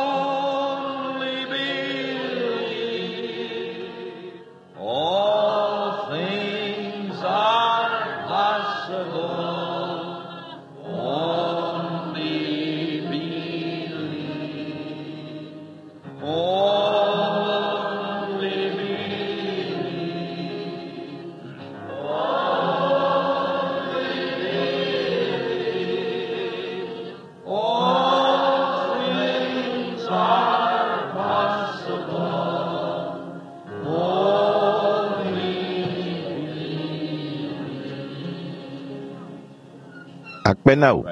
Only believe. All things are possible. Only believe. Only believe. Only believe. All things are possible. Only Akpe na wò,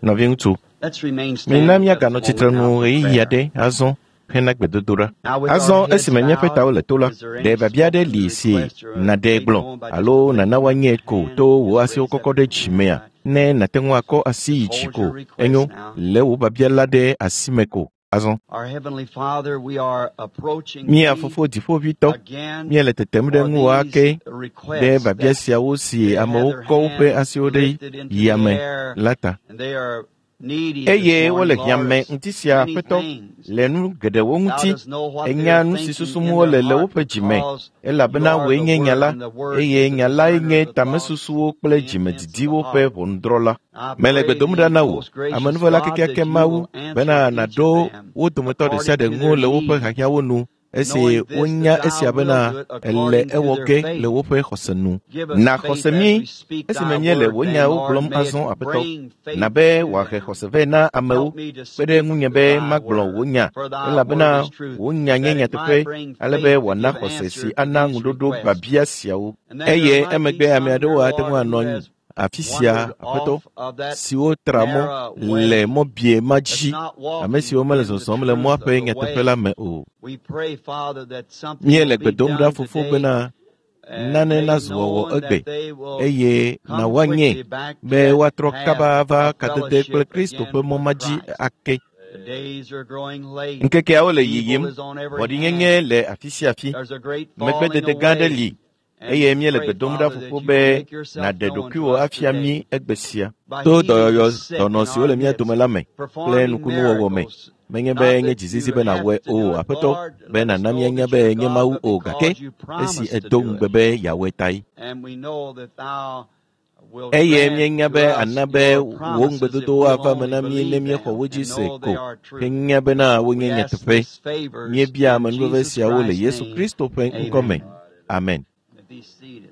nɔviŋutsu. Let's remain Mina standing just míaganɔ a tsitre moment nu now for ɣeyiɣi prayer. aɖe azɔ hena gbedodoɖa. Now with our Azɔ heads esime míaƒe bowed, tawo le to la, is there ɖe any biabia aɖe spoken li si request or a nàɖe made gblɔ known by just alo lifting nàna up woanye your ko hand? to wò Just asiwo raise up kɔkɔ ɖe your dzi hand mea? high. Ne nàte ŋu akɔ asi yi dzi Hold ko your request enyo, now. lé wò biabia la ɖe asi me ko azɔ. Our Heavenly Father, we are approaching Mía Thee Fofo Dziƒoʋĩtɔ, again míele tetem ɖe for ŋuwò these ake ɖe requests biabia that siawo si they have amewo their kɔ woƒe hands asiwo ɖe lifted into the yame air la ta. and they are needy this Eye wole morning, Lord, hiãme of ŋuti sia many Aƒetɔ things. le nu geɖewo Thou ŋuti. dost know what they Enya are nu si thinking susum in their wole le heart woƒe dzi me, because you elabena are wòe the nye nya Word la, and the Word eye is the nya lae discerner nye of the thoughts tamesusuwo kple and the intents of the dzimedidiwo ƒe heart. ʋɔnudrɔ̃la. I Mele pray gbe dom thee, ɖa na wò, most gracious amenuvela God, that kekeake you Mawu, will answer bena each of nàɖo them wo dometɔ ɖe sia according ɖe to ŋu their le woƒe need, hiahiãwo nu, esi knowing this, that wonya thou esia wilt bena do it èle according to ewɔ their ge le faith. woƒe xɔse nu. Give us Na faith xɔse as mí we speak esime thy míele word, wò then, nyawo Lord, gblɔm may it azɔ Aƒetɔ. bring faith Na be to wòahe them. xɔse vɛ na amewo. Help me to Kpe ɖe speak ŋunye be thy magblɔ wò word, nya, for thy elabena word is truth, wò nya nye that it nyateƒe, might bring ale be faith to wòana give xɔse si answer to ana these ŋuɖoɖo requests. biabia siawo. And then there Eye might be emegbe ame some here, aɖewo ate ŋu Lord, who anɔ anyi has afi sia, wandered Aƒetɔ, off of that siwo tra mɔ narrow le way, mɔ bie ma that's dzi, not ame walking siwo mele in the zɔzɔm le mɔa truth of ƒe the nyateƒe way. la me o. We pray, Father, that something will Míele be gbe dom ɖa done Fofo today bena and nane made nazu wɔwɔ known egbe that they will eye come na woanye quickly back to be that woatrɔ path kaba ava of kadede kple fellowship Kristo again ƒe mɔ with ma dzi Christ. ake. The days are growing late. Ŋkekeawo le Evil yiyim, is on every vɔ̃ɖinyenye hand. le afi sia afi. There's a great falling Megbedede gã aɖe away. li And eye we míele pray, gbe dom ɖa Father, that Fofo you be will make yourself nàɖe known to ɖokuiwò us afia today mí egbe sia. by To healing the dɔyɔyɔ sick in dɔnɔ siwo our le mía dome midst, la me kple performing nukunuwɔwɔ me. miracles. Menye be Not nye that dzizizi you be have nàwɔe to o, do it, Aƒetɔ, Lord, be let us nàna know míanya that be you're nye God, Mawu but o, gake because you esi promised to èdo do ŋugbe it. be yeawɔe tae. And we know that thou will Eye grant míenya to be us ana be your wò promises if ŋugbedodowo we'll ava eme only na mí ne believe míexɔ them wo dzi and se know ko they are true. henya bena We wonye ask nyateƒe. these favors Míebia in amenuveve Jesus siawo le Christ's Yesu name. Kristo ƒe ŋkɔ me. Amen. Amen. Be seated.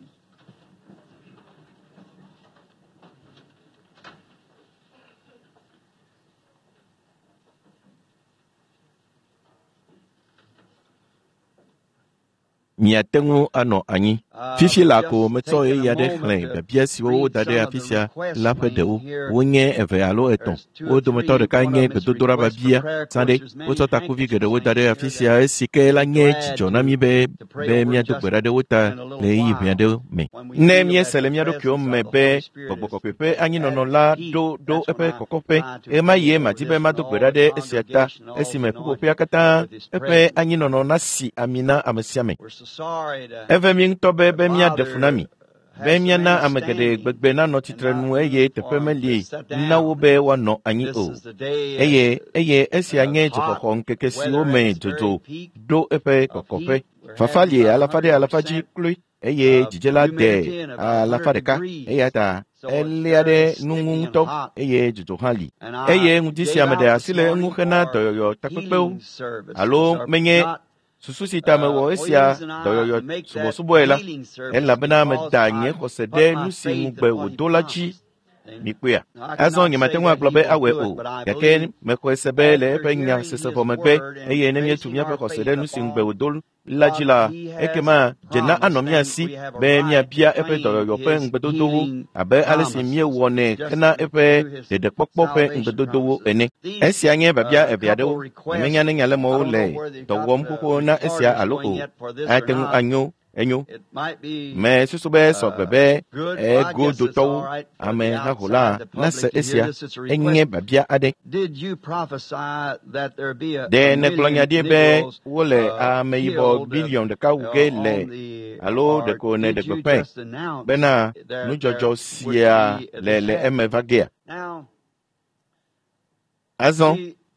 Miate ŋu anɔ anyi. Fifi We've la ko just metsɔ taken a ɣeyiɣi aɖe moment xlẽ to biabia siwo read woda ɖe some of afi the sia requests la ƒe Wayne ɖewo. here. Wonye eve alo etɔ̃. There's two Wo or dometɔ three. ɖeka One nye of them is gbedodoɖa request for biabia prayer. Of zã course, ɖe. there's many Wotsɔ takuvi handkerchiefs geɖewo da hanging ɖe here afi that sia esi ke la we'd be nye glad dzidzɔ na to mí be to pray be over míado just gbe ɖa ɖe wo ta in a le little ɣeyiɣi ʋɛ while. aɖewo me. When we Ne feel that míese the le mía ɖokuiwo presence me of the be Holy Spirit Gbɔgbɔ is Kɔkɔe ƒe at anyinɔnɔ la peak, ɖo ɖo that's when eƒe I kɔkɔƒe, try to ɣemaɣie pray over madi be this and mado gbe all ɖa the ɖe esia ta congregation, all esime anointed ƒuƒoƒea katã with His eƒe presence. anyinɔnɔ nasi ami na ame sia ame. We're so sorry to, Eve mí ŋutɔ be to be míaɖe fu na bother, mi, be have so míana many ame geɖe standing gbegbe nanɔ and tsitre not nu eye room teƒe for 'em to meli sit na wo down. be woanɔ anyi This o. is the day Eye eye esia of nye hot dzoxɔxɔ ŋkeke siwo weather at me its very dzodzo peak ɖo eƒe of kɔkɔƒe. heat. We're Fafa having li about alafa ɖe alafa dzi 100% kloe eye of dzidze la de humidity and about alafa 100 ɖeka degrees. eya ta So it's eléa ɖe very nu ŋu sticky and ŋutɔ hot. eye dzodzo hã li. And Eye I ŋdi gave sia meɖe out this asi le eŋu morning hena for dɔyɔyɔ takpekpewo healing services, alo or menye not susu si ta mewɔ only esia reason I dɔyɔyɔ make that subɔsubɔe la, healing service elabena because meda nye I xɔse put ɖe my nu si faith ŋugbe in what he wòdo la dzi promised. And mikpɔea. I Azɔ cannot nyemate say ŋu that agblɔ he be will awɔe do it, o, but I gake believe mexɔe se be le after eƒe nya hearing sese his vɔ megbe word and eye ne míetu basing míaƒe our xɔse faith ɖe nu si ŋugbe upon wòdo la dzi what la, he has ekema dzena anɔ promised, mía then si we have a be right to míabia eƒe claim dɔyɔyɔ ƒe his ŋugbedodowo healing abe ale si promises míewɔnɛ just hena eƒe through his ɖeɖekpɔkpɔ ƒe salvation ŋugbedodowo promises. ene. These Esia nye biabia eve couple aɖewo. requests, Nyemenya ne I nyalemewo don't le know where they've dɔ got wɔm the xoxo na esia recorders alo going o. yet for this or Ate ŋu not. anyo enyo. It might be Mesusu be sɔgbe be good. Well, I guess it's egodotɔwo all right for the amehaho la outside, the nase public to hear esia. this. It's a Enye request. biabia aɖe. Did you prophesy that there be Ɖe a nègblɔ nya million ɖi be Negroes wole ameyibɔ killed biliɔn ɖeka wu ge le on the, alo or ɖeko nèɖe did you gbeƒãe just announce bena there there nudzɔdzɔ would sia be le this le happen? eme va gea? Now, Azɔ see,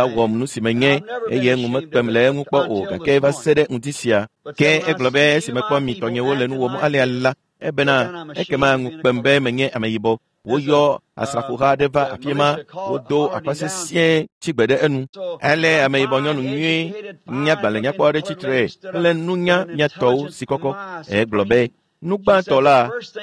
la wɔm nu si menye eye ŋu mekpem le eŋu kpɔ o gake va se ɖe ŋdi sia. Ke egblɔ be esi mekpɔ mi tɔnyewo le nu wɔm alea la, ebena ekema ŋu kpem be menye ameyibɔ. Woyɔ asrafoha aɖe va afi ma, wodo aƒa sesĩe tsi gbe ɖe enu. Ale ameyibɔ nyɔnu nyui nyagbalẽnyakpɔ aɖe tsitre kple nunya miatɔwo si kɔkɔ. Egblɔ be, nu gbãtɔ la,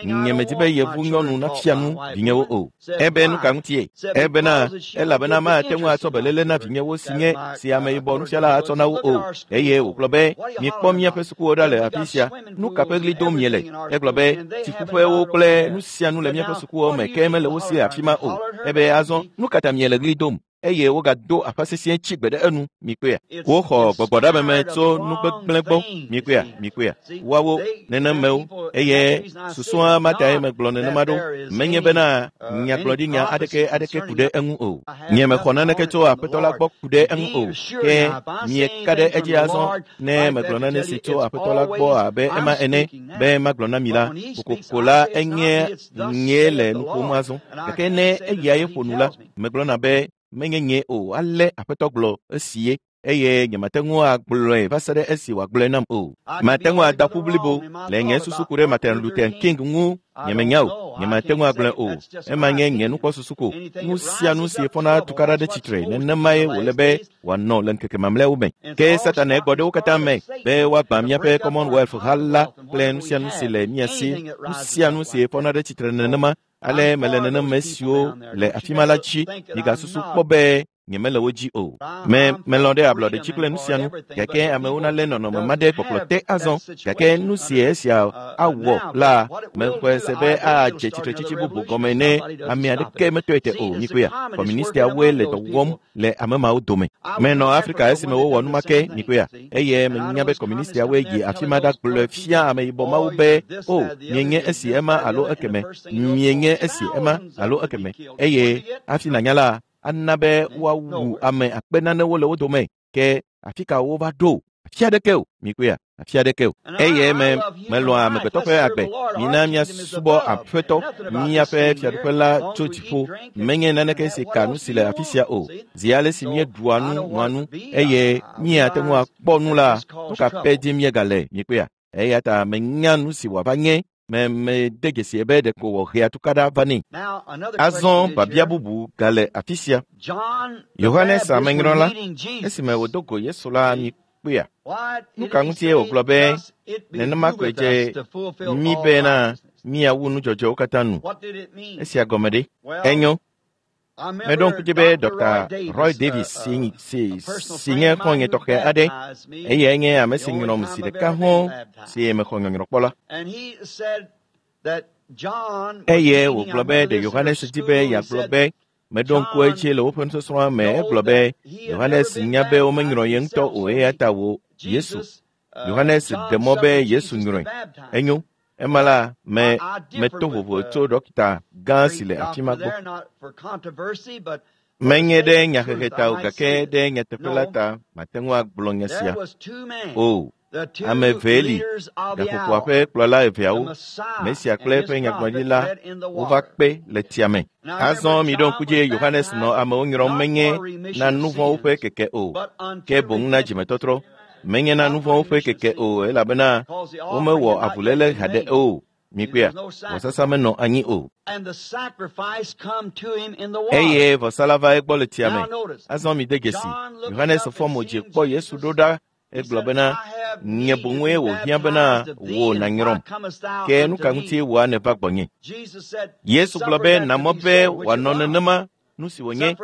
nyemedi be yevu nyɔnu nafia nu vinyewo o. Ebe nu ka ŋutie? Ebena elabena mate ŋu atsɔ beléle na vinyewo si nye si ameyibɔ nufiala atsɔ na wo o. Eye wògblɔ be, miekpɔ míaƒe sukuwo ɖa le afi sia. Nu ka ƒe ɣli dom miele? Egblɔ be, tsiƒuƒewo kple nu sia nu le míaƒe sukuwo me ke mele wo si le afi ma o. Ebe azɔ, nu ka ta miele ɣli dom? eye wogado aƒa sesĩe tsi gbe ɖe enu. Mikpɔea? Woxɔ gbɔgbɔɖameme tso nugbegblẽ gbɔ. Mikpɔea? Mikpɔea? Woawo nenemewo eye susua ma tae megblɔ nenema ɖo. Menye bena nyagblɔɖinya aɖeke aɖeke ku ɖe eŋu o. Nye mexɔ naneke tso Aƒetɔ la gbɔ ku ɖe eŋu o. Ke mieka ɖe edzi azɔ ne megblɔ nane si tso Aƒetɔ la gbɔ abe ema ene be magblɔ na mi la, kokoko la enye nyee le nu ƒom azɔ. Gake ne eyae ƒo nu la, megblɔna be menye nye o ale Aƒetɔ gblɔ esie eye nyemate ŋu agblɔe va se ɖe esi wòagblɔe nam o. Mate ŋu ada ƒu blibo le nye susu ku ɖe Martin Luther King ŋu nyemenya o, nyemate ŋu agblɔe o. Ema nye nye nukpɔsusu ko. Nu sia nu si fɔna tukaɖa ɖe tsitre nenemae wòle be wòanɔ le ŋkeke mamlɛawo me. Ke Satana gbɔ ɖe wo katã me be woagbã míaƒe Commonwealth ha la kple nu sia nu si le mía si. Nu sia nu si fɔna ɖe tsitre nenema ale mele nenema siwo le afi ma la dzi. Migasusu kpɔ be nyemele wo dzi o. Me melɔ̃ ɖe ablɔɖe dzi kple nu sia nu, gake amewo nalé nɔnɔme ma ɖe kpɔkplɔ te azɔ. Gake nu si esia awɔ la, mexɔe se be adze tsitretsitsi bubu gɔme ne ame aɖeke metɔe te o. Mikpɔea? Kɔmunistiawoe le dɔ wɔm le ame mawo dome. Menɔ Afrika esime wowɔ nu ma ke. Mikpɔea? Eye menya be kɔmunistiawoe yi afi ma ɖagblɔe fia ameyibɔ mawo be, o, mienye esi ema alo ekeme, mienye esi ema alo ekeme. Eye hafi nànya la, ana be woawu ame akpe nanewo le wo dome. Ke afi ka wova ɖo? Afi aɖeke o. Mikpɔea? Afi aɖeke o. Eye me melɔ̃a amegbetɔ ƒe agbe. Mina míasubɔ Aƒetɔ, míaƒe fiaɖuƒe la tso dziƒo. Menye naneke si ka nu si le afi sia o. Zi ale si míeɖua nu, nɔa nu eye míate ŋu akpɔ nu la, nu ka ƒe dim míegale? Mikpɔea? Eya ta menya nu si wòava nye. Me mede dzesi be ɖeko wòhea tukaɖa vanɛ. Azɔ biabia bubu gale afi sia. Yohanes Amenyrɔla, esime wòdo go Yesu la, mikpɔea? Nu ka ŋutie wògblɔ be nenema koe dze mí bena míawu nudzɔdzɔewo katã nu? Esia gɔme ɖe? Enyo. Meɖo ŋku dzi be Dr. Roy Davis si nye xɔ̃nye tɔxɛ aɖe, eyae nye ame si nyrɔm zi ɖeka hɔ̃ si mexɔ nyɔnyrɔ kpɔ la. Eye wògblɔ be ɖe Yohanes di be yeagblɔ be meɖo ŋku edzi le woƒe nusɔsrɔ̃a me. Egblɔ be Yohanes nya be womenyrɔ ye ŋutɔ o eya ta wò Yesu. Yohanes ɖe mɔ be Yesu nyrɔe. Enyo. Ema la me meto vovo tso ɖɔkita gã si le afi ma gbɔ. Menye ɖe nyahehe ta o, gake ɖe nyateƒe la ta mate ŋu agblɔ nya sia. O, ame evee li, gaƒoƒoa ƒe kplɔla eveawo, Mesia kple eƒe nyagblɔɖila wova kpe le tsia me. Azɔ miɖo ŋku dzi Yohanes nɔ amewo nyrɔm menye na nu vɔ̃wo ƒe keke o, ke boŋ na dzimetɔtrɔ. Menye na nu vɔ̃wo ƒe keke o, elabena womewɔ avuléle haɖe o. Mikpɔea? Vɔsasa menɔ anyi o. Eye vɔsa la va egbɔ le tsia me. Azɔ mide dzesi. Yohanes fɔ mo dzi kpɔ Yesu ɖo ɖa. Egblɔ bena, nye boŋue wòhiã bena wò nànyrɔm. Ke nu ka ŋutie wòa nèva gbɔnye? Yesu gblɔ be na mɔ be wòanɔ nenema nu si wònye.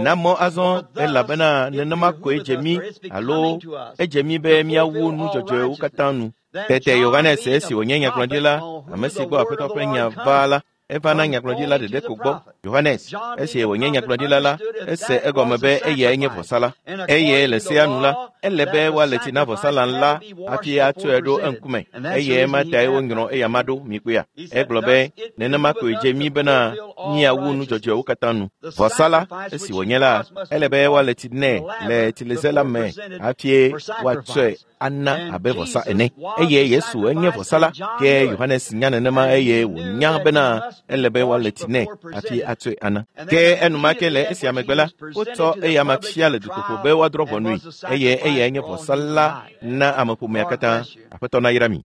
Na mɔ azɔ elabena nenema koe dze mí alo edze mí be míawu nu dzɔdzɔewo katã nu. Tete Yohanes esi wònye nyagblɔɖila, ame si gbɔ Aƒetɔ ƒe nya va la, eva na nyagblɔɖila ɖeɖe ko gbɔ. Yohanes, esi wònye nyagblɔɖila la, ese egɔme be eyae nye vɔsala. Eye le sea nu la, ele be woale tsi na vɔsalã la hafi atsɔe ɖo eŋkume. Eye ema tae wonyrɔ eyama ɖo. Mikpɔea? Egblɔ be nenema koe dze mí bena míawu nu dzɔdzɔewo katã nu. Vɔsala, esi wònye la, ele be woale tsi nɛ le tsileze la me hafi woatsɔe ana abe vɔsa ene. Eye Yesu enye vɔsala, ke Yohanes nya nenema eye wònya bena ele be woale tsi nɛ hafi atsɔe ana. Ke enumake le esia megbe la, wotsɔ eyama fia le dutoƒo be woadrɔ̃ ʋɔnui eye eyae nye vɔsala na ameƒomea katã. Aƒetɔ nayra mi.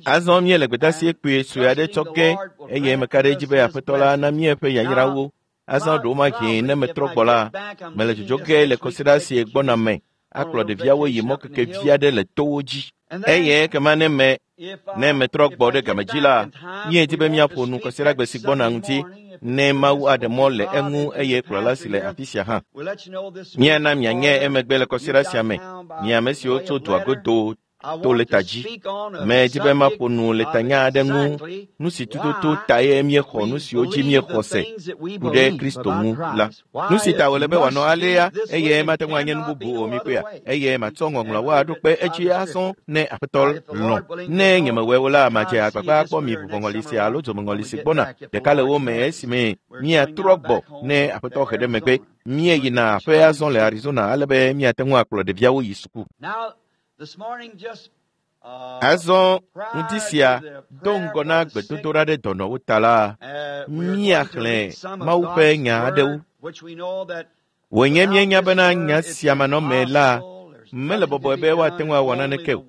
Azɔ míele gbedeasi kpui sue aɖe tsɔ ge eye meka ɖe edzi be Aƒetɔ la na míeƒe yayrawo. Azɔ ɖewomahi ne metrɔ gbɔ la, mele dzodzo ge le kɔsiɖa si gbɔna me akplɔ ɖeviawo yi mɔkeke vi aɖe le towo dzi. Eye ekema ne metrɔ gbɔ ɖe game dzi la, míedi be míaƒo nu kɔsiɖagbe si gbɔna ŋuti ne Mawu aɖe mɔ le eŋu eye kplɔla si le afi sia hã. Míana mianye emegbe le kɔsiɖa sia me, mi ame siwo tso dua godo to leta dzi. Medi be maƒo nu le tanya aɖe ŋu, nu si tututu tae míexɔ nu siwo dzi míexɔ se ku ɖe Kristo ŋu la. Nu si ta wòle be wòanɔ alea eye mate ŋu anye nu bubu o mikpɔea, eye matsɔ ŋɔŋlɔawo aɖo kpe edzi azɔ ne Aƒetɔ lɔ̃. Ne nyemewɔe o la, madze agbagba akpɔ mi vuvɔŋɔli sia alo dzomeŋɔli si gbɔna ɖeka le wo me esime míatrɔ gbɔ ne Aƒetɔ he ɖe megbe. Míeyina aƒe azɔ le Arizona ale be míate ŋu akplɔ ɖeviawo yi suku. Azɔ ŋdi sia do ŋgɔ na gbedodoɖa ɖe dɔnɔwo ta la, míaxlẽ Mawu ƒe nya aɖewo. Wònye míenya bena nya sia manɔmee la, mele bɔbɔe be woate ŋu awɔ naneke o,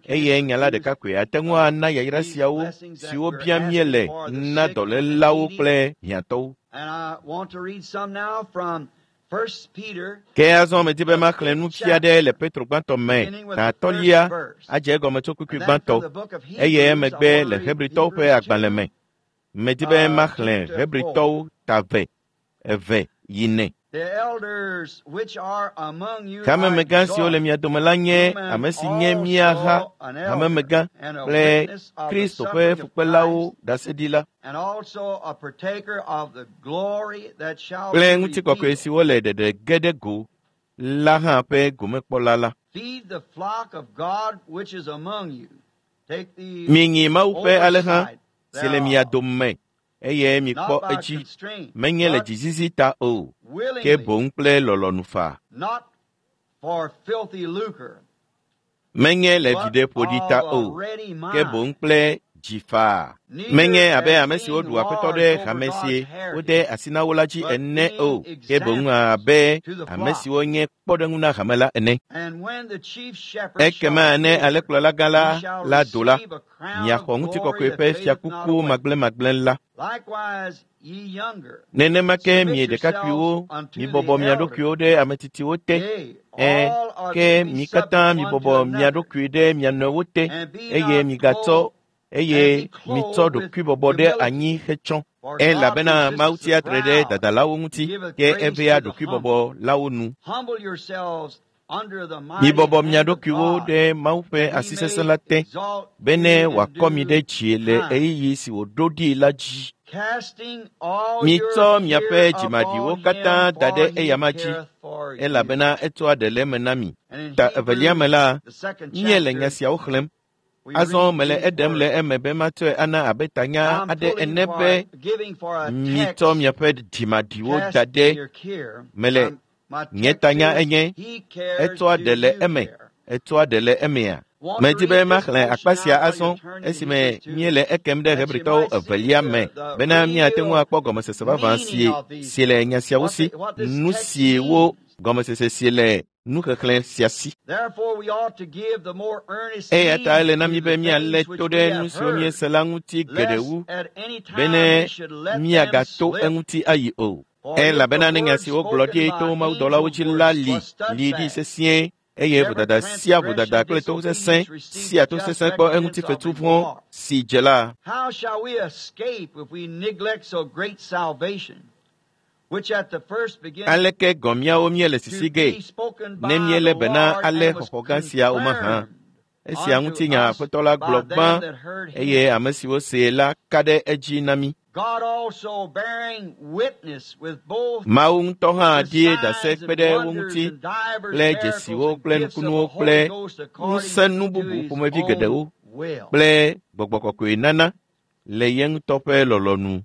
eye nya la ɖeka koe ate ŋu ana yayra siawo siwo biam míele na dɔlélawo kple hiãtɔwo. Ke azɔ medi be maxlẽ nufia aɖe le Petro gbãtɔ me ta atɔ̃lia adze egɔme tso kpukpui gbãtɔ eye emegbe le Hebritɔwo ƒe agbalẽ me. Medi be maxlẽ Hebritɔwo ta 2, 2 yi 4. Hamemegã siwo le mia dome la nye ame si nye mía ha hamemegã kple Kristo ƒe fukpelawo ɖaseɖila kple ŋutikɔkɔe siwo le ɖeɖe ge ɖe go la hã ƒe gomekpɔla la. Minyi Mawu ƒe alẽha si le mia dome eye mikpɔ edzi, menye le dzizizi ta o, ke boŋ kple lɔlɔ̃nu faa. Menye le viɖe ƒoɖi ta o, ke boŋ kple dzi faa. Menye abe ame siwo ɖu aƒetɔ ɖe hame si wode asi na wo la dzi ene o, ke boŋ abe ame siwo nye kpɔɖeŋu na hame la ene. Ekema ne alẽkplɔla gã la la do la, miaxɔ ŋutikɔkɔe ƒe fiakuku magblẽmagblẽ la. Nenema ke mi ɖekakpuiwo, mibɔbɔ mia ɖokuiwo ɖe ame tsitsiwo te. Ẽ, ke mi katã mibɔbɔ mia ɖokui ɖe mia nɔewo te, eye migatsɔ eye mitsɔ ɖokuibɔbɔ ɖe anyi hetsɔ. Elabena Mawu tsia tre ɖe dadalawo ŋuti, ke evea ɖokuibɔbɔlawo nu. Mibɔbɔ mia ɖokuiwo ɖe Mawu ƒe asi sesẽ la te, bene wòakɔ mi ɖe dzi le ɣeyiɣi si wòɖo ɖi la dzi. Mitsɔ miaƒe dzimaɖiwo katã da ɖe eyama dzi, elabena etsɔa ɖe le eme na mi. Ta evelia me la, míele nya siawo xlẽm. Azɔ mele eɖem le eme be matsɔe ana abe tanya aɖe ene be mitsɔ miaƒe dzimaɖiwo da ɖe mele nye tanya enye etsɔa ɖe le eme etsɔa ɖe le emea. Medi be maxlẽ akpa sia azɔ esime míele ekem ɖe Hebritɔwo evelia me bena míate ŋu akpɔ gɔmesese vavã si le nya siawo si, nu siwo gɔmesese si le nuxexlẽ sia si. Eya ta ele na mí be míalé to ɖe nu siwo míese la ŋuti geɖe wu bene míagato eŋuti ayi o. Elabena ne nya si wogblɔ ɖi to mawudɔlawo dzi la li li ɖi sesĩe eye vodada sia vodada kple tosesẽ sia tosesẽ kpɔ eŋuti fetu vɔ̃ si dze la. Aleke gɔ̃ míawo míele sisi gee ne míelé be na ale xɔxɔ gã sia o mahã? Esia ŋuti nya Aƒetɔ la gblɔ gbã eye ame siwo see la ka ɖe edzi na mí. Mawu ŋutɔ hã ɖi ɖase kpe ɖe wo ŋuti kple dzesiwo kple nukunuwo kple ŋusẽnu bubu ƒomevi geɖewo kple gbɔgbɔ kɔkɔe nana le ye ŋutɔ ƒe lɔlɔ̃nu.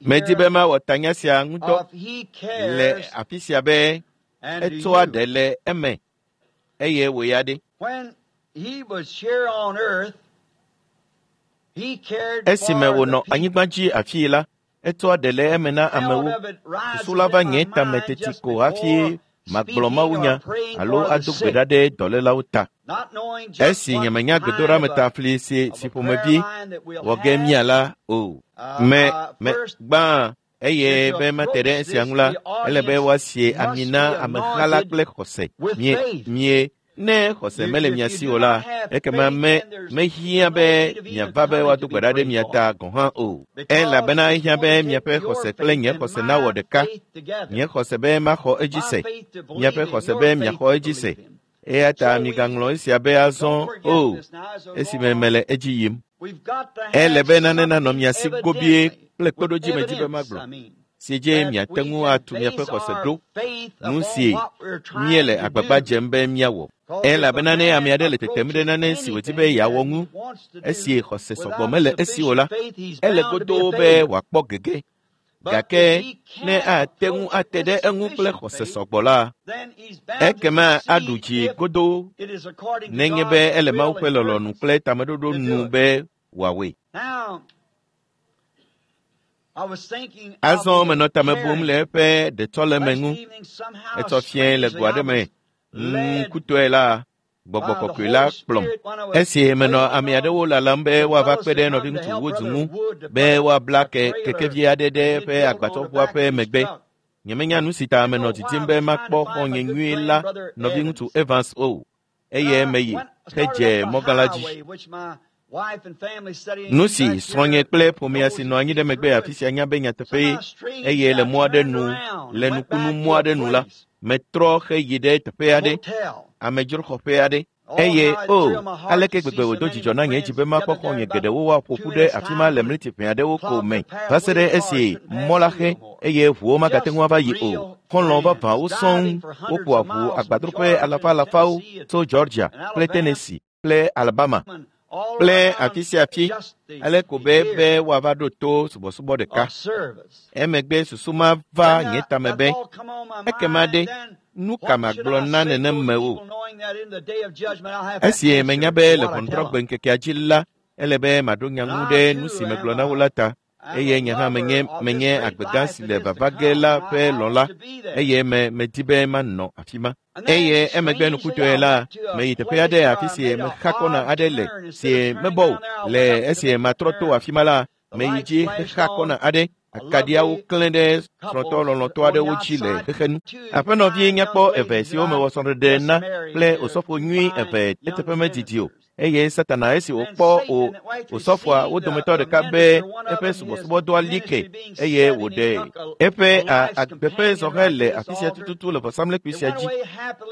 Medi be mawɔ tanya sia ŋutɔ le afi sia be etsɔa ɖe le eme eye wòya ɖe. Esime wònɔ anyigba dzi afii la, etsɔa ɖe le eme na amewo. Susu la va nye tame teti ko hafi magblɔ mawunya alo ado gbe ɖa ɖe dɔlélawo ta. Esi nyemenya gbedoɖa fli si ƒomevi wɔ ge mía la o. Me gbã eye be mate ɖe esia ŋu la, ele be woasie ami na ameha la kple xɔse. Mie ne xɔse mele mia si o la, ekema mehiã be miava be woado gbe ɖa ɖe mia ta gɔ̃ hã o. Elabena ehiã be miaƒe xɔse kple nye xɔse nawɔ ɖeka. Nye xɔse be maxɔ edzi se, miaƒe xɔse be miaxɔ edzi se. Eya ta migaŋlɔ esia be azɔ o esime mele edzi yim. Ele be nane nanɔ mia si gobie kple kpeɖodzi me dzi be magblɔ si dzi miate ŋu atu miaƒe xɔse ɖo nu si míele agbagba dzem be míawɔ. Elabena ne ame aɖe le tetem ɖe nane si wòdi be yeawɔ ŋu esi xɔse sɔgbɔ mele esi o la, ele godoo be wòakpɔ gege. Gake ne ate ŋu ate ɖe eŋu kple xɔse sɔgbɔ la, ekema aɖu dzi godoo nenye be ele Mawu ƒe lɔlɔ̃nu kple tameɖoɖo nu be wòawɔe. Azɔ menɔ tame bum le eƒe ɖetsɔleme ŋu. Etsɔ fiẽ le go aɖe me ŋkutɔe la, gbɔgbɔ kɔkɔe la kplɔm. Esi menɔ ame aɖewo lalam be woava kpe ɖe nɔviŋutsu Woods ŋu be woabla kekevi aɖe ɖe eƒe agbatsɔʋua ƒe megbe. Nyemenya nu si ta menɔ didim be makpɔ xɔ̃nye nyui la nɔviŋutsu Evans o eye meyi hedze mɔgã la dzi. Nu si srɔ̃nye kple ƒomea si nɔ anyi ɖe megbe afi sia nya be nyateƒee eye le mɔ aɖe nu le nukunu mɔ aɖe nu la, metrɔ heyi ɖe teƒe aɖe, amedzroxɔƒe aɖe. Eye o, aleke gbegbe wòdo dzidzɔ na nye dzi be makpɔ xɔ̃nye geɖewo woaƒo ƒu ɖe afi ma le mliti ʋɛ aɖewo ko me va se ɖe esi mɔ la xe eye ʋuwo magate ŋu ava yi o. Xɔlɔ̃ vavãwo sɔŋ woƒoa ʋu agbadroƒe alafa alafawo tso Georgia kple Tennessee kple Alabama kple afi sia afi ale ko be be woava ɖo to subɔsubɔ ɖeka. Emegbe susu ma va nye tame be ekema ɖe nu ka magblɔ na nenemewo? Esi menya be le ʋɔnudrɔ̃gbe ŋkekea dzi la, ele be maɖo nya ŋu ɖe nu si megblɔ na wo la ta eye nye hã menye menye agbegã si le vava ge la ƒe lɔla eye me medi be manɔ afi ma. Eye emegbe nukutɔe la, meyi teƒe aɖe afi si mexa kɔna aɖe le si mebɔ o. Le esi matrɔ to afi ma la, meyi dzi xexa kɔna aɖe. Akaɖiawo klẽ ɖe srɔ̃tɔ lɔlɔ̃tɔ aɖewo dzi le xexenu. Aƒenɔvi nyakpɔ eve siwo mewɔ srɔ̃ɖeɖe na kple osɔfo nyui eve eteƒe medidi o. Eye Satana esi wòkpɔ o osɔfoa wo dometɔ ɖeka be eƒe subɔsubɔdɔa li ke eye wòɖe eƒe agbe ƒe zɔhɛ le afi sia tututu le vɔsamlekpui sia dzi.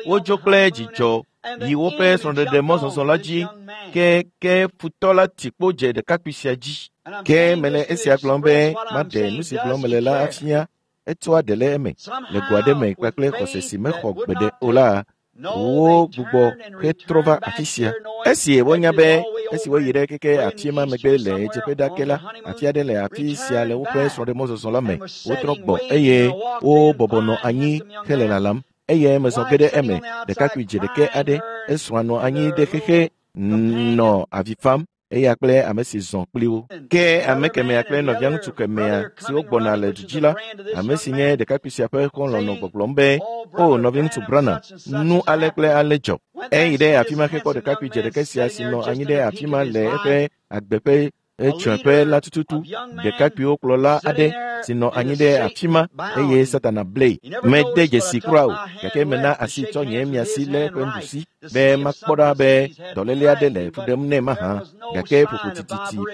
Wodzo kple dzidzɔ yi woƒe srɔ̃ɖeɖe mɔzɔzɔ la dzi ke ke futɔ la ti kpo dze ɖekakpui sia dzi. Ke mele esia gblɔm be maɖe nu si gblɔm mele la afia etsɔa ɖe le eme le go aɖe me kpakple xɔse si mexɔ gbeɖe o la wo gbugbɔ hetrɔ va afi sia. Esi wonya be esi woyi ɖe keke afi ma megbe le ɣedzeƒe ɖa ke la, afi aɖe le afi sia le woƒe srɔ̃ɖemɔzɔzɔ la me. Wotrɔ gbɔ eye wobɔbɔ nɔ anyi hele lalam. Eye mezɔ ge ɖe eme ɖekakpui dze ɖeke aɖe esrɔ̃a nɔ anyi ɖe xexe nɔ avi fam eya kple ame si zɔ kpli wo. Ke ame kemɛa kple nɔvia ŋutsu kemɛa siwo gbɔna le du dzi la, ame si nye ɖekakpui sia ƒe xɔlɔ̃ nɔ gbɔgblɔm be, “O nɔviŋutsu Branham, nu ale kple ale dzɔ.” Eyi ɖe afi ma hekpɔ ɖekakpui dze ɖeke sia si nɔ anyi ɖe afi ma le eƒe agbe ƒe etsɔƒe la tututu ɖekakpuiwo kplɔla aɖe si nɔ anyi ɖe afi ma eye Satana blee. Mede dzesi kura o, gake mena asi tsɔ nye miasi le eƒe nuɖusi be makpɔ ɖa be dɔléle aɖe le fu ɖem nɛ mahã gake ƒoƒo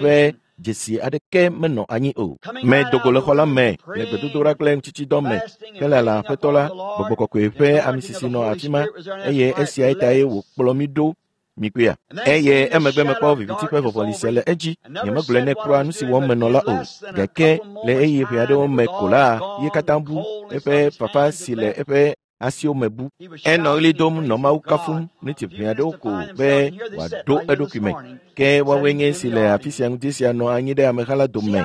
ƒe dzesi aɖeke menɔ anyi o. Medo go le xɔ la me le gbedodoɖa kple ŋutitsidɔ me hele Aƒetɔ la, gbɔgbɔ kɔkɔe ƒe amisisi nɔ afi ma eye esiae tae wòkplɔ mí ɖo mikpɔea. Eye emegbe mekpɔ viviti ƒe vɔvɔli sia le edzi. Nyemegblɔe nɛ kura nu si wɔm menɔ la o. Gake le ɣeyiɣi ʋɛ aɖewo me ko la, ye katã bu eƒe fafa si le eƒe asiwo me bu. Enɔ ɣli dom nɔ Mawu kafum mliti ʋɛ aɖewo ko be wòaɖo eɖokui me. Ke woawoe nye esi le afi sia ŋdi sia nɔ anyi ɖe ameha la dome.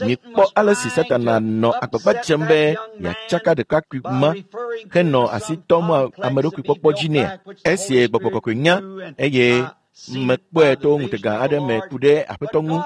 Mikpɔ ale si Satana nɔ agbagba dzem be yeatsaka ɖekakpui ma henɔ asi tɔm ame ɖokui kpɔkpɔ dzi nɛa. Esi gbɔgbɔ kɔkɔe nya eye mekpɔe to ŋutega aɖe me ku ɖe Aƒetɔ ŋu.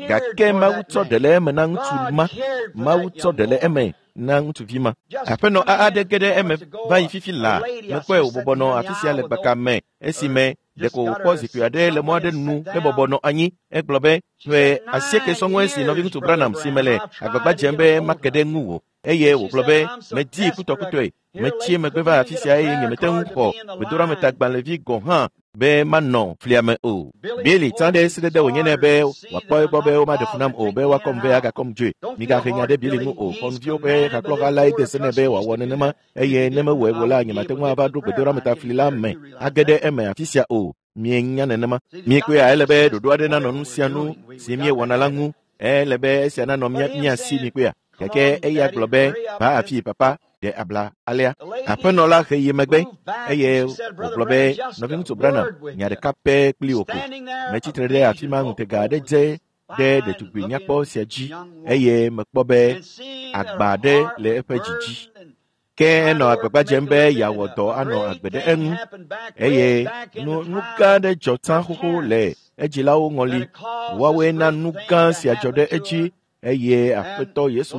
Gake Mawu tsɔ ɖe le eme na ŋutsu ma. Mawu tsɔ ɖe le eme na ŋutsuvi ma. Aƒenɔ aɖe ge ɖe eme va yi fifi laa. Mekpɔe wòbɔbɔ nɔ afi sia le gbaka me esime ɖeko wòkpɔ zikpui aɖe le mɔ aɖe nu hebɔbɔ nɔ anyi. Egblɔ be, “Ƒe asieke sɔŋue si nɔviŋutsu Branham si mele agbagba dzem be make ɖe ŋuwò.” Eye wògblɔ be, “Medii kutɔkutɔe. Metsi megbe va afi sia eye nyemete ŋu xɔ gbedoɖametagbalẽvi gɔ̃ hã be manɔ flia me o. Bili tsã ɖe sedede wònye nɛ be wòakpɔ egbɔ be womaɖe fu nam o be woakɔm ve agakɔm dzoe. Migahe nya ɖe Bili ŋu o. Xɔnuviwo ƒe hakplɔha lae de se nɛ be wòawɔ nenema eye ne mewɔe o la, nyemate ŋu ava ɖo gbedoɖametafli la me age ɖe eme afi sia o. Mienya nenema. Miekpɔea ele be ɖoɖo aɖe nanɔ nu sia nu si míewɔna la ŋu. Ele be esia nanɔ mía si mikpɔea. Gake eya gblɔ be, va afii papa, ɖe abla alea. Aƒenɔ la he yi megbe eye wògblɔ be, nɔviŋutsu Branham, nya ɖeka pɛ kpli wò ko. Metsi tre ɖe afi ma ŋutega aɖe dze ɖe ɖetugbui nyakpɔ sia dzi eye mekpɔ be agba aɖe le eƒe dzi dzi. Ke enɔ agbagba dzem be yeawɔ dɔ anɔ agbe ɖe eŋu eye nu gã aɖe dzɔ tsã xoxo le edzilawo ŋɔli. Woawoe na nu gã sia dzɔ ɖe edzi eye Aƒetɔ Yesu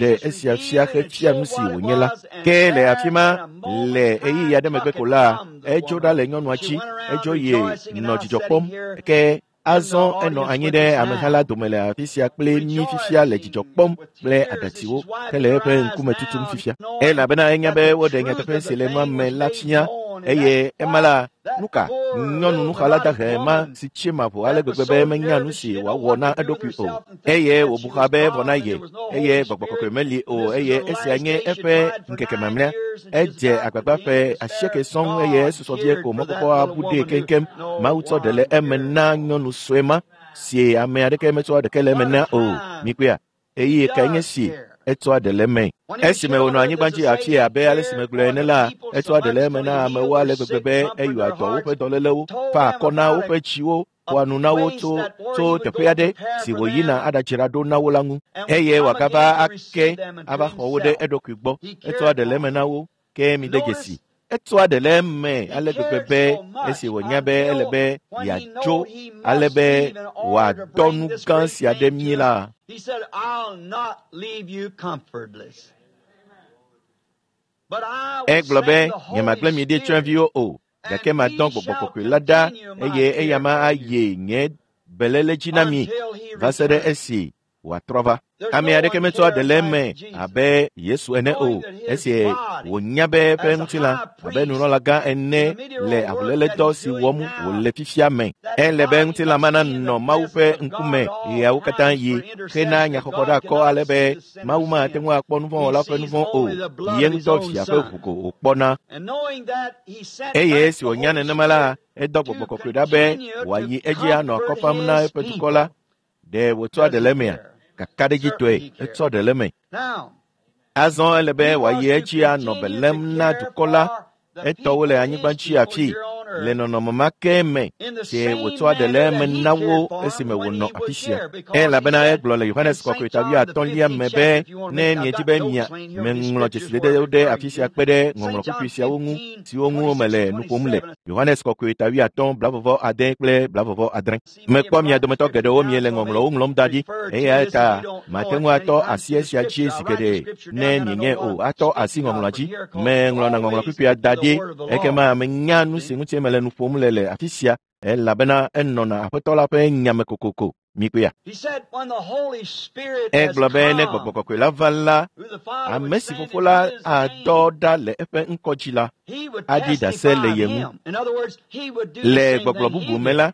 ɖe esia fia hefia nu si wònye la. Ke le afi ma le ɣeyiɣi aɖe megbe ko la, edzo ɖa le nyɔnua dzi, edzo yi nɔ dzidzɔ kpɔm. Ke azɔ enɔ anyi ɖe ameha la dome le afi sia kple mí fifia le dzidzɔ kpɔm kple aɖatsiwo hele eƒe ŋkume tutum fifia. Elabena enya be woɖe nyateƒe si le nua me la fia eye ema la, nu ka nyɔnu nuxala dahe ma si tsi maʋo ale gbegbe be menya nu si wòawɔ na eɖokui o eye wòbu xa be vɔ na ye eye gbɔgbɔ kɔkɔe meli o eye esia nye eƒe ŋkeke mamlɛa. Edze agbagba ƒe 8 sɔŋ eye esusɔ vie ko mɔkpɔkpɔ abu ɖee keŋkeŋ. Mawu tsɔ ɖe le eme na nyɔnu sue ma si ame aɖeke metsɔa ɖeke le eme na o. Mikpɔea, ɣeyiɣi kae nye si etsɔa ɖe le eme? Esime wònɔ anyigba dzi afia abe ale si megblɔe ene la, etsɔa ɖe le eme na amewo ale gbegbe be eyɔa dɔ woƒe dɔlélewo, fa akɔ na woƒe tsiwo, ƒoa nu na wo tso teƒe aɖe si wòyina aɖadzra ɖo na wo la ŋu eye wòagava ake ava xɔ wo ɖe eɖokui gbɔ. Etsɔa ɖe le eme na wo, ke mide dzesi. Etsɔa ɖe le eme ale gbegbe be esi wònya be ele be yeadzo ale be wòadɔ nu gã sia ɖe mí la. He said, I'll not leave you comfortless. But I will Egblɔ be, send the Holy nyemagblẽ mi ɖi Spirit, tsyɔ̃eviwo o, gake madɔ Gbɔgbɔ Kɔkɔe la ɖa eye eya ma ayi nye beléle dzi na mi until he va se ɖe returns. esi wòatrɔ va. There's Ame no aɖeke one metsɔa ɖe le cares eme like Jesus. abe Yesu ene o, Knowing that his esi body, wònya be eƒe as the ŋutilã high abe priest, nunɔlagã ene in the le medial work that avuléledɔ he's si doing wɔm now, wòle fifia me. that Ele be body ŋutilã must ma be in the nanɔ Mawu ƒe presence of ŋkume God at all ɣeawo katã times yi for hena intercession. nyaxɔxɔ ɖe God akɔ cannot ale see be the sinner's Mawu mate sin. ŋu akpɔ He nuvɔ̃wɔla ƒe sees nuvɔ̃ o. only the blood Ye of his ŋutɔ own via ƒe son. ʋu ko wòkpɔna. And knowing that, he sent Eye back esi the wònya Holy nenema la, Spirit edɔ to Gbɔgbɔ Kɔkɔe ɖa be continue to wòayi edzi anɔ akɔ comfort fam na his eƒe dukɔ la. people. Ɖe wòtsɔa Does ɖe he le emea? care? Kakaɖedzitɔe, Certainly he cares. etsɔ ɖe le eme. Now, Azɔ ele be he wòayi was to edzi anɔ be continue to lém na care dukɔ la, for the etɔwo le people, anyigba his dzi people afii here on le earth, nɔnɔme ma ke me in the si same wòtsɔa ɖe le manner eme that he na cared wo for esime them when wònɔ he afi was sia. here, because he Elabena said egblɔ le in Yohanes St. Kɔkɔe ta John the 5 15th me chapter, be if you want to ne make, I've miedi got be notes mia laying here with these meŋlɔ scriptures dzesidedewo where I'm ɖe referring afi sia to. kpe ɖe St. ŋɔŋlɔ John kpukpui siawo ŋu 15, siwo ŋu mele 26 nu and ƒom le. 27. Yohanes Kɔkɔe ta 5, 36 kple 36. See many Mekpɔ have mia write the dometɔ scripture geɖewo down, miele so may ŋɔŋlɔwo ŋlɔm da ɖi refer to eya this if ta you don't know mate it ŋu many atɔ times asi through the esia dzi scripture. zi I write the geɖe scripture ne down, then I know mienye what o I'm atɔ asi speaking of ŋɔŋlɔa from dzi. here, 'cause it's Meŋlɔna ŋɔŋlɔ always kpukpuia da to ɖi the word of the Lord. ekema menya nu See? si ŋuti mele nu ƒom le le afi sia elabena enɔna Aƒetɔ la ƒe nyame kokoko. Mikpɔea? He said, when the Holy Spirit has Egblɔ be ne Gbɔgbɔ come, Kɔkɔe la va la, who the Father would ame si send Fofo in la his adɔ name, ɖa le eƒe ŋkɔ dzi la, he would aɖi ɖase testify le of ye ŋu. him. In other words, he would do the Le same gbɔgblɔ thing he bubu me did. la,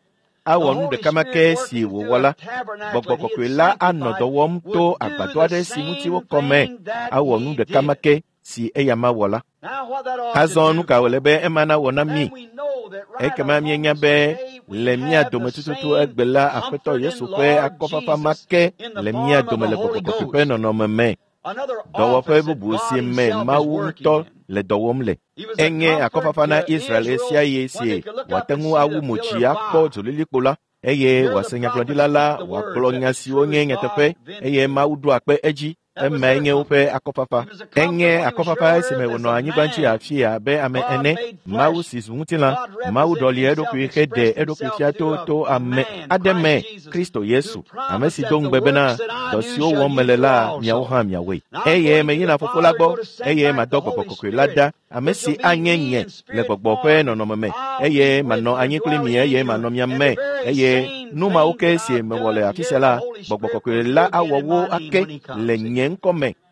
The awɔ nu Holy ɖeka ma Spirit ke si working through wòwɔ a la. tabernacle Gbɔgbɔ that he had Kɔkɔe la anɔ sanctified dɔ wɔm would to do agbadɔ the aɖe si ŋuti same wokɔ me, thing that awɔ nu he ɖeka ma did. ke si eya ma wɔ la. Now, what that ought to Azɔ nu do ka for wòle us? be ema nawɔ na mí? Then we know that right Ekema among míenya us be today we le mía have the dome tututu same egbe la, Aƒetɔ comforting Yesu ƒe Lord akɔfafa ma Jesus ke in the le mía form of dome the le Gbɔgbɔ Holy Kɔkɔe ƒe Ghost. nɔnɔme me. Another Dɔwɔƒe office that bubu God si me Himself is Mawu working ŋutɔ in. le dɔ wɔm le. He was a Enye comfort akɔfafa na to Israel Israel ɣesiaɣi when si they could look up wòate and ŋu see awu the mo pillar dzi of akpɔ fire. dzolilikpo la eye Hear the wòase prophets nyagblɔɖila la speak the wòagblɔ words that nya the siwo true nye nyateƒe God eye vindicated. Mawu ɖoa kpe edzi. That was Emae their nye woƒe comfort. akɔfafa. He was a comfort Enye when he was here akɔfafa on esime earth as wònɔ a anyigba dzi man. afii abe ame God ene. made Mawu flesh. si zu ŋutilã. God Mawu represented ɖɔli himself, eɖokui heɖe expressed eɖokui himself fia through to a to ame man, aɖe me, Christ Jesus, Kristo who Yesu, ame promised si that do the ŋugbe bena works that I dɔ do siwo shall wɔm you mele do la, miawo also. hã miawɔe. Now I'm Eye going to meyina the Fofo la Father, gbɔ go to send eye back madɔ the Gbɔgbɔ Holy Kɔkɔe la Spirit, ɖa, ame which si will be anye me nye in le spirit Gbɔgbɔ ƒe form. nɔnɔme me I'll eye be with manɔ you, anyi kpli mi dwelling in eye you. manɔ mia And me the very eye same nu mawo thing ke that si I've mewɔ le done afi here, sia the la, Holy Gbɔgbɔ Spirit Kɔkɔe will la do again awɔ in wo my name ake when he comes. le See? nye ŋkɔ me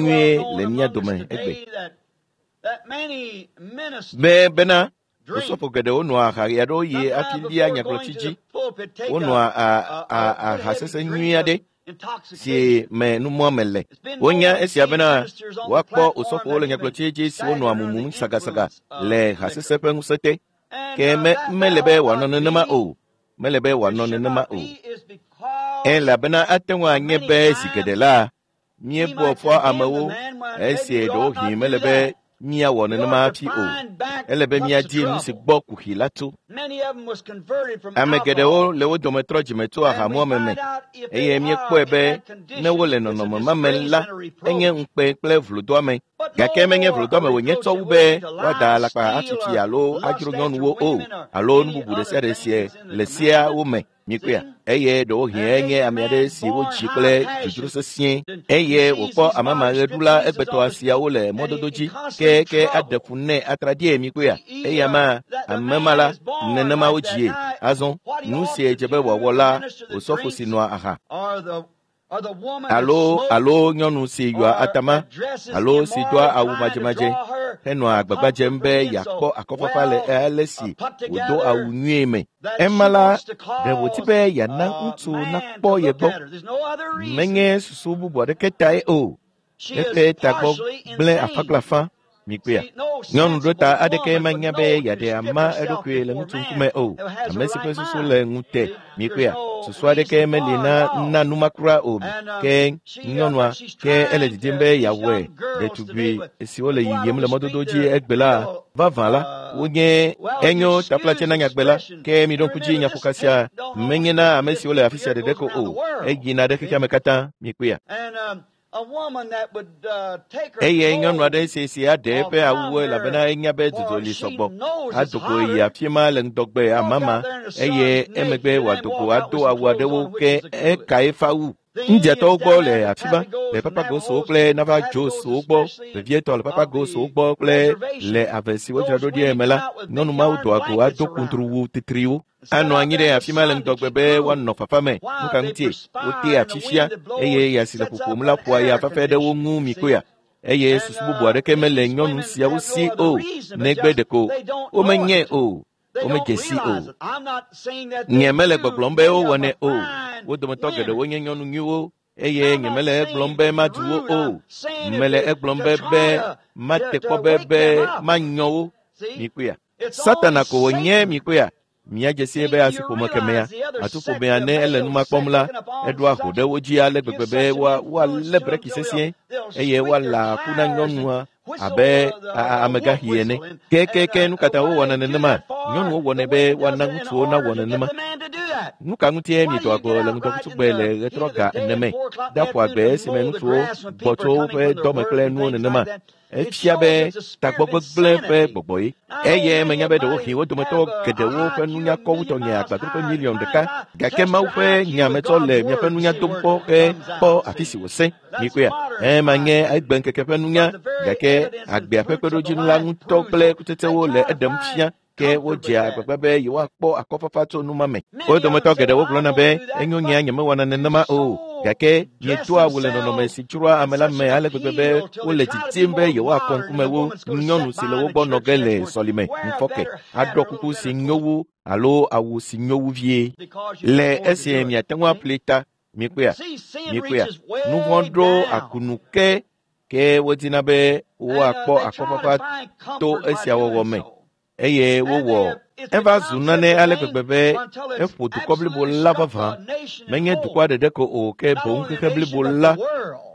nyuie le mía dome egbe. Be bena Osɔfo geɖewo nɔa aha ɣe aɖewo ɣi hafi lia nyagblɔtsi dzi. Wonɔa aha sesẽ nyui aɖe si me numɔame le. Wonya esia bena woakpɔ osɔfowo le nyagblɔtsi dzi siwo nɔa mumum sagasaga le ha sesẽ ƒe ŋusẽ te. Ke mele be wòanɔ nenema o. Mele be wòanɔ nenema o. Elabena ate ŋu anye be zi geɖe la, míebua fɔ amewo esi ɖewohĩ mele be míawɔ nenema hafi o. Ele be míadi nu si gbɔ kuxi la tso. Ame geɖewo le wo dome trɔ dzime tso ahamuame me eye míekpɔe be ne wole nɔnɔme ma me la, enye ŋukpe kple vlodoame. Gake menye vlodoame wònye tsɔ wu be woada alakpa afifi alo adzro nyɔnuwo o alo nu bubu ɖe sia ɖe si le seawo me. Mikpɔea? Eye ɖewohĩ enye ame aɖe si wodzi kple dzodzro sesĩe eye wòkpɔ amamaɣeɖula egbetɔ siawo le mɔdodo dzi ke ke aɖe fu nɛ atraɖie. Mikpɔea? Eya ma ame ma la nenema wodzie. Azɔ nu si dze be wòawɔ la, osɔfo si nɔa aha alo nyɔnu si yɔa atama alo si doa awu madzemadze henɔa agbagba dzem be yeakpɔ akɔfafa le ale si wòdo awu nyuie me. Ema la, ɖe wòdi be yeana ŋutsu nakpɔ ye gbɔ. Menye susu bubu aɖeke tae o. Eƒe tagbɔ gblẽ afã kple afã. Mikpɔea? Nyɔnu ɖota aɖeke manya be yeaɖe ama eɖokui le ŋutsu ŋkume o. Ame si ƒe susu le ŋute. Mikpɔea? Susu aɖeke meli na nu ma kura o. Ke nyɔnua ke ele didim be yeawɔe. Ɖetugbui siwo le yiyim le mɔdodo dzi egbe la, vavã la, wonye enyo taflatse na nyagbe la. Ke miɖo ŋku dzi nyaƒoka sia menye na ame siwo le afi sia ɖeɖe ko o. Eyina ɖe xexea me katã. Mikpɔea? Eye nyɔnu aɖe si si aɖe eƒe awuwo elabena enya be dzudzɔ li sɔgbɔ. Ado go yi afi ma le ŋdɔgbe amama eye emegbe wòado go ado awu aɖewo ke eka eƒe awu. Indiatɔwo gbɔ le afi ma, le Papagosowo kple Navajoswo gbɔ, vevietɔ le Papagosowo gbɔ kple le ave si wodzra ɖo ɖi me la, nyɔnu mawo doa go ado kuntruwu titriwo. Anɔ anyi ɖe afi ma le ŋdɔgbe be woanɔ fafa me. Nu ka ŋutie? Wotea fifia eye ya si le ƒoƒom la ƒoa ya fafɛ ɖe wo ŋu mikpɔea? Eye susu bubu aɖeke mele nyɔnu siawo si o, negbe ɖeko womenyae o, womedze si o. Nye mele gbɔgblɔm be wowɔnɛ o. Wo dometɔ geɖewo nye nyɔnu nyuiwo eye nyemele egblɔm be madu wo o. Mele egblɔm be mate kpɔ be manyɔ wo. Mikpɔea? Satana ko wònye. Mikpɔea? Míadze sie be asiƒome kemea, atuƒomea ne ele nu ma kpɔm la, eɖoa ho ɖe wo dzi ale gbegbe be woalé breki sesĩe eye woala aku na nyɔnua abe amegaxi ene. Kekeke nu ka ta wowɔna nenema? Nyɔnuwo wɔnɛ be woana ŋutsuwo nawɔ nenema. Nu ka ŋutie miedoa go le ŋdɔkutsugbe le ɣetrɔ ga ene me ɖaƒo agbe esime ŋutsuwo gbɔ tso woƒe dɔme kple nuwo nenema? Efia be tagbɔgbegblẽ ƒe gbɔgbɔ ye. Eye menya be ɖewohĩ wo dometɔ geɖewo ƒe nunya kɔ wu tɔnye agbadroƒe miliɔn ɖeka. Gake Mawu ƒe nya metsɔ le miaƒe nunya dom kpɔ ke kpɔ afi si wòsẽ. Mikpɔea? Ema nye egbe ŋkeke ƒe nunya, gake agbea ƒe kpeɖodzinu la ŋutɔ kple kutsetsewo le eɖem fia. Ke wodzea agbagba be yewoakpɔ akɔfafa tso nu ma me. Wo dometɔ geɖewo gblɔna be enyo nyea nyemewɔna nenema o. Gake miedoa awu le nɔnɔme si dzroa ame la me ale gbegbe be wole didim be yewoakɔ ŋkume wu nyɔnu si le wo gbɔ nɔ ge le sɔlime ŋufɔke, aɖɔ kuku si nyo wu alo awu si nyo wu vie. Le esi miate ŋu aƒli ta, mikpɔea? Mikpɔea? Nu vɔ̃ ɖo akunu ke ke wodina be woakpɔ akɔfafa to esia wɔwɔ me. Eye wowɔ eva zu nane ale gbegbe be eƒo dukɔ blibo la vavã. Menye dukɔa ɖeɖe ko o, ke boŋ xexe blibo la.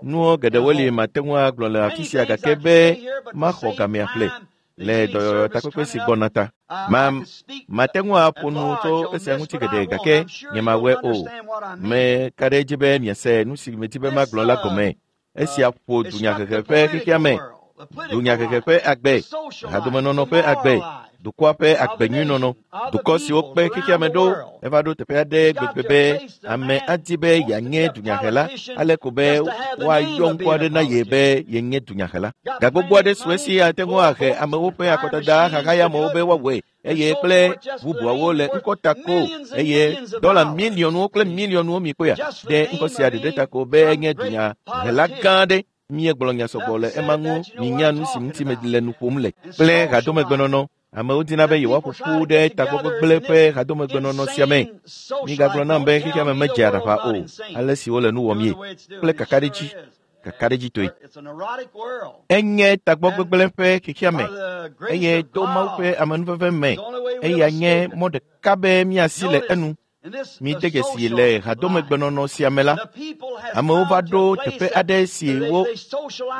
Nuwo geɖewo li mate ŋu agblɔ le afi sia gake be maxɔ gamea ƒle le dɔyɔyɔ takpekpe si gbɔna ta. Mate ŋu aƒo nu tso esia ŋuti geɖe gake nyemawɔe o. Meka ɖe edzi be miase nu si medi be magblɔ la gɔme. Esia ƒo dunyahehe ƒe xexea me, dunyahehe ƒe agbe, hadomenɔnɔ ƒe agbe, dukɔa ƒe agbenyuinɔnɔ, dukɔ siwo kpe xexea me ɖo eva ɖo teƒe aɖe gbegbe be ame adi be yeanye dunyahela ale ko be woayɔ ŋkɔ aɖe na ye be yenye dunyahela. Ga gbogbo aɖe su esi ate ŋu ahe amewo ƒe akɔdada xaxayamewo be woawɔe eye kple bubuawo le ŋkɔ ta ko eye dɔla miliɔnwo kple miliɔnwo mikpɔea ɖe ŋkɔ sia ɖeɖe ta ko be enye dunyahela gã aɖe. Míegblɔ nya sɔgbɔ le ema ŋu minya nu si ŋuti le nu ƒom le kple hadomegbenɔnɔ. Amewo dina be yewoaƒo ƒu ɖe tagbɔgbegblẽ ƒe hadomegbenɔnɔ sia me. Migagblɔ nam be xexea me medze aɖaʋa o, ale si wole nu wɔm ye kple kakaɖedzi, kakaɖedzitɔe. Enye tagbɔgbegblẽ ƒe xexea me eye to Mawu ƒe amenuveve me, eya nye mɔ ɖeka be míasi le enu. Mide dzesi le hadomegbenɔnɔ sia me la, amewo va ɖo teƒe aɖe si wo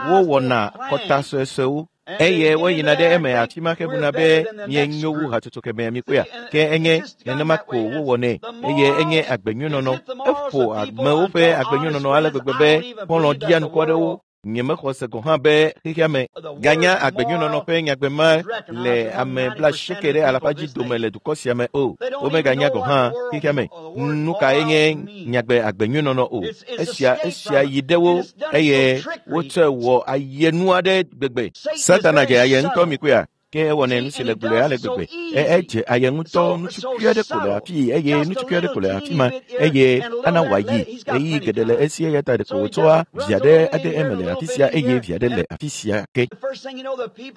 wowɔna kɔta suesuewo eye woyina ɖe eme afi ma hebuna be mienyo wu hatsotso kemɛ mikpɔea ke enye nenema ko wowɔnɛ eye enye agbenyuinɔnɔ eƒo amewo ƒe agbenyuinɔnɔ ale gbegbe be xɔlɔ̃ ɖianuku aɖewo nyemexɔ se gɔ̃ hã be xexea me ganya agbenyuinɔnɔ ƒe nyagbe ma le ame blaasieke ɖe alafa dzi dome le dukɔ sia me o. Womeganya gɔ̃ hã xexea me nu kae nye nyagbe agbenyuinɔnɔ o. Esia esia yi ɖe wo eye wotsɔe wɔ ayenu aɖe gbegbe. Satana dze aye ŋutɔ mi koea? Ke ewɔnɛ nu si le gblɔe ale gbegbe. E edze aye ŋutɔ nutsukui aɖe ko le afii eye nutsukui aɖe ko le afi ma eye ana wòayi ɣeyiɣi geɖe le esi eya ta ɖeko wòtsɔa via ɖe ade eme le afi sia eye via ɖe le afi sia ke.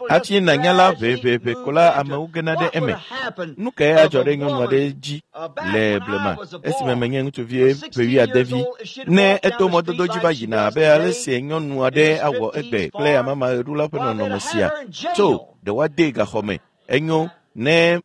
Hafi nànya la ʋeʋeʋe ko la amewo gena ɖe eme. Nu kae adzɔ ɖe nyɔnu aɖe dzi le blema esime menye ŋutsuvi ƒe wuiade vi ne eto mɔdodo dzi va yina abe ale si nyɔnu aɖe awɔ egbe kple amamaɣeɖula ƒe nɔnɔme sia tso ɖe woadee gaxɔ me enyo ne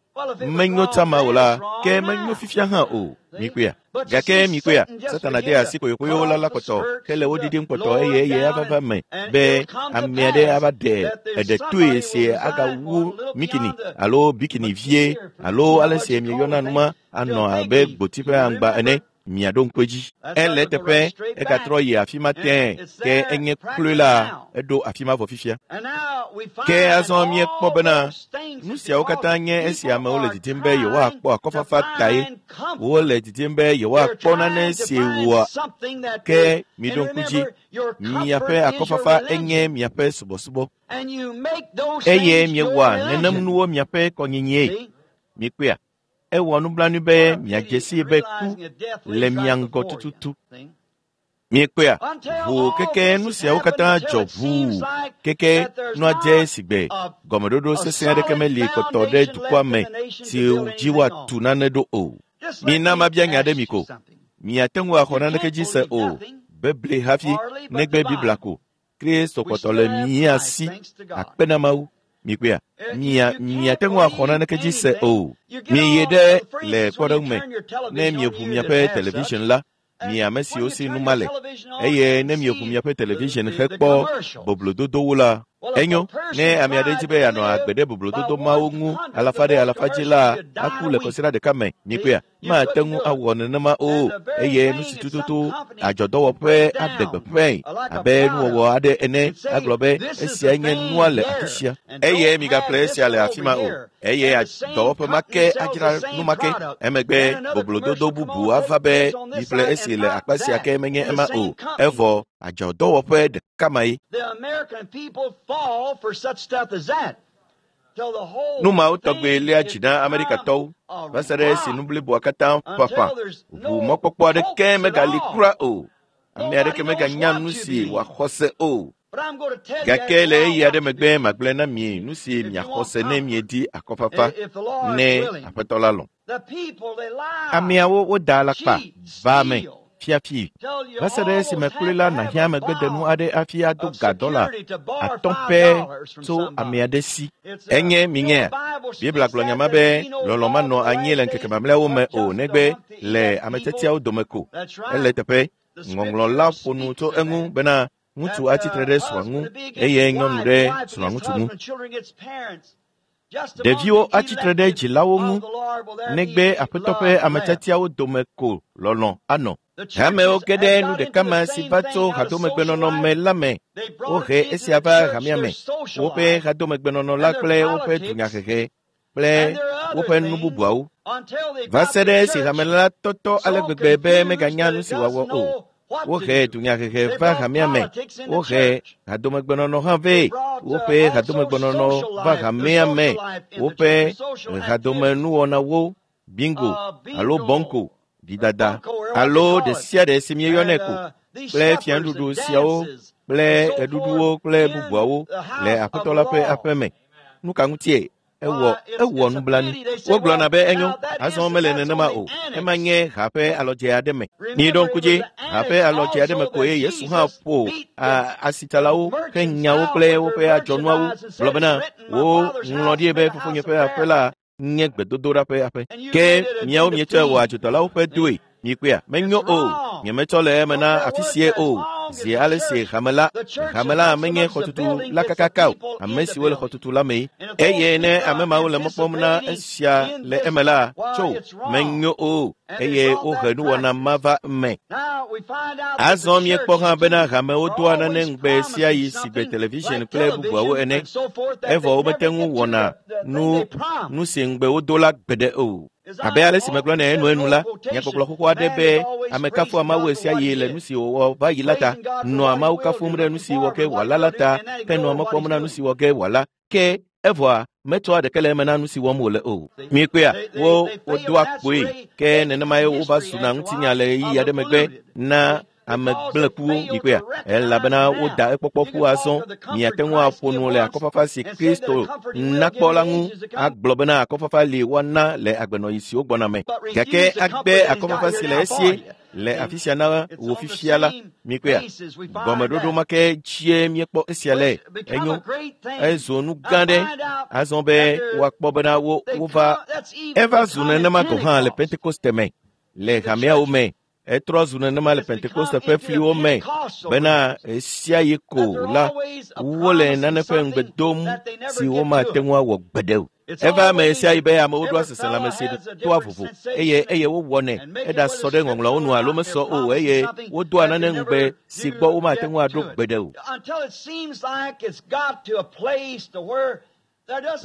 menyo tsama o la ke menyo fifia hã o mikpɔea gake mikpɔea satana de asi koyokoyo la la kpɔtɔ hele wo ɖiɖim kpɔtɔ eye eye ava va me be ame aɖe ava ɖe eɖe toe si agawu mikini alo bikini vie alo ale si mieyɔna nu ma anɔ abe gboti ƒe aŋgba ene miaɖo ŋku edzi. Ele eteƒe egatrɔ yi afi ma tẽe ke enye kloe la eɖo afi ma vɔ fifia. Ke azɔ míekpɔ bena nu siawo katã nye esi amewo le didim be yewoakpɔ akɔfafa tae. Wole didim be yewoakpɔ nane si wɔa ke miɖo ŋku dzi miaƒe akɔfafa enye miaƒe subɔsubɔ eye miewɔa nenem nuwo miaƒe kɔnyinyie. Mikpɔea? Ewɔ nublanui be miadze sii be ku le mia ŋgɔ tututu. Miekpɔea? Ʋuu keke nu siawo katã dzɔ ʋuu keke nua dze sigbe gɔmeɖoɖo sesẽ aɖeke meli kpɔtɔ ɖe dukɔa me si dzi woatu nane ɖo o. Mina mabia nya ɖe mi ko. Miate ŋu axɔ naneke dzi se o, beble hafi negbe Biblia ko. Kristo kpɔtɔ le mía si akpe na Mawu. Mikpɔea? Mia miate ŋu axɔ naneke dzi se o. Miyi ɖe le kpɔɖeŋu me ne mieʋu miaƒe television la, mi ame siwo si nu ma le eye ne mieʋu miaƒe television hekpɔ boblododowo la, enyo ne ame aɖe dzi be yeanɔ agbe ɖe boblododo mawo ŋu alafa ɖe alafa dzi la, aku le kɔsiɖa ɖeka me. Mikpɔea? Mate ŋu awɔ nenema o eye nu si tututu adzɔdɔwɔƒe aɖe gbeƒãe abe nuwɔwɔ aɖe ene agblɔ be esia nye nua le afi sia eye migaƒle esia le afi ma o eye dɔwɔƒe ma ke adzra nu ma ke emegbe boblododo bubu ava be miƒle esi le akpa sia ke menye ema o evɔ adzɔdɔwɔƒe ɖeka ma ye. Nu mawo tɔgbe léa dzi na Amerikatɔwo va se ɖe esi nu bliboa katã ƒaƒã ʋu mɔkpɔkpɔ aɖeke megali kura o. Ame aɖeke meganya nu si wòaxɔ se o. Gake le ɣeyiɣi aɖe megbe magblɔe na mi nu si miaxɔ se ne miedi akɔfafa ne Aƒetɔ la lɔ̃. Ameawo woda alakpa va ame fiafi va se ɖe esime kloe la nàhiã megbedenu aɖe hafi ado ga dɔla atɔ̃ pɛ tso ame aɖe si. Enye minyea? Biblia gblɔ nya ma be lɔlɔ̃ manɔ anyi le ŋkeke mamlɛawo me o negbe le ame tiatiawo dome ko. Ele teƒe. Ŋɔŋlɔ la ƒo nu tso eŋu bena ŋutsu atsitre ɖe srɔ̃a ŋu eye nyɔnu ɖe srɔ̃a ŋutsu ŋu. Ɖeviwo atsitre ɖe dzilawo ŋu negbe Aƒetɔ ƒe ame tiatiawo dome ko lɔlɔ̃ anɔ. Hamewo ge ɖe nu ɖeka ma si va tso hadomegbenɔnɔ me la me. Wohe esia va hamea me. Woƒe hadomegbenɔnɔ la kple woƒe dunyahehe kple woƒe nu bubuawo. Va se ɖe esi hame la tɔtɔ ale gbegbe be meganya nu si wòawɔ o. Wohe dunyahehe va hamea me. Wohe hadomegbenɔnɔ hã vɛ. Woƒe hadomegbenɔnɔ va hamea me. Woƒe hadomenuwɔnawo, bingo alo bɔnko, ɖidada alo ɖe sia ɖe si míeyɔnɛ ko kple fianuɖuɖu siawo kple ɣeɖuɖuwo kple bubuawo le Aƒetɔ la ƒe aƒe me. Nu ka ŋutie? Ewɔ nublanui. Wogblɔna be enyo, azɔ mele nenema o. Ema nye ha ƒe alɔdze aɖe me. Miɖo ŋku dzi, ha ƒe alɔdze aɖe me koe Yesu hã ƒo asitsalawo ƒe nyawo kple woƒe adzɔnuawo gblɔ bena woŋlɔ ɖi be fofonye ƒe aƒe la nye gbedodoɖa ƒe aƒe. Ke miawo mietsɔe wɔ adzodalawo ƒe doe. Mikpɔea, menyo o. Nyemetsɔ le eme na afi sie o. Zi ale si hame la menye xɔtutu la kakaka o. Ame siwo le xɔtutu la mee. Eye ne ame mawo le mɔ kpɔm na esia le eme la, tso, menyo o. Eye wohe nuwɔna ma va eme. Azɔ míekpɔ hã bena hamewo doa nane ŋugbe sia yi sigbe television kple bubuawo ene. Evɔ womete ŋu wɔna nu si ŋugbe wodo la gbeɖe o. Abe ale si megblɔ nɛ enuenu la, nyagbɔgblɔ xoxo aɖe be ame kafua Mawu ɣe sia ɣi le nu si wòwɔ va yi la ta, nɔa Mawu kafum ɖe nu si wɔ ge wòala la ta, ke nɔa mɔ kpɔm na nu si wɔ ge wòala. Ke evɔa metsɔa ɖeke le eme na nu si wɔm wòle o. Mikpɔea, wodoa kpoe, ke nenemae wova zuna ŋutinya le ɣeyiɣi aɖe megbe na ame gblẽkuwo. Mikpɔea, elabena woda ekpɔkpɔ ƒu azɔ. Miate ŋu aƒo nu le akɔfafa si Kristo nakpɔ la ŋu agblɔ bena akɔfafa li woana le agbenɔɣi siwo gbɔna me. Gake agbe akɔfafa si le esie le afi sia na wò fifia la, mikpɔea, gɔmeɖoɖo ma ke dzie míekpɔ esia le. Enyo, ezu nu gã ɖe azɔ be woakpɔ bena wova. Eva zu nenema gɔ̃ hã le Pentekoste me, le hameawo me. Etrɔ zu nenema le Pentekoste ƒe fliwo me bena ɣe sia ɣi ko la wole nane ƒe ŋugbe dom si womate ŋu awɔ gbeɖe o. Eva eme ɣe sia ɣi be amewo ɖoa seselãme si toa vovo eye wowɔnɛ eɖasɔ ɖe ŋɔŋlɔawo nu alo mesɔ o eye wodoa nane ŋugbe si gbɔ womate ŋu aɖo gbeɖe o.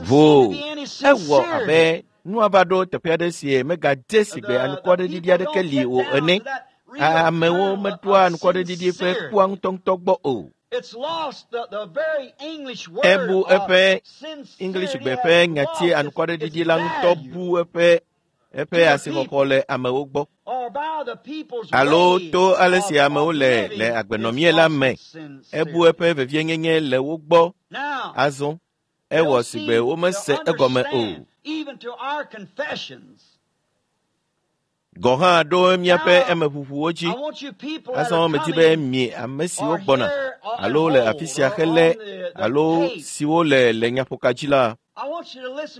Vo ewɔ abe nua va ɖo teƒe aɖe si megadze sigbe anukwaɖeɖiɖi aɖeke li o ene. Amewo meɖoa anukwaɖeɖiɖi ƒe kua ŋutɔŋutɔ gbɔ o. Ebu eƒe Englishgbe ƒe nyati anukwaɖeɖiɖi la ŋutɔ bu eƒe asixɔxɔ le amewo gbɔ. Alo to ale si amewo le agbenɔmie la me. Ebu eƒe vevienyenye le wo gbɔ. Azɔ ewɔ sigbe womese egɔme o. Gɔ̃ hã ɖo míaƒe emeʋuʋuwo dzi. Azɔ medi be mi ame siwo gbɔna alo le afi sia hele alo siwo le nyaƒoka dzi la,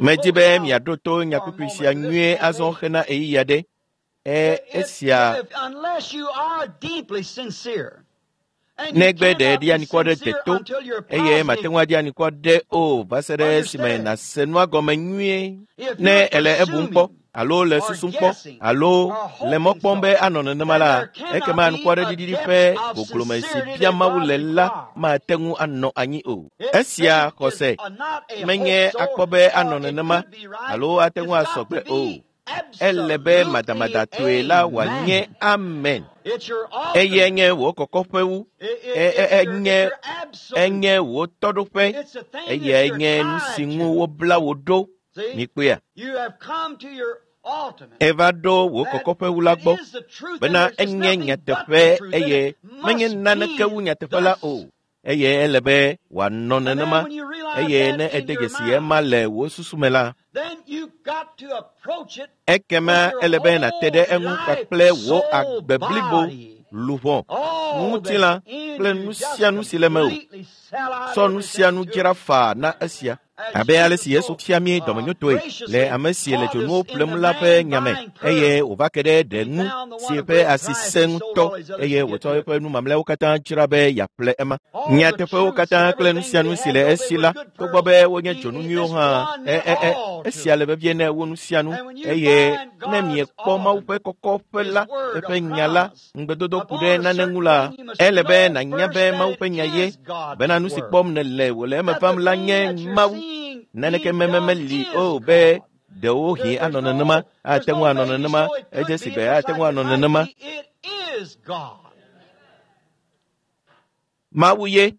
medi be miaɖo to nyakpukpui sia nyuie azɔ hena ɣeyiɣi aɖe. Esia negbe ɖe ɖi anikɔ ɖe deto eye mate ŋu aɖi anikɔ ɖe o va se ɖe esime nàse nua gɔme nyuie. Ne ele ebum kpɔ alo le susum kpɔ alo le mɔ kpɔm be anɔ nenema la, ekema anukwaɖeɖiɖi ƒe goglome si bia Mawu le la mate ŋu anɔ anyi o. Esia xɔse menye akpɔ be anɔ nenema alo ate ŋu asɔ gbe o. Ele be madamadatɔe la wòanye amen. Eye nye wò kɔkɔƒewu, enye wò tɔɖoƒe, eye nye nu si ŋu wobla wò ɖo. Mikpɔea, eva ɖo wò kɔkɔƒewu la gbɔ bena enye nyateƒe eye menye naneke wu nyateƒe la o. Eye ele be wòanɔ nenema. Eye ne ede dzesi ema le wò susu me la, ekema ele be nàte ɖe eŋu kpakple wò agbe blibo, luʋɔ, ŋutilã kple nu sia nu si le mewò. Tsɔ nu sia nu dzra faa na esia. Abe ale si Yesu fia mí dɔmenyotɔe le ame si le dzonuwo ƒlem la ƒe nya me, eye wòva ke ɖe ɖe ŋu si ƒe asi sẽ ŋutɔ, eye wòtsɔ eƒe nu mamlɛawo katã dzra be yeaƒle ema. Nyateƒewo katã kple nu sia nu si le esi la, togbɔ be wonye dzonu nyuiwo hã, esia le vevie ne wo nu sia nu. Eye ne miekpɔ Mawu ƒe kɔkɔƒe la, eƒe nya la, ŋugbedodo ku ɖe nane ŋu la, ele be nànya be Mawu ƒe nya ye, bena nu si kpɔm nèle wòle eme vam la nye Mawu. Naneke meli o be ɖewohĩ anɔ nenema, ate ŋu anɔ nenema, edze si be ate ŋu anɔ nenema. Mawu ye.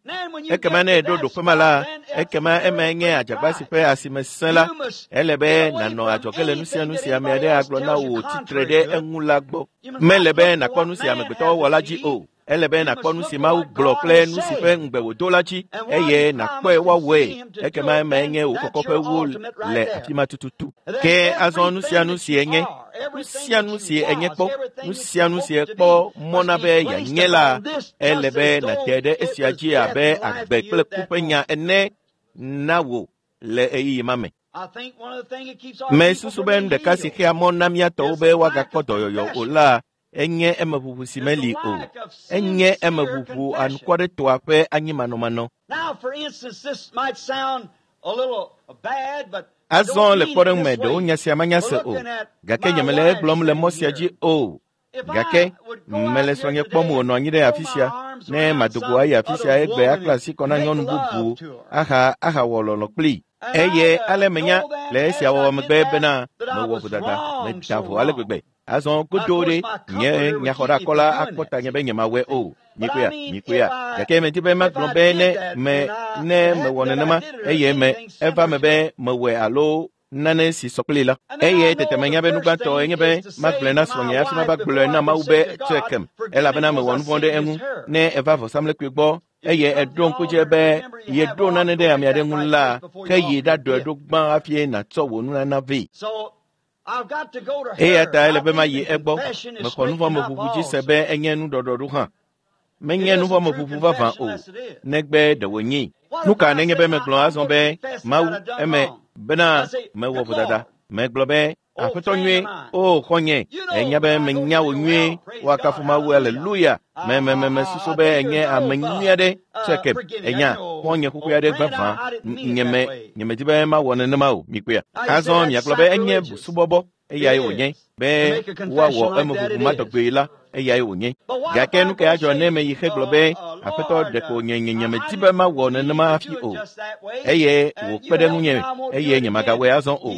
Ekema ne èɖo ɖoƒe ma la, ekema emae nye adzagba si ƒe asime sẽ la. Ele be nànɔ adzɔge le nu sia nu si ame aɖe agblɔ na wò tsitre ɖe eŋu la gbɔ. Mele be nàkpɔ nu si amegbetɔwo wɔ la dzi o. Ele be nàkpɔ nu si Mawu gblɔ kple nu si ƒe ŋugbe wòdo la dzi eye nàkpɔe woawɔe. Ekema emae nye wò kɔkɔƒewo le afi ma tututu. Ke azɔ nu sia nu si enye, nu sia nu si enye kpɔ, nu sia nu si ekpɔ mɔ na be yeanye la, ele be nàte ɖe esia dzi abe agbe kple ku ƒe nya ene na wò le ɣeyiɣi ma me. Mesusu be nu ɖeka si xea mɔ na mía tɔwo be woagakpɔ dɔyɔyɔ o la enye emeʋuʋu si meli o. Enye emeʋuʋu anukwaretɔa ƒe anyimanɔmanɔ. Azɔ le kpɔɖeŋu me ɖewo nya sia manya se o, gake nyemele egblɔm le mɔ sia dzi o. Gake mele srɔ̃nye kpɔm wònɔ anyi ɖe afi sia ne madogo ayi afi sia egbe akpla asi kɔ na nyɔnu bubu aha ahawɔ lɔlɔ kplii. Eye ale menya le esia wɔwɔ megbe bena mewɔ vodada, meda vo ale gbegbe. Azɔ godo ɖe nye nyaxɔɖakɔla akpɔ tanye be nyemawɔe o. Mikpɔea, mikpɔea. Gake medi be magblɔ be ne me ne mewɔ nenema eye me eva me be mewɔe alo nane si sɔ kplii la. Eye tete menya be nu gbãtɔ enye be magblɔe na srɔ̃nye hafi mava gblɔe na Mawu be tsɔe kem elabena mewɔ nu vɔ̃ ɖe eŋu. Ne eva vɔsamlekpui gbɔ eye eɖo ŋku dzi be yeɖo nane ɖe ame aɖe ŋu la, ke yi ɖaɖɔe ɖo gbã hafi nàtsɔ wò nunana vɛ. Eya ta ele be mayi egbɔ. Mexɔ nuvɔ̃meʋuʋu dzi se be enye nuɖɔɖɔɖo hã. Menye nuvɔ̃meʋuʋu vavã o, negbe ɖe wònyee. Nu ka nenye be megblɔ azɔ be Mawu eme bena mewɔ vodada? Megblɔ be Aƒetɔ nyuie, o xɔ̃nye, ènya be menya wò nyuie, woakafu Mawu, aleluya. Me me me mesusu be ènye ame nyui aɖe, tsɔe ènya, xɔ̃nye xoxoe aɖe vavã. Nyeme nyemedi be mawɔ nenema o, mikpɔea. Azɔ miagblɔ be enye busubɔbɔ, eyae wònye be woawɔ emeʋuʋu ma tɔgbe la, eyae wònye. Gake nu kae adzɔ ne meyi hegblɔ be Aƒetɔ ɖeko nye nye nyemedi be mawɔ nenema hafi o, eye wòkpe ɖe ŋunye eye nyemagawɔe azɔ o.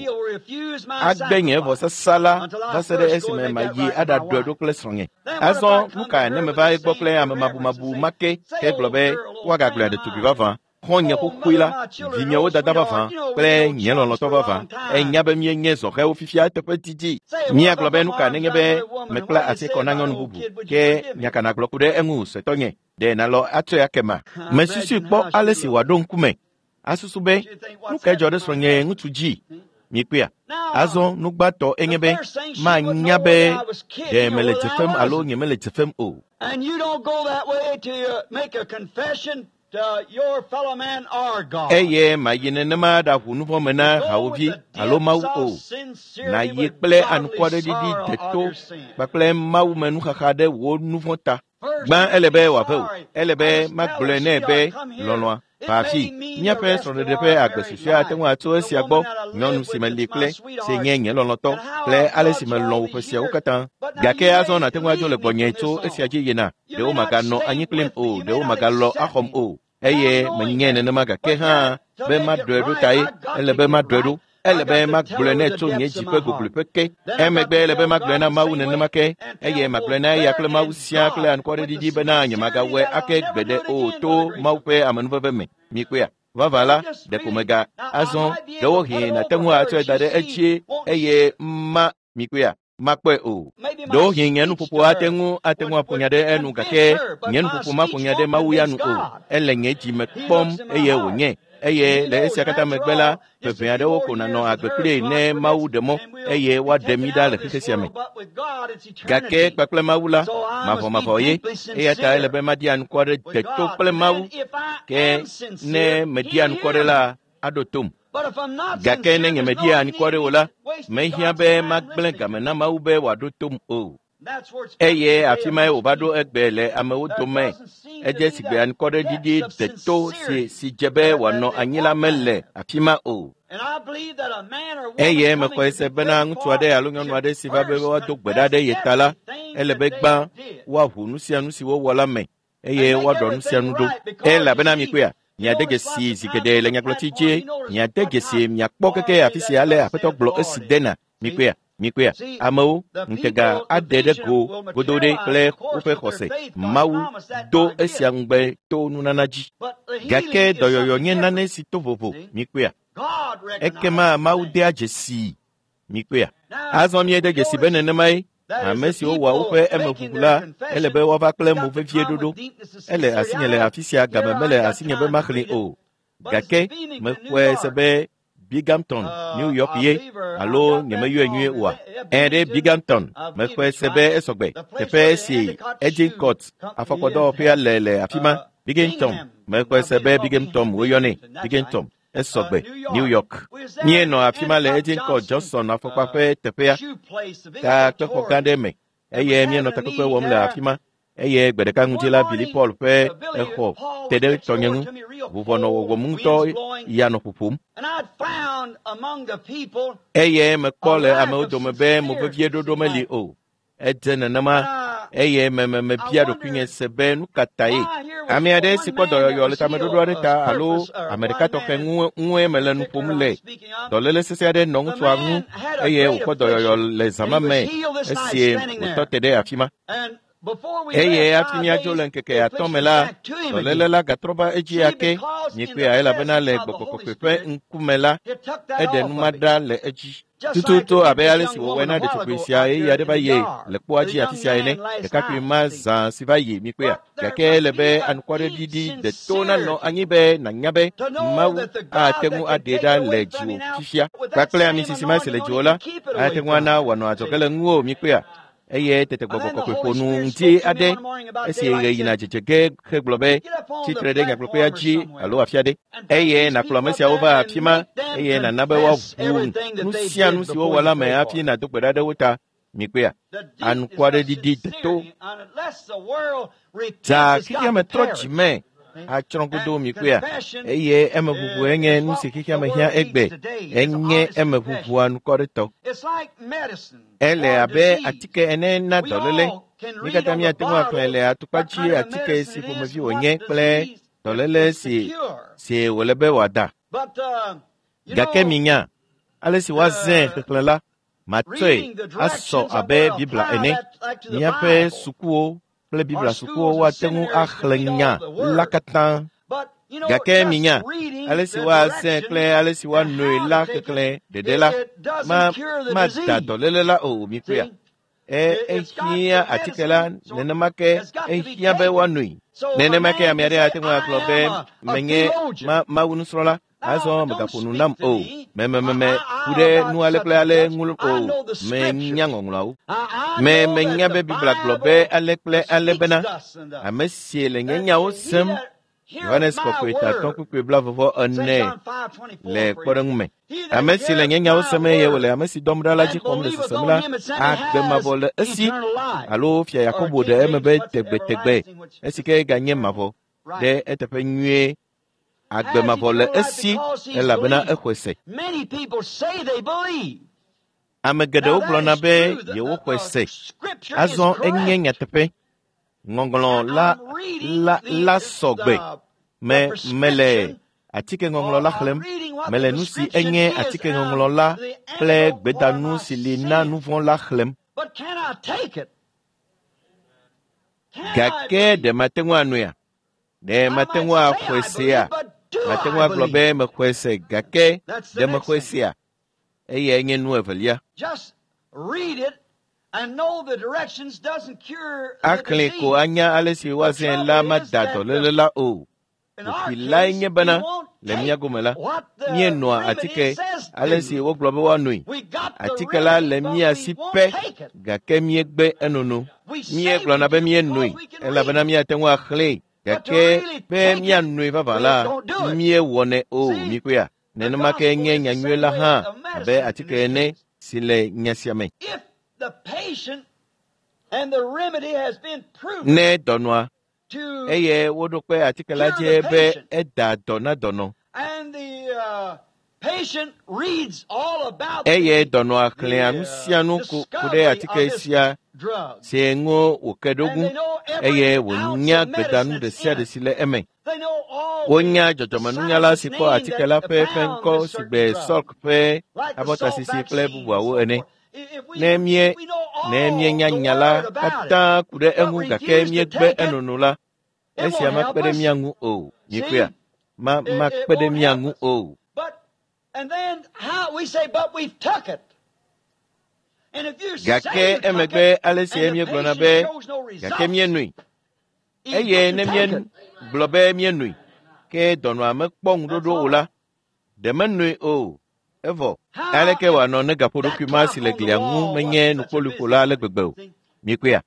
Agbe nye vɔsasa la va se ɖe esime mayi aɖaɖɔe ɖo kple srɔ̃nye. Azɔ nu ka ne meva egbɔ kple ame mabumabu ma ke hegblɔ be woagagblɔe ɖetugbi vavã, xɔ̃nye xoxoe la, vinyewo dada vavã kple nye lɔlɔ̃tɔ vavã. Enya be míenye zɔhɛwo fifia eteƒe didi. Míagblɔ be nu ka nenye be mekpla asi kɔ na nyɔnu bubu ke nya ka nàgblɔ ku ɖe eŋu suetɔnye ɖe nàlɔ atsɔe ake ma. Mesusui kpɔ ale si wòaɖo ŋkume. Asusu be nu kae dzɔ ɖe srɔ̃nye ŋutsu dzi? Mikpɔea? Azɔ nu gbãtɔ enye be manya be ɖe mele dze fem alo nyemele dze fem o. And you don't go that way till you make a confession to your fellow man or God. Eye mayi nenema ɖaʋu nu vɔ̃ me na hawòvi alo Mawu o. Nàyi kple anukwareɖiɖi deto kpakple Mawu me nuxaxa ɖe wò nu vɔ̃ ta. Gbã ele be wòave wò. Ele be magblɔe nɛ be lɔlɔ̃a va afi. Míaƒe srɔ̃ɖeɖe ƒe agbe susɔea ate ŋu atso esia gbɔ. Nyɔnu si meli kple, si nye nye lɔlɔ̃tɔ kple ale si melɔ̃ wò ƒe siawo katã. Gake azɔ nàte ŋu adzo le gbɔnye tso esia dzi yina. Ɖewo maganɔ anyi kplim o, ɖewo magalɔ axɔm o. Eye menye nenema gake hã be maɖɔe ɖo tae. Ele be maɖɔe ɖo. Ele be magblɔe nɛ tso nye dzi ƒe gogloeƒe ke. Emegbe ele be magblɔe na Mawu nenema ke eye magblɔe na eya kple Mawu siaa kple anukwareɖiɖi bena nyemagawɔe ake gbeɖe o to Mawu ƒe amenuveve me. Mikpɔea? Vavã la, ɖeko mega azɔ ɖewohĩ nàte ŋu atsɔe da ɖe edzie eye ma mikpɔea? Makpɔe o. Ɖewohĩ nye nuƒoƒo ate ŋu ate ŋu aƒo nya ɖe enu gake nye nuƒoƒo maƒo nya ɖe Mawu ya nu o. Ele nye dzi me kpɔm eye wònye. Eye le esia katã megbe la, ƒe aɖewo ko nànɔ agbe kplii ne Mawu ɖe mɔ eye woaɖe mí ɖa le xexe sia me. Gake kpakple Mawu la, mavɔmavɔ ye, eya ta ele be madi anukware deto kple Mawu. Ke ne medi anukware la, aɖo tom. Gake ne nyemedi anukware o la, mehiã be magblẽ game na Mawu be wòaɖo tom o. Eye afi mae wòva ɖo egbe le amewo dome. Edze si gbe anukwareɖiɖi deto si si dze be wòanɔ anyi la mele afi ma o. Eye mexɔe se bena ŋutsu aɖe alo nyɔnu aɖe si va be woado gbe ɖa ɖe ye ta la, ele be gbã woaʋu nu sia nu si wowɔ la me eye woaɖɔ nu sia nu ɖo. Elabena mikpɔea, miade dzesi zi geɖe le nyagblɔti dzi, miade dzesi miakpɔ keke afi sia ale Aƒetɔ gblɔ esi dena. Mikpɔea? Mikpɔea? Amewo ŋutega aɖe ɖe go godo ɖe kple woƒe xɔse. Mawu do esia ŋugbe to nunana dzi. Gake dɔyɔyɔ nye nane si to vovo. Mikpɔea? Ekema Mawu dea dzesii. Mikpɔea? Azɔ míede dzesi be nenemae. Ame siwo wɔa woƒe emeʋuʋu la, ele be woava kple mo vevie ɖoɖo. Ele asinye le afi sia game mele asinye be maxlẽe o. Gake mexɔe se be Binghamton, New York ye alo nyemeyɔe nyuie oa? Ẽ ɖe Binghamton, mexɔe se be esɔgbe. Teƒe si Edgecourt afɔkpɔdɔwɔƒea le le afi ma. Binghamton, mexɔe se be Binghamton woyɔnɛ. Binghamton, esɔgbe, New York. Míenɔ afi ma le Edgecourt Johnson afɔkpa ƒe teƒea, takpexɔ gã ɖe me eye míenɔ takpekpe wɔm le afi ma. Eye gbe ɖeka ŋdi la, Billy Paul ƒe exɔ te ɖe tɔnye ŋu. Vuvɔ nɔ wɔwɔm ŋutɔ ya nɔ ƒoƒom. Eye mekpɔ le amewo dome be mo vevie ɖoɖo meli o. Edze nenema eye mebia ɖokuinye se be nu ka tae. Ame aɖe si kpɔ dɔyɔyɔ le tameɖoɖo aɖe ta alo ame ɖeka tɔxɛ ŋue mele nu ƒom le. Dɔléle sesẽ aɖe nɔ ŋutsua ŋu eye wòkpɔ dɔyɔyɔ le zã ma me esi wòtɔ te ɖe afi ma. Eye hafi míadzo le ŋkeke atɔ̃ me la, dɔléle la gatrɔ va edzi ake. Miekpɔea elabena le Gbɔgbɔ Kɔkɔe ƒe ŋkume la, eɖe numa ɖa le edzi. Tututu abe ale si wòwɔe na ɖetugbui sia ɣeyiɣi aɖe va yi le kpoa dzi afi sia ene. Ɖekakpui ma zã si va yi mikpɔea. Gake ele be anukwareɖiɖi deto nanɔ anyi be nànya be Mawu ate ŋu aɖee ɖa le dziwò fifia. Kpakple ami sisi ma si le dziwò la, ate ŋu ana wòanɔ adzɔge le ŋuwò mikpɔea. Eye tete Gbɔgbɔ Kɔkɔe ƒo nu ŋdi aɖe esi ɣe yina dzedze ge hegblɔ be, tsitre ɖe nyagblɔkpea dzi alo afi aɖe. Eye nàkplɔ ame siawo va afi ma eye nàna be woaʋu nu sia nu si wowɔ la me hafi nàdo gbe ɖa ɖe wo ta. Mikpɔea? Anukwareɖiɖi deto. Dza xexea me trɔ dzi me atsrɔ̃ godoo mikpɔea? Eye emeʋuʋu enye nu si xexea me hiã egbe. Enye emeʋuʋu anukwaretɔ. Ele abe atike ene na dɔléle. Mí katã míate ŋu axlẽ le atukpa dzi atike si ƒomevi wònye kple dɔléle si si wòle be wòada. Gake minya, ale si woazãe xexlẽ la, matsɔe asɔ abe Biblia ene. Míaƒe sukuwo kple Biblia sukuwo woate ŋu axlẽ nya la katã. Gake minya, ale si woazãe kple ale si woanoe la xexlẽ ɖeɖe la, mada dɔléle la o mikpɔea. Ehiã atike la nenema ke ehiã be woanoe. Nenema ke ame aɖe ate ŋu agblɔ be menye Mawu nusrɔ̃la. Azɔ megaƒo nu nam o. Memememe ku ɖe nu ale kple ale ŋu o. Menya ŋɔŋlɔawo. Menya be Biblia gblɔ be ale kple ale bena ame si le nye nyawo sem. Yohanes Kɔkɔe tatɔ̃ kpukpui 24 le kpɔɖeŋu me. Ame si le nye nyawo sem eye wòle ame si dɔm ɖa la dzi xɔm le sesem la, agbe mavɔ le esi. Alo fia Yakobo ɖe eme be tegbetegbe esi ke ganye mavɔ ɖe eteƒe nyuie. Agbe mavɔ le esi elabena exɔe se. Ame geɖewo gblɔna be yewoxɔe se. Azɔ enye nyateƒe. Ŋɔŋlɔ la sɔgbe. Mele atike ŋɔŋlɔ la xlẽm. Mele nu si enye atike ŋɔŋlɔ la kple gbedanu si li na nu vɔ̃ la xlẽm. Gake ɖe mate ŋu anoea? Ɖe mate ŋu axɔe sea? Mate ŋu agblɔ be mexɔe se gake ɖe mexɔe sea? Eyae nye nu evelia. Axlẽe ko anya ale si woazãe la mada dɔléle la o. Kuxi lae nye bena le mía gome la, míenoa atike ale si wogblɔ be woanoe. Atike la le mía si pɛ gake míegbe enono. Míegblɔna be míenoe elabena míate ŋu axlẽe gake be míanoe vavã la, míewɔnɛ o mikpɔea. Nenema ke nye nyanyui la hã abe atike ene si le nya sia me. Ne dɔnɔa eye woɖo kpe atike la dzi be eda dɔ na dɔnɔ. Eye dɔnɔa xlẽa nu sia nu ku ɖe atike sia si ŋu wòke ɖo ŋu eye wònya gbedanu ɖe sia ɖe si le eme. Wonya dzɔdzɔmenunyala si kpɔ atike la ƒe ŋkɔ si gbe Salk ƒe abɔtasisi kple bubuawo ene. Ne míenya nya la katã ku ɖe eŋu gake míegbe enono la, esia makpe ɖe mía ŋu o. Mikpɔea? Makpe ɖe mía ŋu o. Gake emegbe ale si míegblɔna be gake míenoe eye ne míegblɔ be míenoe ke dɔnɔa mekpɔ ŋuɖoɖo o la, ɖe menoe o. Evɔ aleke wòanɔ ne gaƒoɖokui ma si le glia ŋu menye nukpoluƒola ale gbegbe o? Mikpɔea?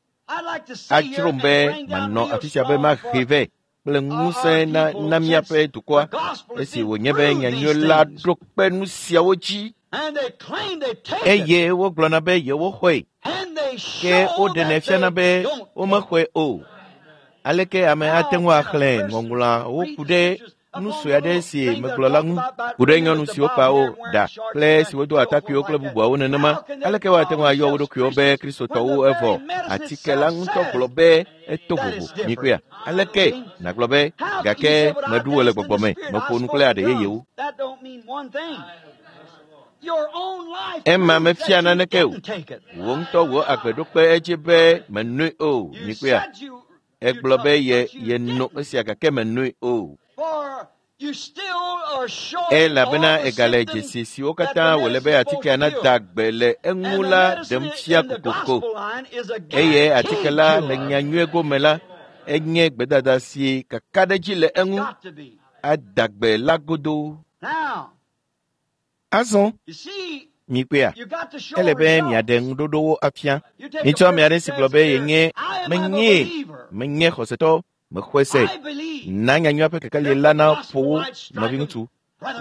Adzrom be manɔ afi sia be mahe vɛ kple ŋusẽ na na míaƒe dukɔa esi wònye be nyanyui la ɖo kpe nu siawo dzi eye wogblɔna be yewoxɔe ke woɖenɛ fiana be womexɔe o. Aleke ame ate ŋu axlẽ ŋɔŋlɔawo ku ɖe nu sue aɖe si megblɔ la ŋu ku ɖe nyɔnu siwo kpa wo ɖa kple siwo do atakpuiwo kple bubuawo nenema? Aleke woate ŋu ayɔ wo ɖokuiwo be Kristotɔwo evɔ atike la ŋutɔ gblɔ be eto vovo? Mikpɔea? Aleke nàgblɔ be gake meɖu wò le gbɔgbɔ me, meƒo nu kple aɖe yeyewo? Ema mefia naneke o. Wò ŋutɔ wò agbe ɖo kpe edzi be menoe o. Mikpɔea? Egblɔ be ye yeno esia gake menoe o. Elabena egale dzesi siwo katã wòle be atikea nada gbe le eŋu la ɖem fia kokoko. Eye atike la le nyanyui gome la, enye gbedada si kakaɖedzi le eŋu ada gbe la godoo. Azɔ, mikpɔea, ele be miaɖe ŋuɖoɖowo afia. Mitsɔ ame aɖe si gblɔ be yenye menyee, menye xɔsetɔ, mexɔe se. Na nyanyuia ƒe kekeli la na ƒo wo nɔviŋutsu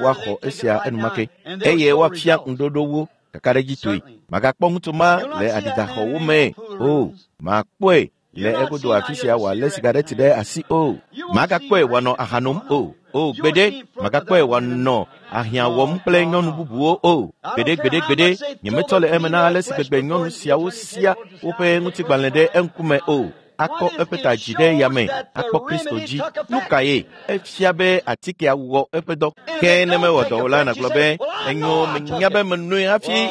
woaxɔ esia enumake eye woafia ŋuɖoɖowo kakaɖedzitɔe. Magakpɔ ŋutsu ma le aɖidaxɔwo me o. Makpɔe le egodo afi sia wòalé sigareti ɖe asi o. Magakpɔe wòanɔ aha nom o. O gbeɖe, magakpɔe wòanɔ ahiã wɔm kple nyɔnu bubuwo o. Gbeɖe gbeɖe gbeɖe, nyemetsɔ le eme na ale si gbegbe nyɔnu siawo sia woƒe ŋutigbalẽ ɖe eŋkume o. Akɔ eƒe ta dzi ɖe yame akpɔ Kristo dzi. Nu kae? Efia be atikea wɔ eƒe dɔ. Ke ne mewɔ dɔ o la, nàgblɔ be enyo, menya be menoe hafi.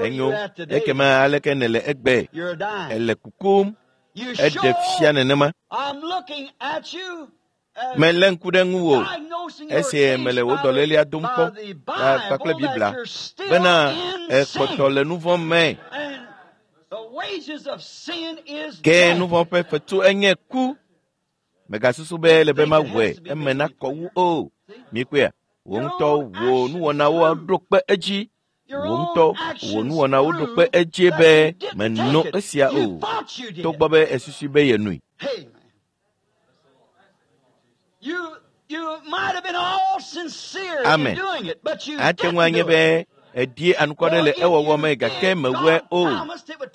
Enyo, ekema aleke nèle egbe? Èle kukum. Eɖe fia nenema. Melé ŋku ɖe ŋuwò esi mele wò dɔlélia dom kpɔ kpakple Biblia bena èkpɔtɔ le nu vɔ̃ me. Ke nu vɔ̃ ƒe fetu enye ku. Mègasusu be ele be mawɔe eme nakɔ wu o. Mikpɔea? Wò ŋutɔ wò nuwɔnawo ɖo kpe edzi. Wò ŋutɔ wò nuwɔnawo ɖo kpe edzi be mèno esia o, togbɔ be èsusui be yenoe. Amen. Ate ŋu anye be èɖi anukware le ewɔwɔ me gake mewɔe o.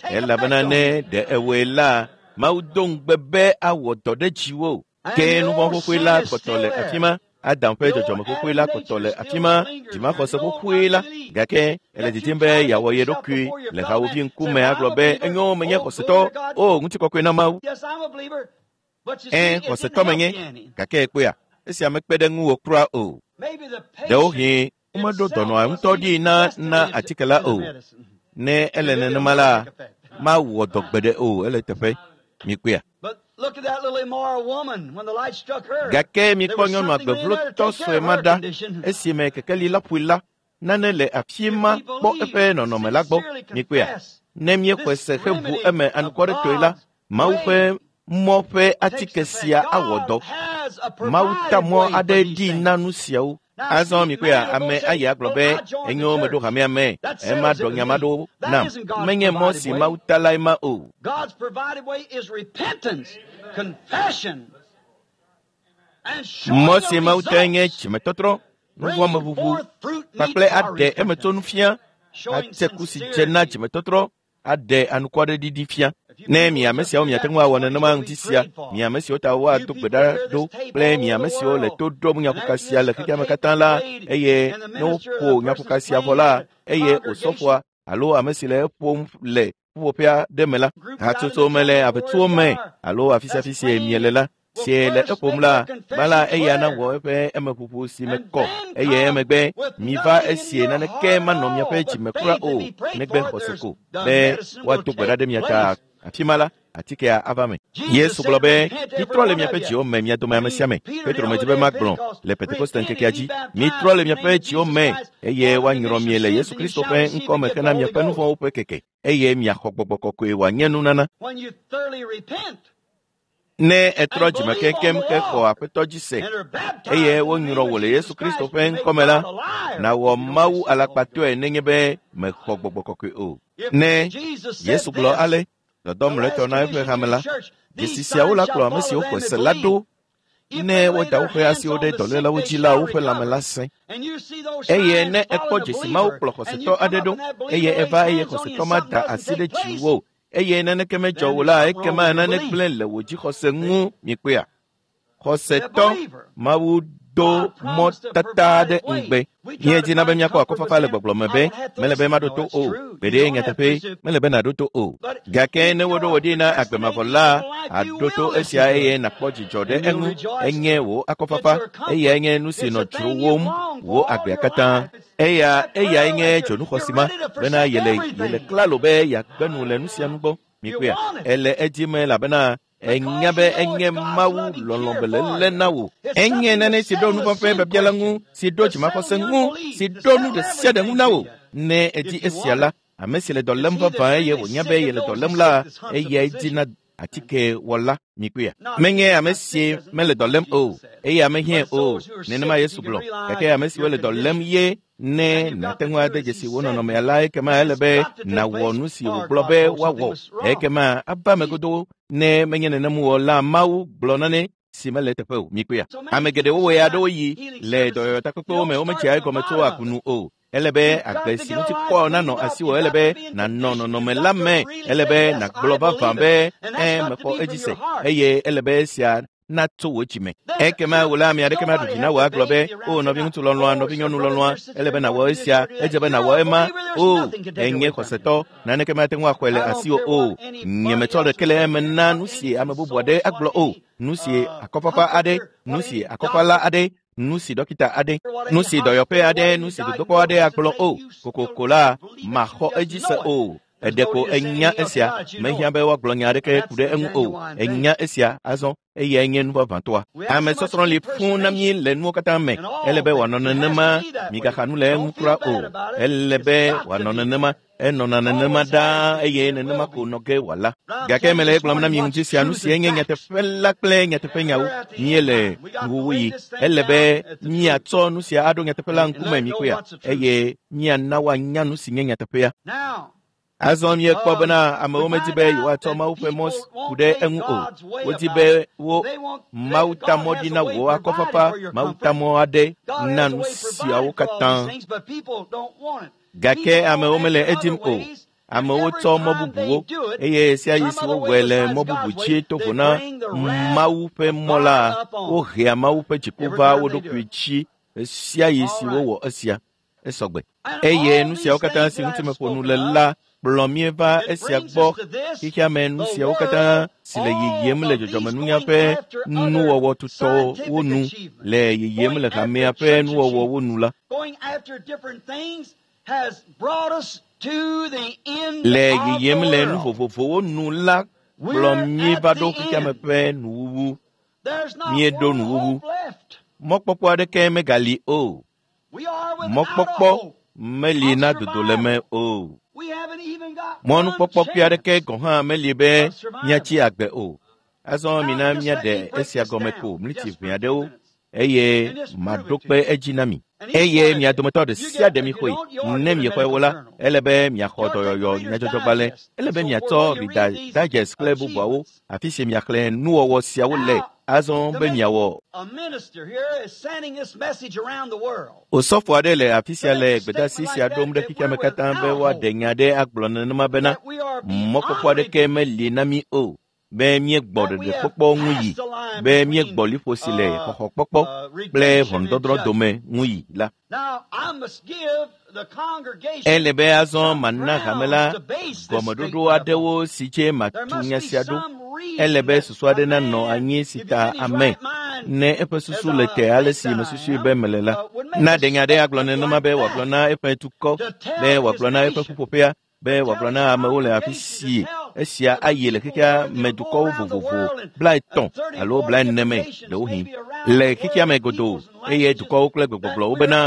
Elabena ne ɖe ewɔe la, Mawu do ŋugbe be awɔ dɔ ɖe dziwò. Ke nu vɔ̃ xoxoe la kpɔtɔ le afi ma. Adam ƒe dzɔdzɔme xoxoe la kpɔtɔ le afi ma, dzimaxɔse xoxoe la. Gake ele didim be yeawɔ ye ɖokui le hawòvi ŋkume agblɔ be enyo menye xɔsetɔ. O, ŋutikɔkɔe na Mawu. Ẽ, xɔsetɔ menye. Gake ekpɔea, esia mekpe ɖe ŋuwò kura o. Ɖewohĩ womeɖo dɔnɔa ŋutɔ ɖi na na atike la o. Ne ele nenema la, mawɔ dɔ gbeɖe o, ele teƒe. Mikpɔea? Gake mikpɔ nyɔnu agbeʋlotɔ sue ma ɖa esime kekeli la ƒoe la, nane le afi ma kpɔ eƒe nɔnɔme la gbɔ. Mikpɔea? Ne míexɔe se heʋu eme anukwaretɔe la, Mawu ƒe mɔ ƒe atike sia awɔ dɔ. Mawu ta mɔ aɖe ɖi na nu siawo. Azɔ mikpɔea, ame ayi agblɔ be enyo meɖo hamea me, ema ɖɔ nya ma ɖo nam. Menye mɔ si Mawu ta lae ma o. Mɔ si Mawu tae nye dzimetɔtrɔ, nuvɔ̃meʋuʋu kpakple aɖe emetsonu fia, atse ku si dze na dzimetɔtrɔ aɖe anukwareɖiɖi fia. Ne mi ame siawo miate ŋu awɔ nenema ŋuti sia, mi ame siwo ta woado gbe ɖa ɖo kple mi ame siwo le to ɖom nyaƒoka sia le xexea me katã la, eye ne woƒo nyaƒoka sia vɔ la, eye osɔfoa alo ame si le eƒom le ƒuƒoƒea ɖe me la, hatsotso me le aʋetsuwo me alo afi sia afi si miele la, si le eƒom la, gbã la eya nawɔ eƒe emeƒoƒo si me kɔ eye emegbe miva esie naneke manɔ miaƒe dzime kura o negbe xɔse ko be woado gbe ɖa ɖe mia ta. Afi ma la, Atikea ava me. Yesu gblɔ be, mitrɔ le miaƒe dziwo me mia dome ame sia ame. Petro medzi be magblɔ le Pentekoste ŋkekea dzi. Mitrɔ le miaƒe dziwo me eye woanyrɔ mi le Yesu Kristo ƒe ŋkɔ me hena miaƒe nu vɔ̃wo ƒe keke eye miaxɔ gbɔgbɔ kɔkɔe wòanye nunana. Ne ètrɔ dzime keŋkeŋ hexɔ Aƒetɔ dzi se eye wonyrɔ wò le Yesu Kristo ƒe ŋkɔme la, nàwɔ Mawu alakpatɔe nenye be mèxɔ gbɔgbɔ kɔkɔe o. Ne Yesu gblɔ ale, dɔdɔ mlɔetɔ na eƒe hame la, dzesi siawo la kplɔ ame siwo xɔe se la ɖo ne woda woƒe asiwo ɖe dɔlélawo dzi la, woƒe lãme la sẽ. Eye ne èkpɔ dzesi mawo kplɔ xɔsetɔ aɖe ɖo eye eva eye xɔsetɔ ma da asi ɖe dziwò eye naneke medzɔ wò la, ekema nane gblẽ le wò dzixɔse ŋu mikpɔea. Xɔsetɔ Mawu do mɔ tata aɖe ŋugbe. Míedina be míakpɔ akɔfafa le gbɔgblɔ me be mele be maɖo to o. Gbeɖe nyateƒe mele be nàɖo to o. Gake ne woɖo wò ɖi na agbe mavɔ la, àɖo to esia eye nàkpɔ dzidzɔ ɖe eŋu. Enye wò akɔfafa eyae nye nu si nɔ dzrowòm wò agbea katã. Eyae nye dzonuxɔsi ma bena yele klalo be yeagbe nu le nu sia nu gbɔ. Mikpɔea, ele edzi me elabena enya be enye Mawu lɔlɔ̃ beléle na wò. Enye nane si ɖo nu vɔ̃ ƒe biabia la ŋu, si ɖo dzimaxɔse ŋu, si ɖo nu ɖe sia ɖe ŋu na wò. Ne èdi esia la, ame si le dɔ lém vavã eye wònya be yele dɔ lém la, eyae dina atikewɔla. Mikpɔea, menye ame si mele dɔ lém o, eye ame hiãe o. Nenema Yesu gblɔ. Gake ame siwo le dɔ lém ye ne nàte ŋu ade dzesi wò nɔnɔmea la, ekema ele be nàwɔ nu si wògblɔ be woawɔ. Ekema ava eme godoo ne menye nenem wɔ la, Mawu gblɔ nane si mele eteƒe o. Mikpɔea, ame geɖewo wɔe aɖewo yi le dɔyɔyɔtakpekpewo me womedzea egɔme tso agunu o. Ele be agbe si ŋuti kɔ nanɔ asiwò, ele be nànɔ nɔnɔme la me, ele be nàgblɔ vavã be mexɔ edzi se eye ele be esia natso wò dzime. Ekema wò la ame aɖeke maɖu dzi na wò agblɔ be, o nɔviŋutsu lɔlɔ̃a, nɔvinyɔnu lɔlɔ̃a, ele be nàwɔ esia, edze be nàwɔ ema. O, enye xɔsetɔ, naneke mate ŋu axɔe le asiwò o. Nyemetsɔ ɖeke le eme na nu si ame bubu aɖe agblɔ o, nu si akɔfafa aɖe, nu si akɔfala aɖe, nu si dɔkita aɖe, nu si dɔyɔƒe aɖe, nu si dodokpɔ aɖe agblɔ o. Kokoko la, maxɔ edzi se o. Eɖeko enya esia, mehiã be woagblɔ nya aɖeke ku ɖe eŋu o. Enya esia azɔ eyae nye nu vavãtɔa. Ame sɔsrɔ̃ li fũu na mí le nuwo katã me. Ele be wòanɔ nenema, migaxa nu le eŋu kura o. Ele be wòanɔ nenema, enɔna nenema ɖaa eye nenema ko nɔ ge wòala. Gake mele egblɔm na mi ŋuti sia nu si enye nyateƒe la kple nyateƒenyawo. Míele nuwuwuyi. Ele be míatsɔ nu sia aɖo nyateƒe la ŋkume mikpɔea eye míana woanya nu si nye nyateƒea. Azɔ míekpɔ bena amewo medi be yewoatsɔ Mawu ƒe mɔ ku ɖe eŋu o. Wodi be wo Mawu ta mɔ ɖi na wò akɔfafa, Mawu ta mɔ aɖe na nu siawo katã. Gake amewo mele edim o. Amewo tsɔ mɔ bubuwo eye ɣesiaɣi si wowɔe le mɔ bubu dzi to vo na Mawu ƒe mɔ la, wohea Mawu ƒe dziku va wo ɖokui dzi ɣesiaɣi si wowɔ esia. Esɔgbe. Eye nu siawo katã si ŋuti meƒo nu le la kplɔ mí va esia gbɔ. Xexea me nu siawo katã si le yiyim le dzɔdzɔmenunya ƒe nuwɔwɔ tutɔwo nu, le yiyim le hamea ƒe nuwɔwɔwo nu la, le yiyim le nu vovovowo nu la kplɔ mí va ɖo xexea me ƒe nuwuwu. Míeɖo nuwuwu. Mɔkpɔkpɔ aɖeke megali o. Mɔkpɔkpɔ meli na dodoleme o. Mɔnukpɔkpɔ kpui aɖeke gɔ̃ hã meli be míatsi agbe o. Azɔ mina míaɖe esia gɔme ko mliti ʋɛ aɖewo eye maɖo kpe edzi na mi. Eye mia dometɔ ɖe sia ɖe mixɔe. Ne miexɔe wo la, ele be miaxɔ dɔyɔyɔ nyadzɔdzɔgbalẽ. Ele be miatsɔ Reader's Digest kple bubuawo, afi si miaxlẽ nuwɔwɔ siawo le azɔ be miawɔ. Osɔfo aɖe le afi sia le gbedeasi sia ɖom ɖe xexea me katã be woaɖe nya ɖe agblɔ nenema bena mɔkpɔkpɔ aɖeke meli na mí o, be míegbɔ ɖeɖekpɔkpɔ ŋu yi, be míegbɔ liƒo si le xɔxɔkpɔkpɔ kple ʋɔnudɔdrɔ̃ dome ŋu yi la. Ele be azɔ mana hame la gɔmeɖoɖo aɖewo si dze matu nya sia ɖo. Ele be susu aɖe nanɔ anyi si ta ame ne eƒe susu le te ale si mesusui be mele la. Na ɖe nya ɖe agblɔ nenema be wòagblɔ na eƒe dukɔ, be wòagblɔ na eƒe ƒuƒoƒea, be wòagblɔ na amewo le afi si Esia ayi le xexea me dukɔwo vovovo 30 alo 40 me ɖewohĩ le xexea me godoo eye dukɔwo kple gbegbɔgblɔwo bena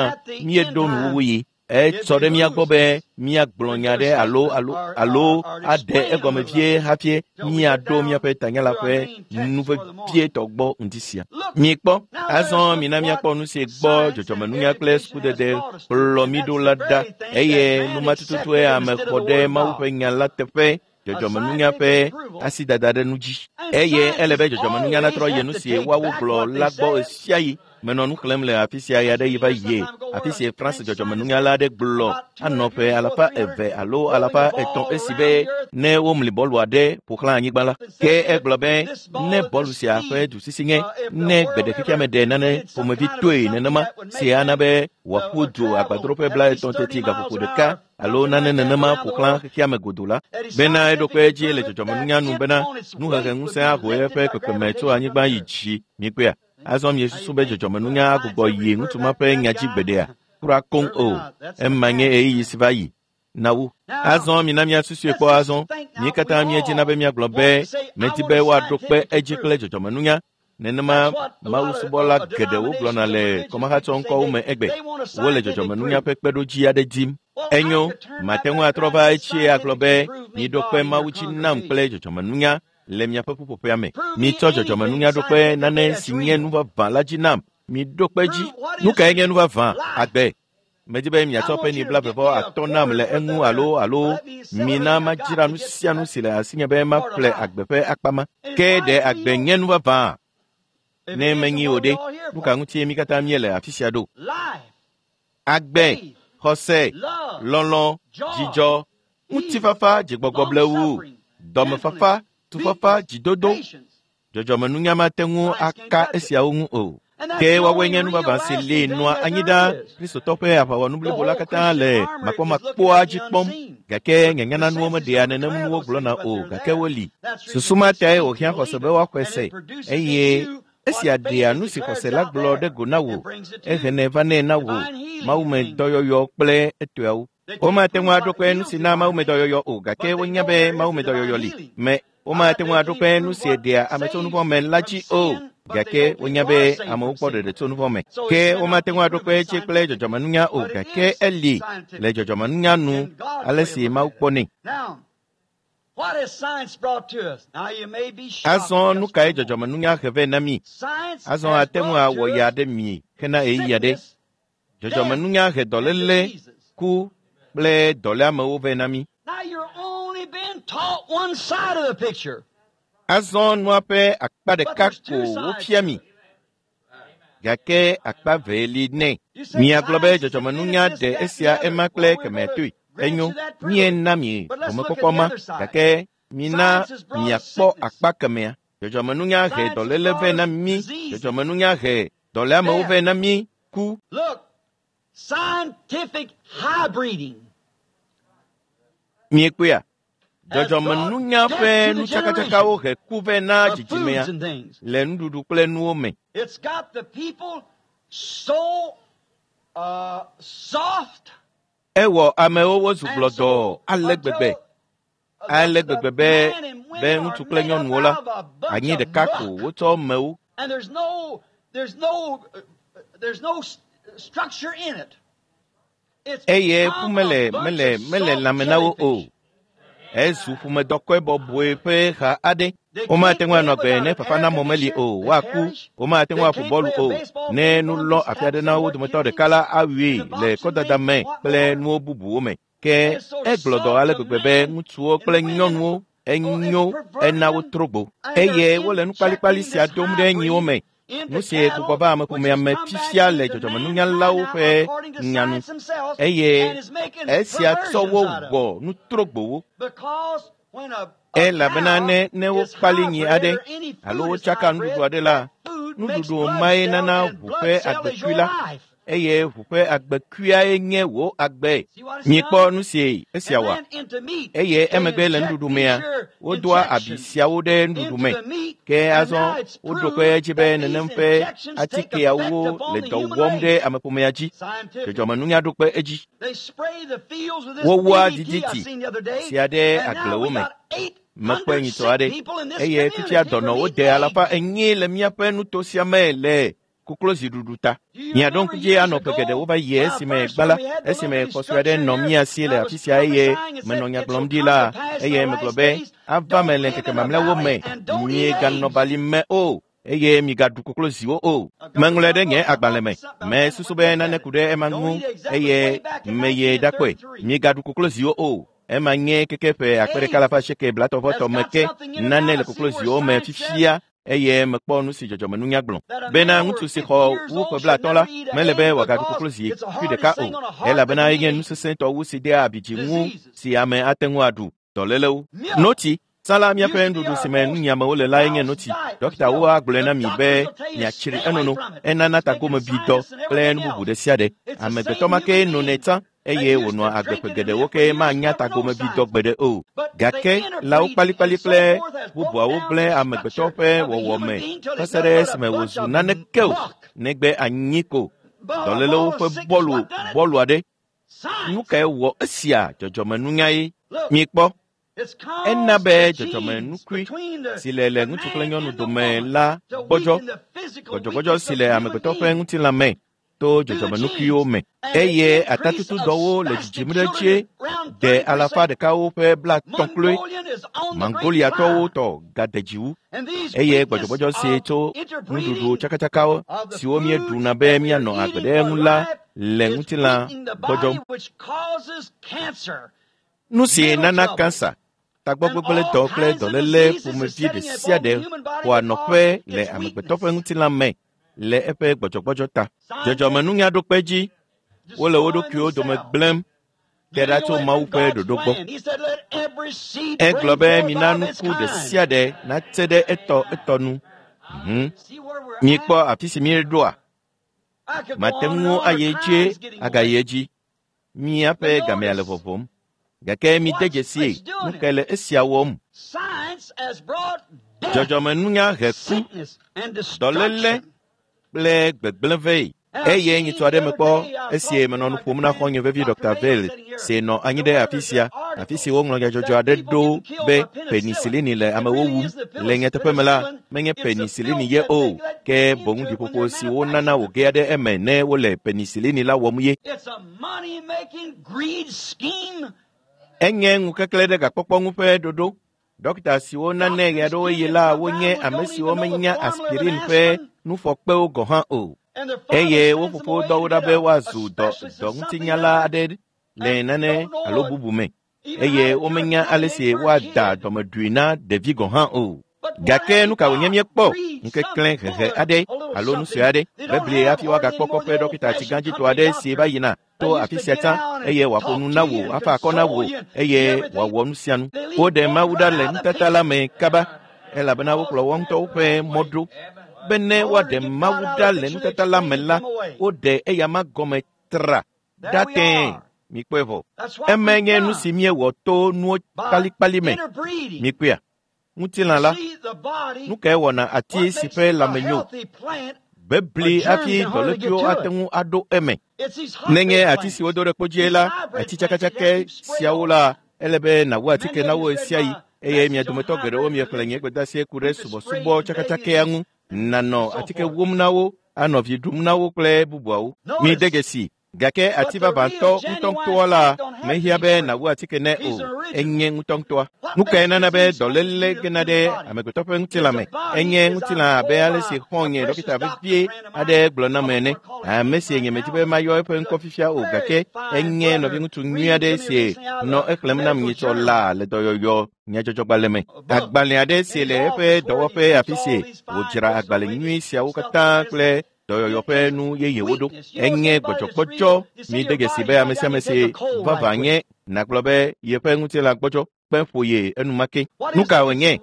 míeɖo nuwuwu yi. Etsɔ ɖe mía gbɔ be míagblɔ nya ɖe alo alo alo aɖe egɔme vie hafi míaɖo míaƒe tanya la ƒe nu vevietɔ gbɔ ŋdi sia. Mikpɔ, azɔ mina míakpɔ nu si gbɔ dzɔdzɔmenunya kple sukudede kplɔ mí ɖo la ɖa eye numa tututue ame xɔ ɖe Mawu ƒe nya la teƒe dzɔdzɔmenunya ƒe asidada ɖe nu dzi. Eye ele be dzɔdzɔmenunya natrɔ yi nu si woawo gblɔ la gbɔ ɣesiaɣi. Menɔ nu xlẽm le afi sia ɣe aɖe yi va yie, afi si France dzɔdzɔmenunyala aɖe gblɔ anɔ ƒe 200 alo 300 esi be ne womli bɔlu aɖe ƒo xlã anyigba la. Ke egblɔ be ne bɔlu sia ƒe dusisi nye ne gbe ɖe xexeame ɖe nane ƒomevi toe nenema si ana be wòaƒu du agbadroƒe 30 teti gaƒoƒo ɖeka alo nane nenema ƒo xlã xexeame godoo la, bena eɖo kpe edzi le dzɔdzɔmenunya nu bena nuhehe ŋusẽ aho eƒe kpekpeme tso anyigba yi dzi. Mikpɔea? Azɔ miesusu be dzɔdzɔmenunya agbugbɔ yi ŋutsu ma ƒe nya dzi gbeɖea? Kura koŋ o. Ema nye ɣeyiɣi si va yi na wo. Azɔ mina míasusue kpɔ azɔ. Mí katã míedzina be míagblɔ be medi be woaɖo kpe edzi kple dzɔdzɔmenunya. Nenema mawusubɔla geɖewo gblɔna le kɔmahatsɔŋkɔwo me egbe. Wole dzɔdzɔmenunya ƒe kpeɖodzi aɖe dim. Enyo, mate ŋu atrɔ va etsie agblɔ be miɖo kpe Mawu dzi nam kple dzɔdzɔmenunya le miaƒe ƒuƒoƒea me. Mitsɔ dzɔdzɔmenunya ɖo kpe nane si nye nu vavã la dzi nam. Miɖo kpe dzi. Nu kae nye nu vavã? Agbe. Medi be miatsɔ peni 9.5 nam le eŋu alo alo mina madzra nu sia nu si le asinye be maƒle agbe ƒe akpa ma. Ke ɖe agbe nye nu vavã? Ne menyi o ɖe, nu ka ŋutie mí katã míele afi sia ɖo? Agbe, xɔse, lɔlɔ̃, dzidzɔ, ŋutifafa, dzigbɔgbɔ blewu, dɔmefafa, tufafa, dzidodo. Dzɔdzɔmenunya mate ŋu aka esiawo ŋu o. Ke woawoe nye nu vavã si li nɔa anyi ɖa. Kristotɔ ƒe aʋawɔnu blibo la katã le makpɔmakpɔa dzi kpɔm. Gake nyanyaнаnuwo meɖea nenem nuwo gblɔna o, gake woli. Susu ma tae wòhiã xɔse be woaxɔe se eye esia ɖea nu si xɔse la gblɔ ɖe go na wò, ehenɛ vanɛ na wò mawumedɔyɔyɔ kple etɔeawo. Womate ŋu aɖo kpe nu si na mawumedɔyɔyɔ o, gake wonya be mawumedɔyɔyɔ li. Me womate ŋu aɖo kpe nu si ɖea ame tso nuvɔ̃ me la dzi o, gake wonya be amewo kpɔ ɖeɖe tso nuvɔ̃ me. Ke womate ŋu aɖo kpe edzi kple dzɔdzɔmenunya o, gake eli le dzɔdzɔmenunya nu ale si Mawu kpɔnɛ. Azɔ nu kae dzɔdzɔmenunya he vɛ na mí? Azɔ ate ŋu awɔ ya ɖe mi hena ɣeyiɣi aɖe. Dzɔdzɔmenunya he dɔléle, ku kple dɔléamewo vɛ na mí. Azɔ nua ƒe akpa ɖeka ko wofia mi, gake akpa ve li nɛ. Miagblɔ be dzɔdzɔmenunya ɖe esia ema kple kemɛ toe. Enyo, míena mi gɔmekpɔkpɔ ma, gake mina miakpɔ akpa kemɛa. Dzɔdzɔmenunya he dɔléle vɛ na mí. Dzɔdzɔmenunya he dɔléamewo vɛ na mí. Ku. Miekpɔea? Dzɔdzɔmenunya ƒe nutsakatsakawo he ku vɛ na dzidzimea le nuɖuɖu kple nuwo me. Ewɔ amewo wozu gblɔdɔɔ ale gbegbe, ale gbegbe be be ŋutsu kple nyɔnuwo la, anyi ɖeka ko wotsɔ mewo. Eye ƒu mele mele mele lãme na wo o. Ezu ƒomedɔkɔe bɔbɔe ƒe ha aɖe. Womate ŋu anɔ agbe ne fafanamɔ meli o, woaku. Womate ŋu aƒo bɔlu o. Ne nu lɔ afi aɖe na wo dometɔ ɖeka la awui le kɔdada me kple nuwo bubuwo me. Ke egblɔ dɔ ale gbegbe be ŋutsuwo kple nyɔnuwo enyo ena wotro gbo. Eye wole nu kpalikpali sia dom ɖe nyiwo me. Nu si gbugbɔ va ameƒomea me fifia le dzɔdzɔmenunyalawo ƒe nya nu. Eye esia tsɔ wo wɔ nutrogbowo. Elabena ne ne wokpali nyi aɖe alo wotsaka nuɖuɖu aɖe la, nuɖuɖu mae nana ʋu ƒe agbekui la. eye ʋu ƒe agbekuiae nye wò agbe. Mikpɔ nu si esia wɔ. Eye emegbe le nuɖuɖu mea, wodoa abi siawo ɖe nuɖuɖu me. Ke azɔ woɖo kpe edzi be nenem ƒe atikeawo le dɔ wɔm ɖe ameƒomea dzi. Dzɔdzɔmenunya ɖo kpe edzi. Wowua diditi sia ɖe agblewo me. Mekpɔe nyitsɔ aɖe eye fifia dɔnɔwo de 400 le míaƒe nuto sia me le kokloziɖuɖu ta. Miaɖo ŋku dzi anɔ ƒe geɖewo va yi esime gbã la, esime xɔ sue aɖe nɔ mía si le afi sia eye menɔ nya gblɔm ɖi la, eye megblɔ be ava me le ŋkeke mamlɛawo me, mieganɔ bali me o eye migaɖu kokloziwo o. Meŋlɔe ɖe nye agbalẽ me. Mesusu be nane ku ɖe ema ŋu eye meye ɖakpɔe. Migaɖu kokloziwo o. Ema nye keke ƒe 1980 me ke nane le kokloziwo me fifia eye mekpɔ nu si dzɔdzɔmenunya gblɔ bena ŋutsu si xɔ wu ƒe 50 la mele be wòagaɖu koklozi kui ɖeka o elabena enye nu sesẽtɔ wu si dea abi dzi ŋu si ame ate ŋu aɖu dɔlélewo. Notsi tsã la míaƒe nuɖuɖu si me nunyiamewo le lae nye notsi. Dɔkitawo agblɔe na mi be miatsri enono, enana tagomebidɔ kple nu bubu ɖe sia ɖe. Amegbetɔ ma kee nonɛ tsã eye wònɔa agbe ƒe geɖewo ke manya tagomebidɔ gbeɖe o. Gake lãwo kpalikpali kple bubuawo gblẽ amegbetɔ ƒe wɔwɔme va se ɖe esime wòzu naneke o negbe anyi ko. Dɔlélewo ƒe bɔlu bɔlu aɖe. Nu kae wɔ esia dzɔdzɔmenunyae? Mikpɔ. Ena be dzɔdzɔmenukui si le le ŋutsu kple nyɔnu dome la gbɔdzɔ, gbɔdzɔgbɔdzɔ si le amegbetɔ ƒe ŋutilã me to dzɔdzɔmenukuiwo me eye atatutudɔwo le dzidzim ɖe edzi de 130 kloe. Mongoliatɔwo tɔ gade dzi wu eye gbɔdzɔgbɔdzɔ si tso nuɖuɖu tsakatsakawo siwo míeɖuna be míanɔ agbe ɖe eŋu la le ŋutilã gbɔdzɔm. Nu si nana kansa, tagbɔgbegblẽdɔ kple dɔléle ƒomevi ɖe sia ɖe xɔa nɔƒe le amegbetɔ ƒe ŋutilã me le eƒe gbɔdzɔgbɔdzɔ ta. Dzɔdzɔmenunya ɖo kpe dzi, wole wo ɖokuiwo dome gblẽm te ɖa tso Mawu ƒe ɖoɖo gbɔ. Egblɔ be mina nuku ɖe sia ɖe natse ɖe etɔ etɔ nu. Mikpɔ afi si míeɖoa. Mate ŋu ayi edzi agayi edzi. Míaƒe gamea le vɔvɔm. Gake mide dzesi nu kae le esia wɔm. Dzɔdzɔmenunya he ku, dɔléle kple gbegblẽ vɛ. Eye nyitsɔ aɖe mekpɔ esie menɔ nu ƒom na xɔ̃nye vevi Dr. Vale si nɔ anyi ɖe afi sia, afi si woŋlɔ nyadzɔdzɔ aɖe ɖo be penisilini le amewo wum. Le nyateƒe me la, menye penisilini ye o, ke boŋ ɖiƒoƒo si wonana wògea ɖe eme ne wole penisilini la wɔm ye. Enye ŋukeklẽ ɖe gakpɔkpɔ ŋu ƒe ɖoɖo. Dɔkita siwo nanɛ ɣeaɖewoɣi la wonye ame siwo menya aspirin ƒe nufɔkpewo gɔ̃ hã o. Eye wo fofo dɔ wo ɖa be woazu dɔŋutinyala aɖe le nane alo bubu me. Eye womenya ale si woada dɔmeɖui na ɖevi gɔ̃ hã o. Gake nu ka wònye míekpɔ? Ŋukeklẽ hehe aɖe alo nu sue aɖe. Bebli hafi woagakpɔ kɔƒe dɔkita tsigãdzitɔ aɖe si va yina to afi sia tsã eye wòaƒo nu na wò, afa akɔ na wò eye wòawɔ nu sia nu. Woɖe Mawu ɖa le nutata la me kaba elabena wokplɔ woa ŋutɔwo ƒe mɔ ɖo. Bene woaɖe Mawu ɖa le nutata la me la, woɖe eyama gɔme tra ɖa tẽe. Mikpɔe vɔ. Eme nye nu si míewɔ to nuwo kpalikpali me. Mikpɔea? Ŋutilã la, nu kae wɔna ati si ƒe lãme nyo? Bebli hafi dɔlékuiwo ate ŋu aɖo eme. Nenye ati si wodo ɖe kpodzie la, ati tsakatsakɛ siawo la, ele be nàwu atike na wo ɣesiaɣi eye mia dometɔ geɖewo miexlẽ nye gbedeasie ku ɖe subɔsubɔ tsakatsakɛa ŋu. Nànɔ atike wum na wo, anɔ vi ɖum na wo kple bubuawo. Mide dzesi. Gake ati vavãtɔ ŋutɔŋutɔa la mehiã be nàwu atike nɛ o, enye ŋutɔŋutɔa. Nu kae nana be dɔléle gena ɖe amegbetɔ ƒe ŋutilã me? Enye ŋutilã abe ale si xɔ̃nye dɔkita vevie aɖe gblɔ nam ene. Ame si nye medi be mayɔ eƒe ŋkɔ fifia o gake enye nɔviŋutsu nyui aɖe si nɔ exlẽm nam nyitsɔ laa le dɔyɔyɔ nyadzɔdzɔgbalẽ me. Agbalẽ aɖe si le eƒe dɔwɔƒe afi si wòdzra agbalẽ nyui siawo katã kple dɔyɔyɔ ƒe nu yeyewo ɖo. Enye gbɔdzɔgbɔdzɔ. Mide dzesi be ame sia ame si vavã nye nàgblɔ be yeƒe ŋutilã gbɔdzɔ. Kpe ƒo ye enumake. Nu ka wònye?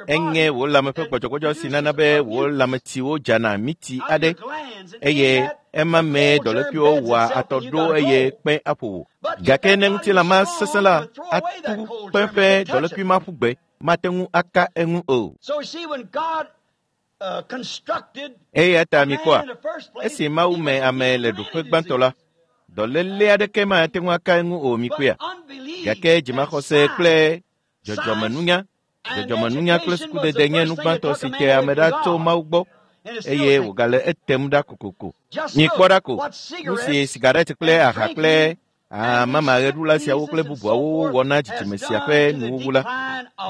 Enye wò lãme ƒe gbɔdzɔgbɔdzɔ si nana be wò lãmetsiwo dzana miti aɖe eye ema mee dɔlékuiwo wɔa atɔ ɖo eye kpe aƒo wò. Gake ne ŋutilã ma sesẽ la, atu kpe ƒe dɔlékui ma ƒu gbe, mate ŋu aka eŋu o. Eya ta mikpɔa, esi Mawu me ame le ɖoƒe gbãtɔ la, dɔléle aɖeke mate ŋu aka eŋu o mikpɔea. Gake dzimaxɔse kple dzɔdzɔmenunya, dzɔdzɔmenunya kple sukudede nye nu gbãtɔ si te ame ɖa tso Mawu gbɔ eye wògale etem ɖa kokoko. Mikpɔ ɖa ko, nu si sigaret kple aha kple amamaɣeɖula siawo kple bubuawo wɔ na dzidzime sia ƒe nuwuwu la,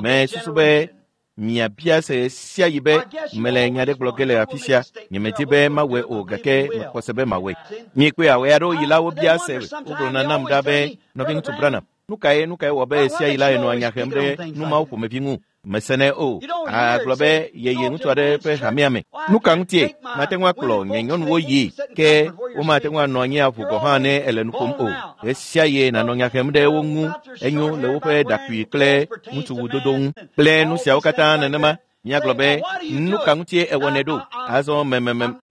mesusu be miabia se sia yi be mele nya ɖe gblɔ ge le afi sia. Nyemedi be mawɔe o gake mexɔ se be mawɔe. Miekpɔe ɣe aɖewo yi la wobia se wogblɔna nam ɖa be nɔviŋutsu Branham, nu kae nu kae wɔ be sia yi la enɔa nya hem ɖe nu mawo ƒomevi ŋu? Mesenɛ o. Agblɔ be yeye ŋutsu aɖe ƒe hamea me. Nu ka ŋutie? Mate ŋu akplɔ nye nyɔnuwo yi ke womate ŋu anɔ anyi aʋu gɔ̃ hã ne ele nu ƒom o. Ɣe sia ɣie nànɔ nya hem ɖe wo ŋu enyo le woƒe ɖakui kple ŋutsuwudodo ŋu kple nu siawo katã nenema. Míagblɔ be nu ka ŋutie ewɔnɛ ɖo? Azɔ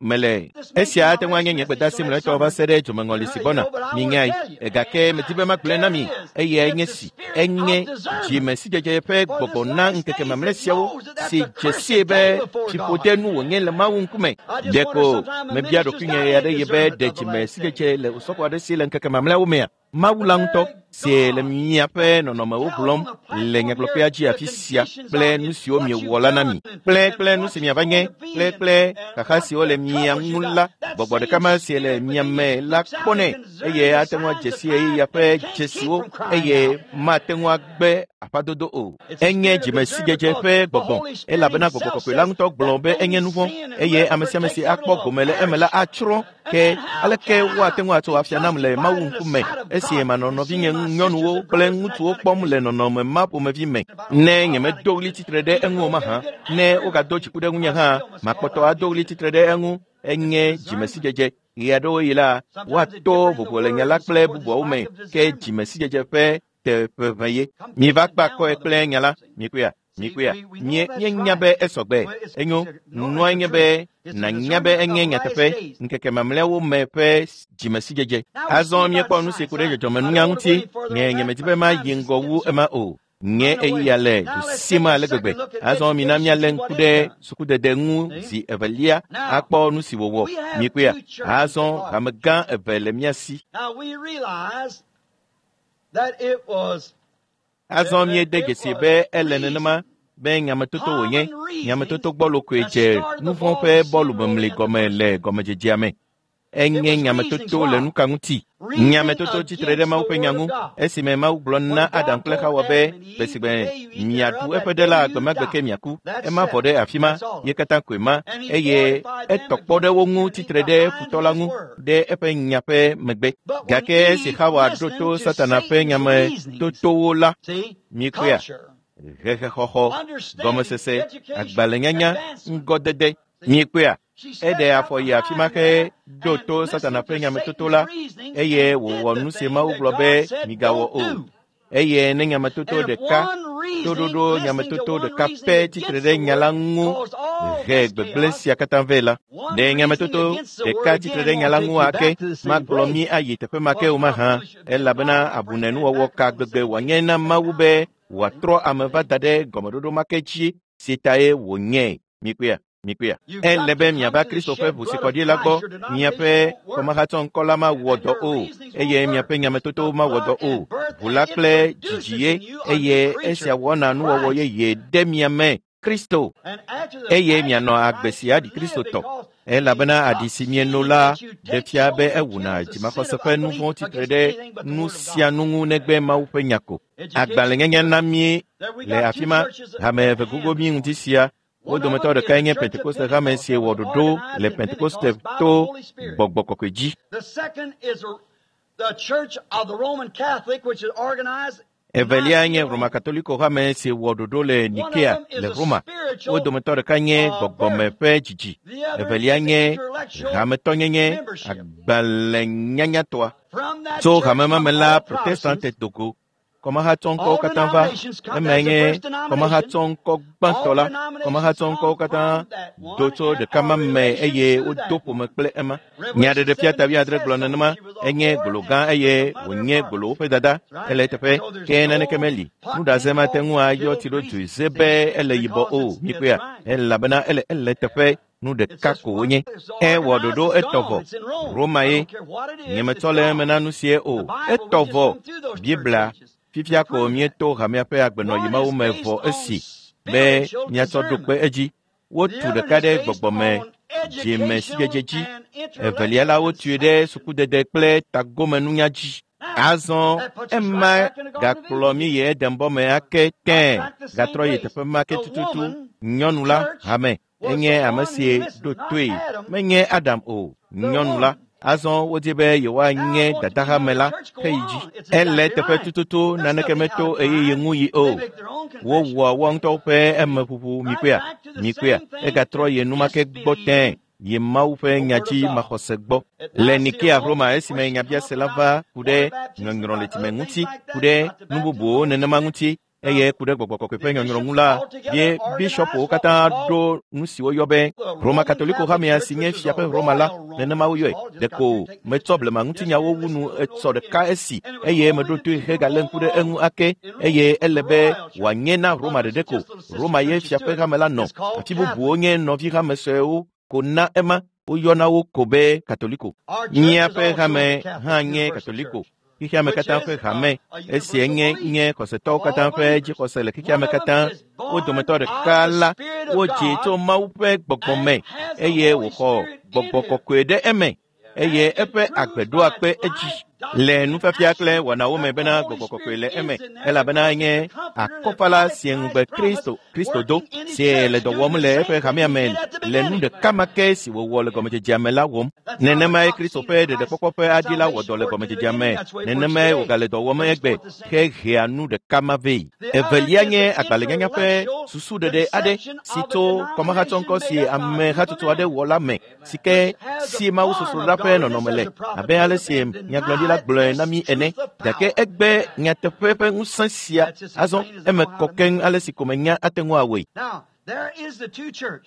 mele. Esia ate ŋu anye nye gbedeasi mlɔetɔ va se ɖe dzomeŋɔli si gbɔna. Minyae. Gake medi be magblɔe na mi. Eyae nye si. Enye dzimesidzedze ƒe gbɔgbɔ na ŋkeke mamlɛ siawo si dze sie be fiƒode nu wònye le Mawu ŋkume. Ɖeko mebia ɖokuinye ɣe aɖe yi be ɖe dzimesidzedze le osɔfo aɖe si le ŋkeke mamlɛawo mea? Mawu la ŋutɔ si le miaƒe nɔnɔmewo gblɔm le nyagblɔƒea dzi afi sia kple nu siwo miewɔ la na mi kple kple nu si miava nye kple kple xaxa siwo le mia ŋu la, gbɔgbɔ ɖeka ma si le mia me la kpɔnɛ eye ate ŋu adze si ɣeyiɣia ƒe dzesiwo eye mate ŋu agbe aƒadodo o. Enye dzimesidzedze ƒe gbɔgbɔ elabena gbɔgbɔ kɔkɔe la ŋutɔ gblɔ be enye nu vɔ̃ eye ame sia ame si akpɔ gome le eme la atsrɔ̃. Ke aleke woate ŋu atso afia nam le Mawu ŋkume esi manɔ nɔvinye nyɔnuwo kple ŋutsuwo kpɔm le nɔnɔme ma ƒomevi me? Ne nyemedo ɣli tsitre ɖe eŋu o mahã, ne wogado dziku ɖe ŋunye hã, makpɔtɔ ado ɣli tsitre ɖe eŋu. Enye dzimesidzedze. Ɣe aɖewo yi la, woato vovo le nya la kple bubuawo me, ke dzimesidzedze ƒe teƒeʋe ye. Miva kpe akɔe kple nya la, mikpɔea? Mikpɔea? Míenya be esɔgbe. Enyo, nua nye be nànya be enye nyateƒe ŋkeke mamlɛawo me ƒe dzimesidzedze. Azɔ míekpɔ nu si ku ɖe dzɔdzɔmenunya ŋuti. Nye nyemedi be mayi ŋgɔ wu ema o. Nye eya le du sim ale gbegbe. Azɔ mina míalé ŋku ɖe sukudede ŋu zi evelia akpɔ nu si wòwɔ. Mikpɔea? Azɔ hame gã eve le mía si. Azɔ míede dzesi be ele nenema be nyametoto wònye. Nyametoto gbɔlo koe dze nu vɔ̃ ƒe bɔlumemli gɔme le gɔmedzedzea me. Enye nyametoto le nu ka ŋuti? Nyametoto tsitre ɖe Mawu ƒe nya ŋu esime Mawu gblɔ na Adam kple Xawa be gbe miaɖu eƒe ɖe la gbemagbe ke miaku. Ema vɔ ɖe afi ma, ye katã koe ma eye etɔ kpɔ ɖe wo ŋu tsitre ɖe futɔ la ŋu ɖe eƒe nya ƒe megbe. Gake esi Xawa ɖo to Satana ƒe nyametotowo la, mikpɔea? Hehexɔxɔ, gɔmesese, agbalẽnyanya, ŋgɔdede. Mikpɔea? Eɖe afɔ yi afi ma ke ɖo to Satana ƒe nyametoto la eye wòwɔ nu si Mawu gblɔ be migawɔ o. Eye ne nyametoto ɖeka, toɖoɖo nyametoto ɖeka pɛ tsitre ɖe nya la ŋu he gbegblẽ sia katã vɛ la, ɖe nyametoto ɖeka tsitre ɖe nya la ŋu ake magblɔ mí ayi teƒe ma ke o mahã, elabena abunenuwɔwɔ ka gbegbe wòanye na Mawu be wòatrɔ ame va da ɖe gɔmeɖoɖo ma ke dzi si tae wònye. Mikpɔea? Mikpɔea? Ele be miava Kristo ƒe ʋu si kɔ ɖi la gbɔ. Miaƒe kɔmahatsɔŋkɔ la mawɔ dɔ o eye miaƒe nyametotowo mawɔ dɔ o. Ʋu la kple dzidzi ye eye esia wɔna nuwɔwɔ yeye ɖe mia me Kristo eye mianɔ agbe si aɖi Kristo tɔ. Elabena aɖi si mieno la ɖe fia be ewuna dzimaxɔse ƒe nu vɔ̃ tsitre ɖe nu sia nu ŋu negbe Mawu ƒe nya ko. Agbalẽnyanya na mí le afi ma hame eve gogo mí ŋuti sia. Wo dometɔ ɖekae nye Pentekoste hame si wɔ ɖoɖo le Pentekoste to gbɔgbɔ kɔkɔe dzi. Evelia nye Roma Katoliko hame si wɔ ɖoɖo le Nikea le Roma. Wo dometɔ ɖeka nye gbɔgbɔme ƒe dzidzi. Evelia nye hametɔnyenye agbalẽnyanyatɔa. Tso hame ma me la, Protestante dogo. Kɔmahatsɔŋkɔwo katã va. Emae nye kɔmahatsɔŋkɔ gbãtɔ la. Kɔmahatsɔŋkɔwo katã do tso ɖeka ma me eye wodo ƒome kple ema. Nyaɖeɖefia ta 70 gblɔ nenema. Enye gbolo gã eye wònye gbolowo ƒe dada. Ele eteƒe. Ke naneke meli. Nuɖaze mate ŋu ayɔ tsi ɖo dzoe ze be ele yibɔ o. Mikpɔea? Elabena ele ele teƒe. Nu ɖeka ko wonye. Ewɔ ɖoɖo etɔ vɔ. Roma ye. Nyemetsɔ le eme na nu sie o. Etɔ vɔ. Biblia. Fifia ko míeto hamea ƒe agbenɔyi mawo me vɔ esi be míatsɔ ɖo kpe edzi. Wotu ɖeka ɖe gbɔgbɔme dzimesidzedze dzi. Evelia la wotui ɖe sukudede kple tagomenunya dzi. Azɔ ema gakplɔ mí yi Edenbɔ me ake tẽe gatrɔ yi teƒe ma ke tututu. Nyɔnu la, hame, enye ame si ɖo toe. Menye Adam o, nyɔnu la. Azɔ wodi be yewoanye dadahame la heyi dzi. Ele teƒe tututu naneke meto ɣeyiɣi ŋu yi o. Wowɔa woa ŋutɔwo ƒe emeʋuʋu mikpɔea, mikpɔea. Egatrɔ yi enumake gbɔ tẽe yi Mawu ƒe nya dzi maxɔse gbɔ. Le Nikea Roma esime nyabiase la va ku ɖe nyɔnyrɔ le dzime ŋuti, ku ɖe nu bubuwo nenema ŋuti, eye ku ɖe gbɔgbɔ kɔkɔe ƒe nyɔnyrɔ ŋu la, ye bishɔpwo katã ɖo nu si woyɔ be Roma Katoliko hamea si nye fia ƒe Roma la, nenema woyɔe. Ɖeko metsɔ blema ŋutinyawo wu nu etsɔ ɖeka esi eye meɖo toe hegalé ŋku ɖe eŋu ake eye ele be wòanye na Roma ɖeɖe ko. Roma ye fia ƒe hame la nɔ. Afi bubuwo nye nɔvi hame suewo ko na ema. Woyɔna wo ko be Katoliko. Míaƒe hame hã nye Katoliko. Xexeame katã ƒe hame. Esia nye nye xɔsetɔwo katã ƒe dzixɔse le xexeame katã. Wo dometɔ ɖeka la, wodzi tso Mawu ƒe gbɔgbɔ me eye wòxɔ gbɔgbɔ kɔkɔe ɖe eme eye eƒe agbe ɖoa kpe edzi le nufiafia kple wɔnawo me bena gbɔgbɔ kɔkɔe le eme elabena enye akɔfala si ŋugbe Kristo Kristo do si le dɔ wɔm le eƒe hamea me le nu ɖeka ma ke si wòwɔ le gɔmedzedzea me la wɔm. Nenemae Kristo ƒe ɖeɖekpɔkpɔ ƒe aɖi la wɔ dɔ le gɔmedzedzea me. Nenemae wògale dɔ wɔm egbe hehea nu ɖeka ma vɛ. Evelia nye agbalẽnyanya ƒe susuɖeɖe aɖe si tso kɔmahatsɔŋkɔ si ame hatsotso aɖe wɔ la me si ke si mawusosroɖa ƒe nɔnɔme le abe ale si nyagblɔɖila gblɔe na mí ene. Gake egbe nyateƒe ƒe ŋusẽ sia azɔ eme kɔ keŋ ale si ko menya ate ŋu awɔe.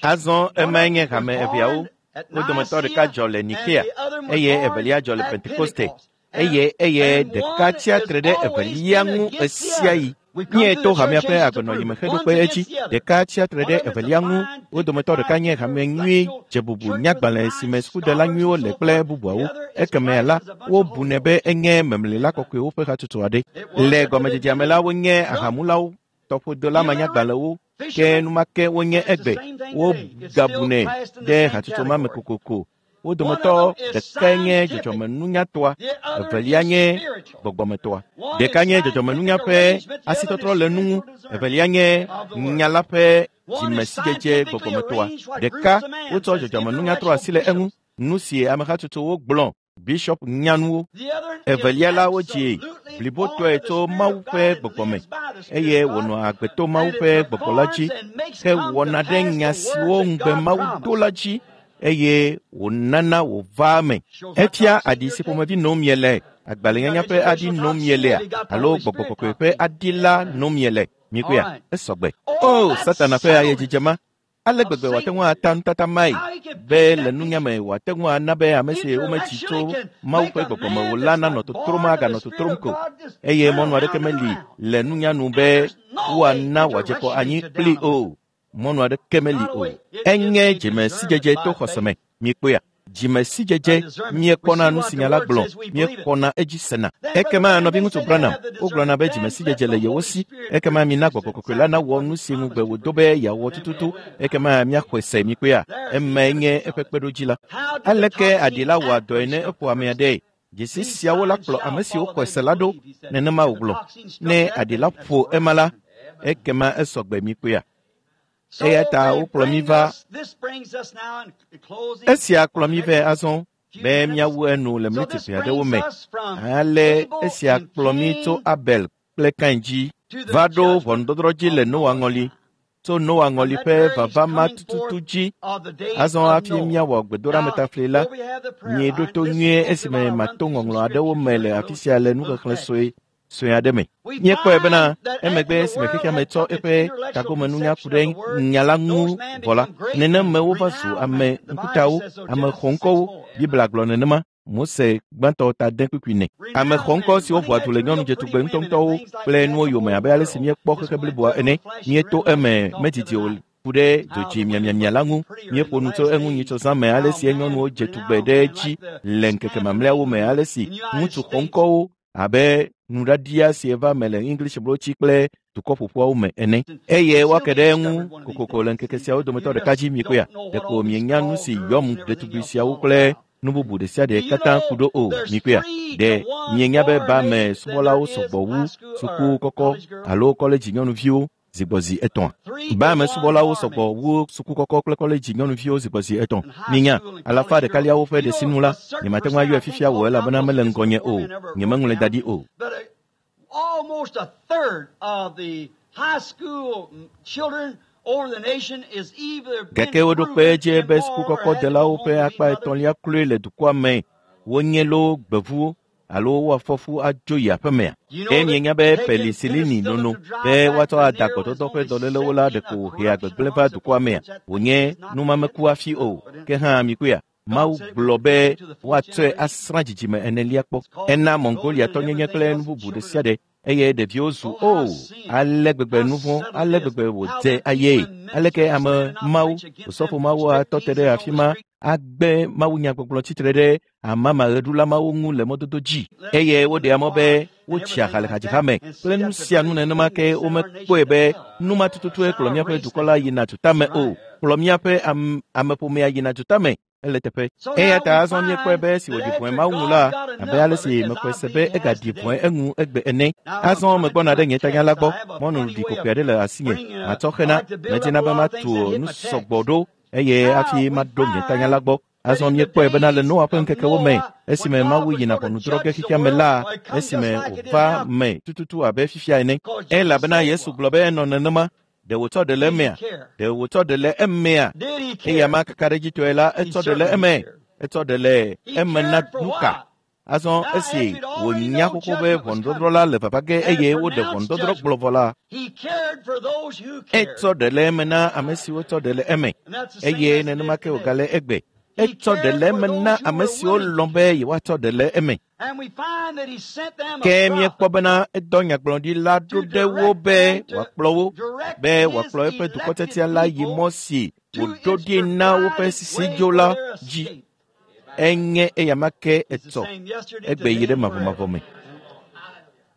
Azɔ emae nye hame eveawo. Wo dometɔ ɖeka dzɔ le Nikea eye evelia dzɔ le Pentekoste. Eye eye ɖeka tsia tre ɖe evelia ŋu ɣesiaɣi. Míeto hamea ƒe agbenɔyime heɖo kpe edzi. Ɖeka tsia tre ɖe evelia ŋu. Wo dometɔ ɖeka nye hame nyui dzebubu nyagbalẽ si me sukudela nyuiwo le kple bubuawo. Ekemea la, wobunɛ be enye memlila kɔkɔewo ƒe hatsotso aɖe. Le gɔmedzedzea me la, wonye ahamulawo, tɔƒodola manyagbalẽwo, ke enumake wonye egbe. Wogabunɛ ɖe hatsotso ma me kokoko. Wo dometɔ ɖekae nye dzɔdzɔmenunyatɔa, evelia nye gbɔgbɔmetɔa. Ɖeka nye dzɔdzɔmenunya ƒe asitɔtrɔ le nu ŋu, evelia nye nya la ƒe dzimesidzedze gbɔgbɔmetɔa. Ɖeka wotsɔ dzɔdzɔmenunya trɔ asi le eŋu, nu si ame hatsotsowo gblɔ bishɔp nyanuwo. Evelia la wodzi blibotɔe tso Mawu ƒe gbɔgbɔ me eye wònɔ agbe to Mawu ƒe gbɔgbɔ la dzi hewɔna ɖe nya siwo ŋugbe Mawu do la dzi eye wònana wòvaa eme. Efia aɖi si ƒomevi nom miele, agbalẽnyanya ƒe aɖi nom mielea alo gbɔgbɔ kɔkɔe ƒe aɖi la nom miele. Mikpɔea, esɔgbe. O, Satana ƒe ayedzidze ma! Ale gbegbe wòate ŋu ata nutata mae be le nunya me wòate ŋu ana be ame si wometsi tso Mawu ƒe gbɔgbɔ me o la nanɔ totrom aganɔ totrom ko eye mɔnu aɖeke meli le nunya nu be woana wòadze kɔ anyi kpli o. Mɔnu aɖeke meli o. Enye dzimesidzedze to xɔse me. Mikpɔea? Dzimesidzedze míekpɔna nu si nya la gblɔ, míexɔna edzi sena. Ekema nɔviŋutsu Branham, wogblɔna be dzimesidzedze le yewo si. Ekema mina gbɔgbɔ kɔkɔe la nawɔ nu si ŋugbe wòdo be yeawɔ tututu. Ekema míaxɔe se mikpɔea? Emae nye eƒe kpeɖodzi la. Aleke aɖi la wɔa dɔe ne eƒo amea ɖee? Dzesi siawo la kplɔ ame siwo xɔe se la ɖo. Nenema wògblɔ. Ne aɖi la ƒo ema la, ekema esɔgbe mikpɔea? Eya ta wokplɔ mí va. Esia kplɔ mí vɛ azɔ be míawu enu le miniti ʋɛ aɖewo me. Ale esia kplɔ mí tso Abel kple Kain dzi va ɖo ʋɔnudɔdrɔ̃ dzi le Noa ŋɔli. Tso Noa ŋɔli ƒe vava ma tututu dzi. Azɔ hafi míawɔ gbedoɖametafli la, mieɖo to nyuie esime mato ŋɔŋlɔ aɖewo me le afi sia le nuxexlẽ sue sue aɖe me. Míekpɔe bena emegbe esime xexea me tsɔ eƒe tagomenunya ku ɖe nya la ŋu vɔ la, nenem me wova zu ame ŋkutawo, ame xɔŋkɔwo. Biblia gblɔ nenema. Mose gbãtɔ ta de kpukpui ne. Ame xɔŋkɔ siwo ʋua du le nyɔnu dzetugbe ŋutɔŋutɔwo kple nuwo yome abe ale si míekpɔ xexe bliboa ene. Míeto eme medidi o ku ɖe dzodzi miamiamia la ŋu. Míeƒo nu tso eŋu nyitsɔ zã me ale si nyɔnuwo dze tugbe ɖe edzi le ŋkeke mamlɛawo me ale si ŋutsu xɔŋkɔwo abe nuɖaɖia si eva me le English blotsi kple dukɔ ƒoƒuawo me ene. Eye woake ɖe eŋu kokoko le ŋkeke siawo dometɔ ɖeka dzi mikpɔea. Ɖeko mienya nu si yɔm ɖetugbi siawo kple nu bubu ɖe sia ɖe katã ku ɖo o mikpɔea. Ɖe mienya be ba me subɔlawo sɔgbɔ wu suku kɔkɔ alo kɔledzi nyɔnuviwo zigbɔzi etɔ̃a? Ba me subɔlawo sɔgbɔ wu suku kɔkɔ kple kɔledzi nyɔnuviwo zigbɔzi etɔ̃. Minya, alafa ɖekaliawo ƒe ɖe sinu la, nyemate ŋu ayɔe fifia o elabena mele ŋgɔnye o. Nyemeŋlɔe da ɖi o. But almost a third of the high school children over the nation is either been Gake woɖo kpe proven edzi be immoral suku or kɔkɔ had to go delawo home ƒe to akpa be mother. etɔ̃lia kloe le dukɔa me wonye loo gbevuwo alo woafɔ fu adzo yi aƒemea. You know Ke that mienya be taking penisilini penicillin nono to drive be back woatsɔ ada venereal is gbɔdɔdɔ ƒe only dɔlélewo la simply ɖeko a wòhea corruption gbegblẽ amongst va the dukɔa mea. people. That Wònye is not numameku hafi o. Ke hã mikpɔea, God Mawu said it gblɔ would be be to the fourth woatsɔe generation. asrã dzidzime enelia kpɔ. It's called Ena golden and Mongoliatɔnyenye everything kple else nu bubu ɖe children. sia ɖe eye ɖeviwo zu Oh, how o sin, ale gbegbe how nu vɔ̃ subtle ale it is, gbegbe how wòdze the people ayee in aleke ministry ame stand and not mawo preach against osɔfo them, mawo atɔ te striptease ɖe on afi the ma street. agbe mawunyagbɔgblɔ tsitre ɖe amamaɣeɖula mawo ŋu le mɔdodo dzi Let eye in the woɖea mɔ be choir and wotsia everything ha le like that, hadziha me and kple see nu that the sia nu very nenema thing ke that sent our nation womekpɔe to be hell, nu ma tututue sent kplɔ our míaƒe race to dukɔ la hell. yina tutame Right. o kplɔ míaƒe am, ameƒomea yina tutame ele teƒe. So Eya now ta we azɔ míekpɔe find be esi that wòɖi vɔ̃e after Mawu ŋu God la, got abe enough ale of si it, as mexɔe I se be believe he has egaɖi vɔ̃e today. eŋu egbe ene. Now I'm Azɔ coming to megbɔna my ɖe nye tanya la text. I gbɔ. have a Mɔnu funny ɖi way kokoe of aɖe le asinye. bringing a, Matsɔ I xena. like to build up Medina a be lot of matu things that hit nu my sɔgbɔ text. ɖo eye Now hafi we maɖo nye tanya find la gbɔ. that Azɔ in the míekpɔe bena le days Noa ƒe of ŋkekewo me, Noah, when esime God Mawu was yina going to ʋɔnudrɔ̃ ge judge the xexea me world, la, well, it come just esime like it is wòva now, me tututu abe fifia ene. because Jesus Elabena said it Yesu was. gblɔ be enɔ nenema. Ɖe wòtsɔ ɖe le Did he emea? care? Ɖe wòtsɔ ɖe le emea? Did he Eya care? ma kakaɖedzitɔe la, He etsɔ ɖe le certainly eme. cared. Etsɔ ɖe le He eme na cared for nu ka? what? Azɔ Now, esi after he'd already wònya known xoxo be judgment was ʋɔnudɔdrɔ̃ coming la le vava ge and had eye woɖe pronounced ʋɔnudɔdrɔ̃ judgment, gblɔ vɔ la, he cared for those who cared. etsɔ ɖe le eme na ame siwo tsɔ ɖe le eme And that's the same eye as it is nenema ke today. wògale egbe. He Etsɔ ɖe cared le for eme na those who ame were siwo willing to lɔ̃ be care. yewoatsɔ ɖe le eme. And we find that he sent them a Ke míekpɔ prophet bena edɔ nyagblɔɖila ɖo to ɖe wo direct be them, to wòakplɔ wo, direct be his wòakplɔ eƒe elected dukɔtiatia la yi people mɔ si to wòɖo its ɖi na woƒe provided way sisidzo for la their dzi. escape. Enye eyama ke It's the etsɔ same yesterday, egbe yi today, ɖe and forever. mavɔmavɔ me.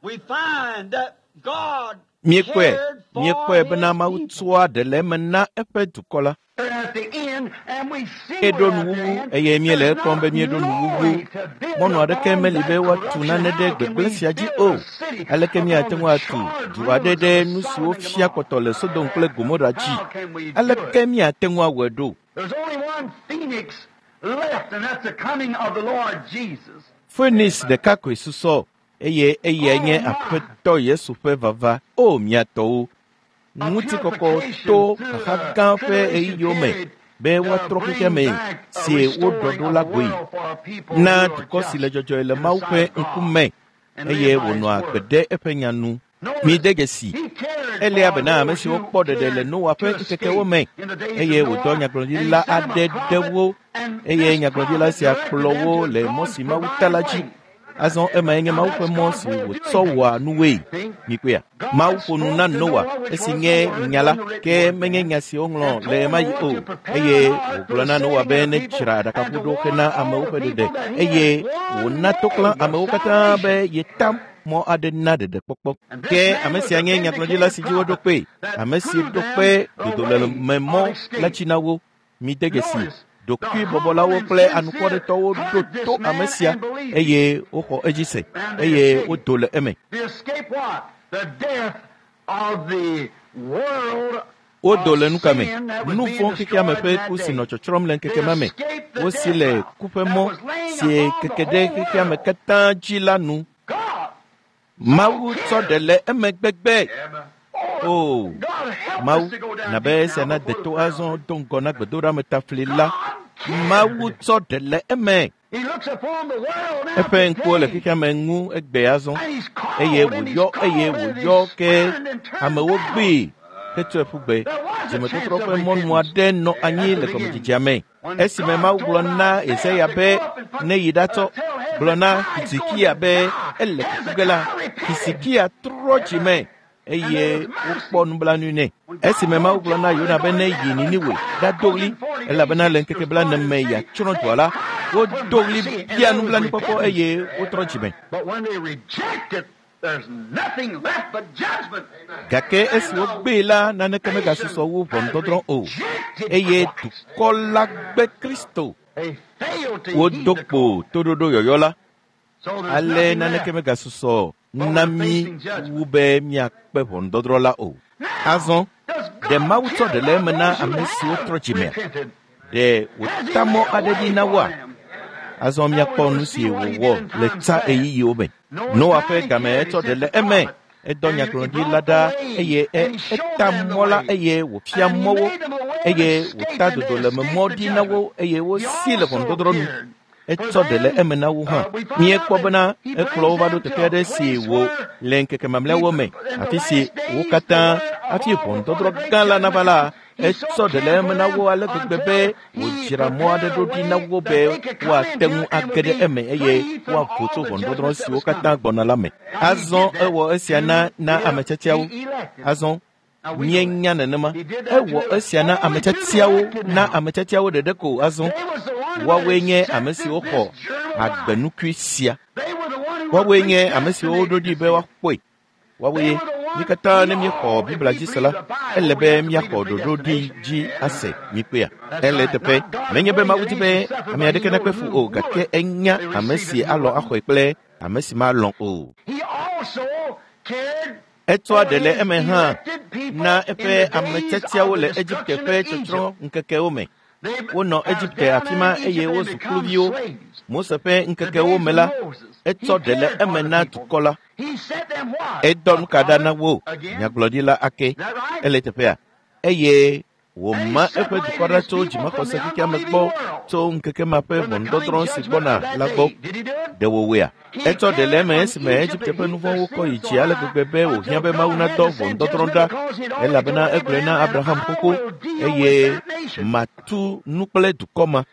We find that God Míekpɔe, cared for míekpɔe bena his Mawu people. tsɔa ɖe le eme na eƒe dukɔ la. We're at the end, and we see Eɖo we're at the nuwuwu end. eye míele There's ekpɔm not be míeɖo no nuwuwu. way to build Mɔnu aɖeke upon meli that be woatu corruption. nane ɖe How can gbegblẽ we sia dzi build o. a city Aleke upon míate the ŋu atu charred du aɖe ruins ɖe of nu Sodom siwo and fia Gomorrah? kpɔtɔ le Sodom kple Gomora dzi? How can we do Aleke it? míate ŋu awɔe ɖo? There's only one phoenix left, and that's the coming of the Lord Jesus. Phoenix ɖeka koe susɔ eye eyae Oh nye my! Aƒetɔ Yesu ƒe vava. O mia tɔwo, A ŋutikɔkɔ purification to through the xaxa gã ƒe tribulation ɣeyiɣiwo me period be to woatrɔ xexea bring me back a si woɖɔ restoring ɖo of la the goe world for a people na who are dukɔ si le just dzɔdzɔe le in the Mawu sight ƒe of God ŋkume and eye live by His wònɔa agbe word. ɖe eƒe nya nu. Mide Notice, dzesi he cared elia for bena ame those siwo who kpɔ ɖeɖe le cared Noa to ƒe ŋkekewo escape me in the days eye of wòdɔ Noah, and he nyagblɔɖila sent them a aɖe ɖe prophet, wo and eye this nyagblɔɖila prophet sia directed kplɔ them wo to le mɔ God's si Mawu ta la provided dzi. way. Azɔ emae nye Now Mawu that's ƒe mɔ God's si way of wòtsɔ doing things. wɔa nuwoe. See? Mikpɔea? Mawu God ƒo nu na spoke to Noa Noah, which esi was the nye Word, nya la, wasn't the written ke word menye then, nya si woŋlɔ and le told ɣemaɣi Noah o. to prepare Eye an ark for wògblɔ the na Noa saving be of the people nedzra and to aɖakaʋu ɖo warn hena all amewo the ƒe ɖeɖe people that he eye had one wòna toklã way of amewo katã be salvation. yeta mɔ aɖe na ɖeɖekpɔkpɔ. And this Ke man ame was sia a nye nyagblɔɖila vindicated si dzi woɖo prophet kpee, that ame si proved ɖo them kpe the way of dodolɔmemɔ la escape. dzi na wo. Mide dzesi Notice, the humble ɖokuibɔbɔlawo and kple sincere anukwaretɔwo ɖo heard this to ame man sia and believed him, eye woxɔ edzi se and they eye escaped. wodo le eme. They escaped what? The death of the world Wodo of le nuka me? sin that was Nu being vɔ̃ xexea me destroyed ƒe in that ku si day. nɔ tsɔtsrɔ̃m le They ŋkeke ma me. escaped the Wosi death le route ku ƒe that mɔ was laying si upon the keke ɖe whole xexea me world. katã dzi la nu. God Mawu tsɔ cared. ɖe le eme gbegbe. Oh, O God help us Mawu, to go down na be deep esia now na before de the to prayer azɔ altar. do ŋgɔ na gbedoɖametafli la. God Mawu tsɔ ɖe le eme. Eƒe ŋkuwo le xexea me ŋu egbe azɔ eye wòyɔ eye wòyɔ ke amewo gbee hetsɔe ƒu gbe. Dzimetɔtrɔ ƒe mɔnu aɖe nɔ anyi le gɔmedzedzea me. Esime Mawu gblɔ na Yesaya be ne yi ɖatsɔ gblɔ na Hizikia be ele kuku ge la, Hizikia trɔ dzime eye wokpɔ nublanui nɛ. Esime Mawu gblɔ na Yona be ne yi Niniwe ɖado ɣli elabena le ŋkeke blaene me yeatsrɔ̃ dua la, wodo ɣli bia nublanuikpɔkpɔ eye wotrɔ dzime. Gake esi wogbee la, naneke megasusɔ wu ʋɔnudɔdrɔ̃ o eye dukɔ la gbe Kristo. Wodo kpo toɖoɖo yɔyɔ la. Ale naneke megasusɔ na mí wu be míakpe ʋɔnudɔdrɔ̃ la o. Azɔ, ɖe Mawu tsɔ ɖe le eme na ame siwo trɔ dzimea? Ɖe wòta mɔ aɖe ɖi na woa? Azɔ míakpɔ nu si wòwɔ le tsa ɣeyiɣiwo me. Noa ƒe game etsɔ ɖe le eme. Edɔ nyagblɔɖi la ɖa eye eta mɔ la eye wòfia mɔ wo eye wòta dodolememɔ ɖi na wo eye wosi le ʋɔnudɔdrɔ̃ nu. Etsɔ ɖe le eme na wo hã. Míekpɔ bena ekplɔ wo va ɖo teƒe aɖe si wò le ŋkeke mamlɛawo me, afi si wo katã hafi ʋɔnudɔdrɔ̃ gã la nava la, etsɔ ɖe le eme na wo ale gbegbe be wòdzra mɔ aɖe ɖo ɖi na wo be woate ŋu age ɖe eme eye woavo tso ʋɔnudɔdrɔ̃ siwo katã gbɔna la me. Azɔ ewɔ esia na na ame tiatiawo. Azɔ míenya nenema. Ewɔ esia na ame tiatiawo na ame tiatiawo ɖeɖe ko azɔ. Woawoe nye ame siwo xɔ agbenukui sia. Woawoe nye ame siwo woɖo ɖi be woakpɔe. Woawoe mí katã ne míexɔ Biblia dzi se la, ele be míaxɔ ɖoɖo ɖi dzi ase míkpea. Ele eteƒe. Menye be Mawu di be ame aɖeke nakpe fu o, gake enya ame si alɔ̃ axɔe kple ame si malɔ̃ o. Etsɔa ɖe le eme hã na eƒe ame tiatiawo le Egipte ƒe tsɔtsrɔ̃ ŋkekewo me. Wonɔ Egipte afi ma eye wozu kluviwo. Mose ƒe ŋkekewo me la, etsɔ ɖe le eme na dukɔ la. Edɔ nu ka ɖa na wo nyagblɔɖila ake. Ele teƒea eye wòma eƒe dukɔ ɖa tso dzimaxɔse xexeame gbɔ tso ŋkeke ma ƒe ʋɔnudɔdrɔ̃ si gbɔna la gbɔ. Ɖe wòwɔea? Etsɔ ɖe le eme esime Egipte ƒe nu vɔ̃wo kɔ yi dzi ale gbegbe be wòhiã be Mawu nadɔ ʋɔnudɔdrɔ̃ ɖa elabena egblɔe na Abraham xoxo eye matu nu kple dukɔ ma.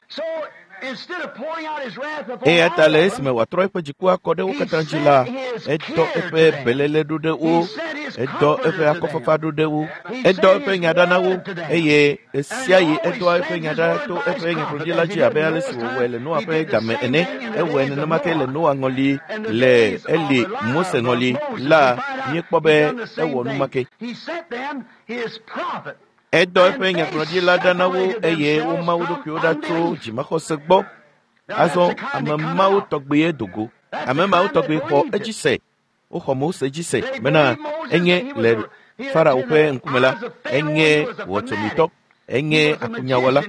Eya ta le esime wòatrɔ eƒe dziku akɔ ɖe wo katã dzi la, edɔ eƒe beléle ɖo ɖe wo, edɔ eƒe akɔfafa ɖo ɖe wo, edɔ eƒe nya ɖa na wo eye ɣesiaɣi edɔa eƒe nya ɖa to eƒe nyagblɔɖila dzi abe ale si wòwɔe le Noa ƒe game ene. Ewɔe nenema ke le Noa ŋɔli, le Eli Mose ŋɔli la, míekpɔ be ewɔ nu ma ke. Edɔ eƒe nyagblɔɖila ɖa na wo eye woma wo ɖokuiwo ɖa tso dzimaxɔse gbɔ. Azɔ ame mawo tɔgbie do go. Ame mawo tɔgbi xɔ edzi se. Woxɔ Mose dzi se bena enye le Farao ƒe ŋkume la, enye wɔtsomitɔ, enye akunyawɔla,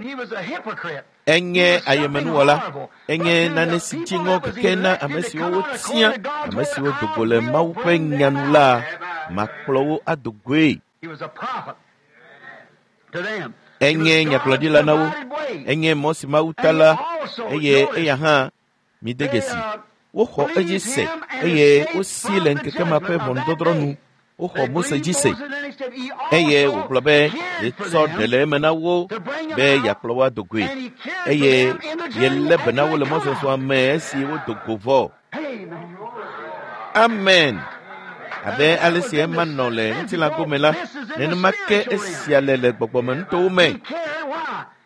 enye ayemenuwɔla, enye nane si dzi ŋɔ keke na ame siwo wotia, ame siwo do go le Mawu ƒe nya nu la, makplɔ wo ado goe. Enye nyagblɔɖila na wo, enye mɔ si Mawu ta la, eye eya hã mide dzesi. Woxɔ edzi se eye wosi le ŋkeke ma ƒe ʋɔnudɔdrɔ̃ nu. Woxɔ Mose dzi se eye wògblɔ be yetsɔ ɖe le eme na wo be yeakplɔ wo ado goe eye yelé be na wo le mɔzɔzɔa me esi wodo go vɔ. Amen. Abe ale si ema nɔ le ŋutilã gome la, nenema ke esia le le gbɔgbɔmenutowo me.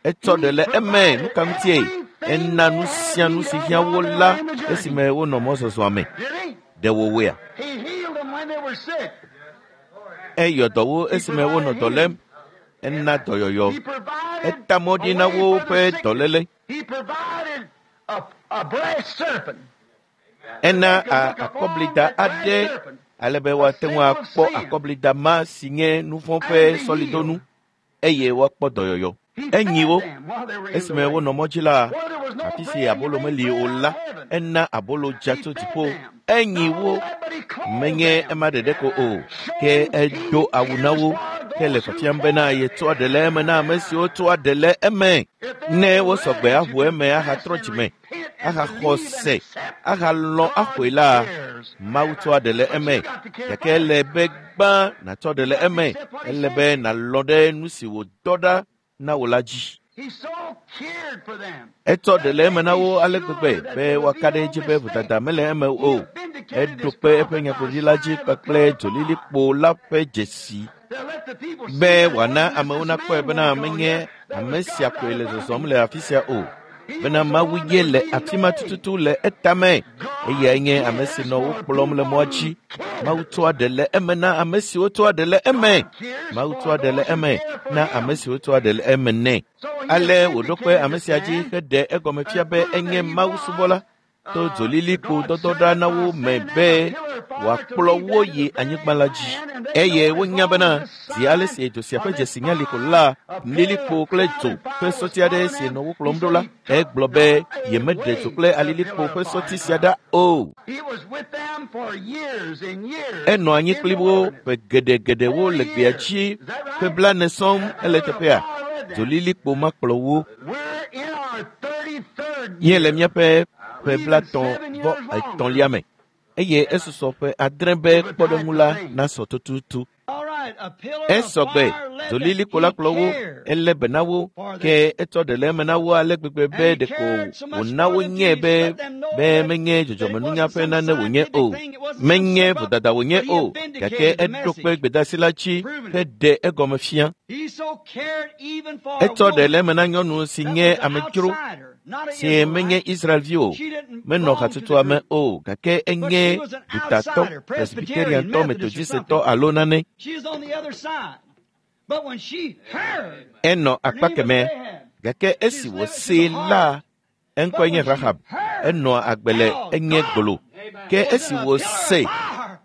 Etsɔ ɖe le eme nu ka ŋutie? Ena nu sia nu si hiã wo la esime wonɔ mɔzɔzɔa me. Ɖe wòwɔea? Eyɔ dɔ wo esime wonɔ dɔ lém. Ena dɔyɔyɔ. Eta mɔ ɖi na woƒe dɔléle. Ena akɔblida aɖe ale be woate ŋu akpɔ akɔblida ma si nye nu vɔ̃ ƒe sɔlidonu eye woakpɔ dɔyɔyɔ. Enyi wo esime wonɔ mɔ dzi la, afi si abolo meli o la, ena abolo dza tso dziƒo. Enyi wo menye ema ɖeɖe ko o, ke edo awu na wo. Ke le fiafiam bena yetsɔa ɖe le eme na ame siwo tsɔa ɖe le eme. Ne wosɔgbe aʋu eme ahatrɔ dzime, ahaxɔ se, ahalɔ̃ axɔe la, Mawu tsɔa ɖe le eme. Gake ele be gbã nàtsɔ ɖe le eme. Ele be nàlɔ̃ ɖe nu si wòdɔ ɖa na wò la dzi. Etsɔ ɖe le eme na wo ale gbegbe be woaka ɖe edzi be vodada mele eme o. Eɖo kpe eƒe nyagblɔɖi la dzi kpakple dzolilikpo la ƒe dzesi be wòana amewo nakpɔe bena menye ame sia koe le zɔzɔm le afi sia o, bena Mawu ye le afi ma tututu le etame. Eyae nye ame si nɔ wo kplɔm le mɔa dzi. Mawu tsɔa ɖe le eme na ame siwo tsɔa ɖe le eme. Mawu tsɔa ɖe le eme na ame siwo tsɔa ɖe le eme nɛ. Ale wòɖo kpe ame sia dzi heɖe egɔme fia be enye Mawu subɔla to dzolilikpo dɔdɔ ɖa na wo me be wòakplɔ wo yi anyigba la dzi. Eye wonya bena zi ale si dzo sia ƒe dzesi nye liƒo la, lilikpo kple dzo ƒe sɔti aɖe si nɔ wo kplɔm ɖo la, egblɔ be yemeɖe dzo kple alilikpo ƒe sɔti sia ɖa o. Enɔ anyi kpli wo ƒe geɖegeɖewo le gbea dzi ƒe blaene sɔŋ ele teƒea. Dzolilikpo ma kplɔ wo. Míele míaƒe ƒe 33lia me eye esusɔ ƒe 7 be kpɔɖeŋu la nasɔ tututu. Esɔgbe dzolilikpo la kplɔ wo, elé be na wo, ke etsɔ ɖe le eme na wo ale gbegbe be ɖeko wòna wonyae be be menye dzɔdzɔmenunya ƒe nane wònye o, menye vodada wònye o, gake eɖo kpe gbedeasi la dzi heɖe egɔme fia. Etsɔ ɖe le eme na nyɔnu si nye amedzro, si menye Israelvi o, menɔ hatsotsoa me o, gake enye dutatɔ, Presbyteriantɔ, Methodistetɔ alo nane. Enɔ akpa kemɛ, gake esi wòsee la, eŋkɔe nye Rahab. Enɔa agbe le enye gbolo. Ke esi wòse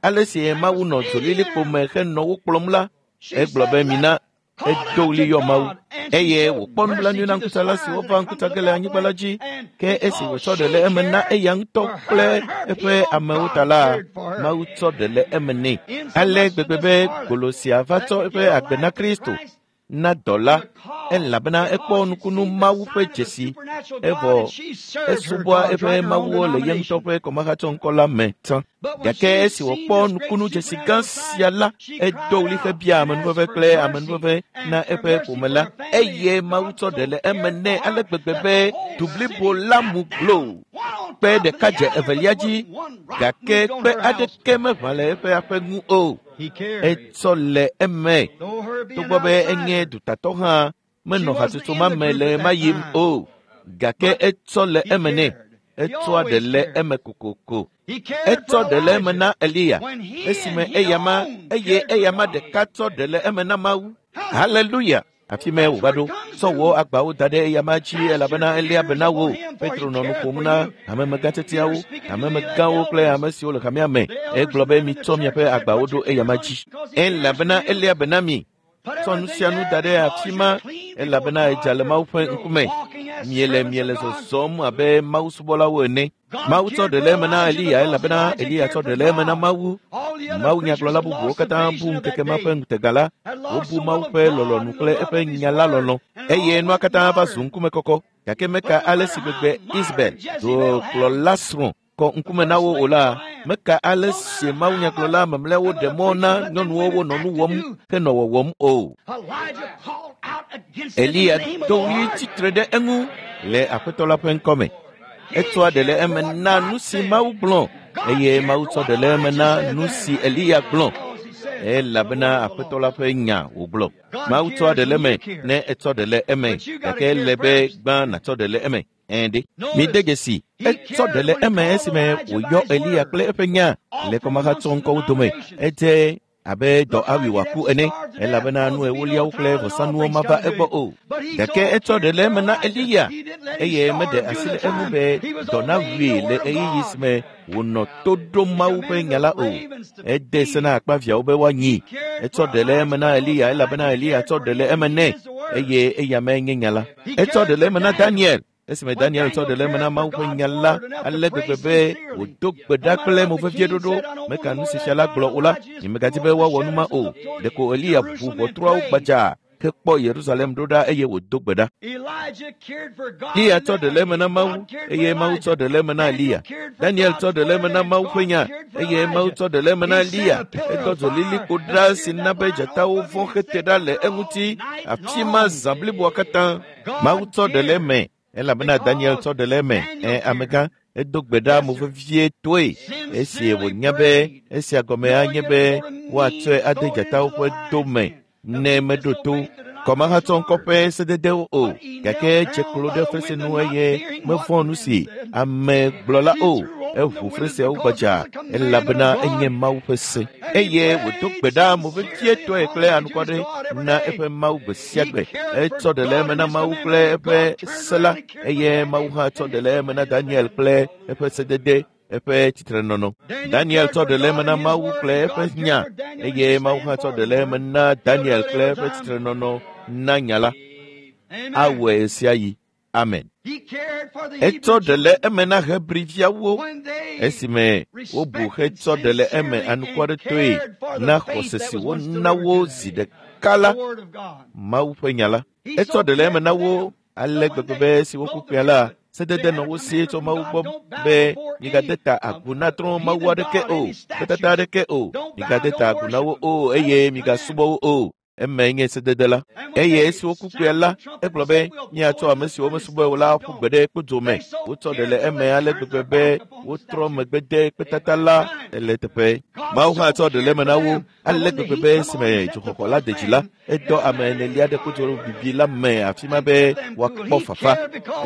ale si Mawu nɔ dzolilikpo me henɔ wo kplɔm la, egblɔ be mina edo ɣli yɔ Mawu eye wòkpɔ nublanui na ŋkutsala siwo va ŋkutsa ge le anyigba la dzi. Ke esi wòtsɔ ɖe le eme na eya ŋutɔ kple eƒe amewo ta la, Mawu tsɔ ɖe le eme nɛ. Ale gbegbe be golo sia va tsɔ eƒe agbe na Kristo na dɔla, elabena ekpɔ nukunu Mawu ƒe dzesi, evɔ esubɔa eƒe mawuwo le ye ŋutɔ ƒe kɔmahatsɔŋkɔ la me tsã. Gake esi wòkpɔ nukunu dzesi gã sia la, edo ɣli hebia amenuveve kple amenuveve na eƒe ƒome la, eye Mawu tsɔ ɖe le eme nɛ ale gbegbe be du blibo la mu glo. Kpe ɖeka dze evelia dzi, gake kpe aɖeke meʋã le eƒe aƒe ŋu o. Etsɔ le eme. Togbɔ be enye dutatɔ hã, menɔ hatsotso ma me le ɣema yim o, gake etsɔ le eme nɛ. Etsɔa ɖe le eme kokoko. Etsɔ ɖe le eme na Eliya esime eyama eye eyama ɖeka tsɔ ɖe le eme na Mawu. Haleluya! Afi mae wòva ɖo. Tsɔ wò agbawo da ɖe eyama dzi elabena eléa be na wò. Petro nɔ nu ƒom na hamemegãtiatiawo, hamemegãwo kple ame siwo le hamea me. Egblɔ be mitsɔ miaƒe agbawo ɖo eyama dzi elabena eléa be na mi. Tsɔ nu sia nu da ɖe afi ma elabena edza le Mawu ƒe ŋkume. Miele miele zɔzɔm abe Mawu subɔlawo ene. Mawu tsɔ ɖe le eme na Eliya elabena Eliya tsɔ ɖe le eme na Mawu. Mawu nyagblɔla bubuwo katã bu ŋkeke ma ƒe ŋutega la. Wobu Mawu ƒe lɔlɔ̃nu kple eƒe nya la lɔlɔ̃ eye nua katã va zu ŋkumekɔkɔ. Gake meka ale si gbegbe Isabel, dukplɔla srɔ̃, kɔ ŋkume na wo o la, meka ale si Mawu nyagblɔla mamlɛawo ɖe mɔ na nyɔnuwo wonɔ nu wɔm henɔ wɔwɔm o. Eliya do ɣli tsitre ɖe eŋu le Aƒetɔ la ƒe ŋkɔme. Etsɔa ɖe le eme na nu si Mawu gblɔ eye Mawu tsɔ ɖe le eme na nu si Eliya gblɔ elabena Aƒetɔ la ƒe nya wògblɔ. Mawu tsɔa ɖe le eme ne etsɔ ɖe le eme, gake ele be gbã nàtsɔ ɖe le eme. Ɛ̃ ɖe. Mide dzesi, etsɔ ɖe le eme esime wòyɔ Eliya kple eƒe nya le kɔmahatsɔŋkɔwo dome. Edze abe dɔ awi wòaku ene, elabena nu ewoliawo kple vɔsanuwo mava egbɔ o. Gake etsɔ ɖe le eme na Eliya eye meɖe asi le eŋu be dɔ nawui le ɣeyiɣi si me wònɔ to ɖom Mawu ƒe nya la o. Ede se na akpaviãwo be woanyi. Etsɔ ɖe le eme na Eliya elabena Eliya tsɔ ɖe le eme nɛ eye eya mee nye nya la. Etsɔ ɖe le eme na Daniel. Esime Daniel tsɔ ɖe le eme na Mawu ƒe nya la ale gbegbe be wòdo gbe ɖa kple movevieɖoɖo meka nu si fia la gblɔ o la, nyemegadi be woawɔ nu ma o. Ɖeko Eliya ʋu ʋɔtruawo gbadza hekpɔ Yerusalem ɖo ɖa eye wòdo gbe ɖa. Eliya tsɔ ɖe le eme na Mawu eye Mawu tsɔ ɖe le eme na Eliya. Daniel tsɔ ɖe le eme na Mawu ƒe nya eye Mawu tsɔ ɖe le eme na Eliya. Edɔ dzolilikpo ɖa si na be dzatawo vɔ̃ hete ɖa le eŋuti afi ma zã bliboa katã. Mawu tsɔ ɖe le eme elabena Daniel tsɔ ɖe le eme. Amegã edo gbe ɖa movevietɔe esi wònya be esia gɔme anye be woatsɔe ade dzatawo ƒe do me ne meɖo to kɔmahatsɔ ŋkɔ ƒe sededewo o, gake dze klo ɖe fesre nu eye mevɔ̃ nu si ame gblɔ la o. Eʋu freseawo gbadza elabena enye Mawu ƒe se eye wòdo gbe ɖa movevietɔe kple anukware na eƒe Mawu gbe sia gbe. Etsɔ ɖe le eme na Mawu kple eƒe se la eye Mawu hã tsɔ ɖe le eme na Daniel kple eƒe sedede eƒe tsitrenɔnɔ. Daniel tsɔ ɖe le eme na Mawu kple eƒe nya eye Mawu hã tsɔ ɖe le eme na Daniel kple eƒe tsitrenɔnɔ na nya la. Awɔe sia yi. Amen. Etsɔ ɖe le eme na Hebriviawo esime wobu hetsɔ ɖe le eme anukwaretɔe na xɔse si wona wo zi ɖeka la, Mawu ƒe nya la. Etsɔ ɖe le eme na wo ale gbegbe be esi woku kpea la, sedede nɔ wo si tso Mawu gbɔ be migade ta agu na trɔ̃ Mawu aɖeke o, kpetata aɖeke o, migade ta agu na wo o eye migasubɔ wo o. Eme nye sedede la. Eye esi woku kpea la, egblɔ be míatsɔ ame siwo mesubɔe o la ƒu gbe ɖe kpodzo me. Wotsɔ ɖe le eme ale gbegbe be wotrɔ megbe de kpetata la le teƒe. Mawu hã tsɔ ɖe le eme na wo ale gbegbe be esime dzoxɔxɔ la de dzi la, edɔ ame enelia ɖe kpodzo bibi la me afi ma be woakpɔ fafa.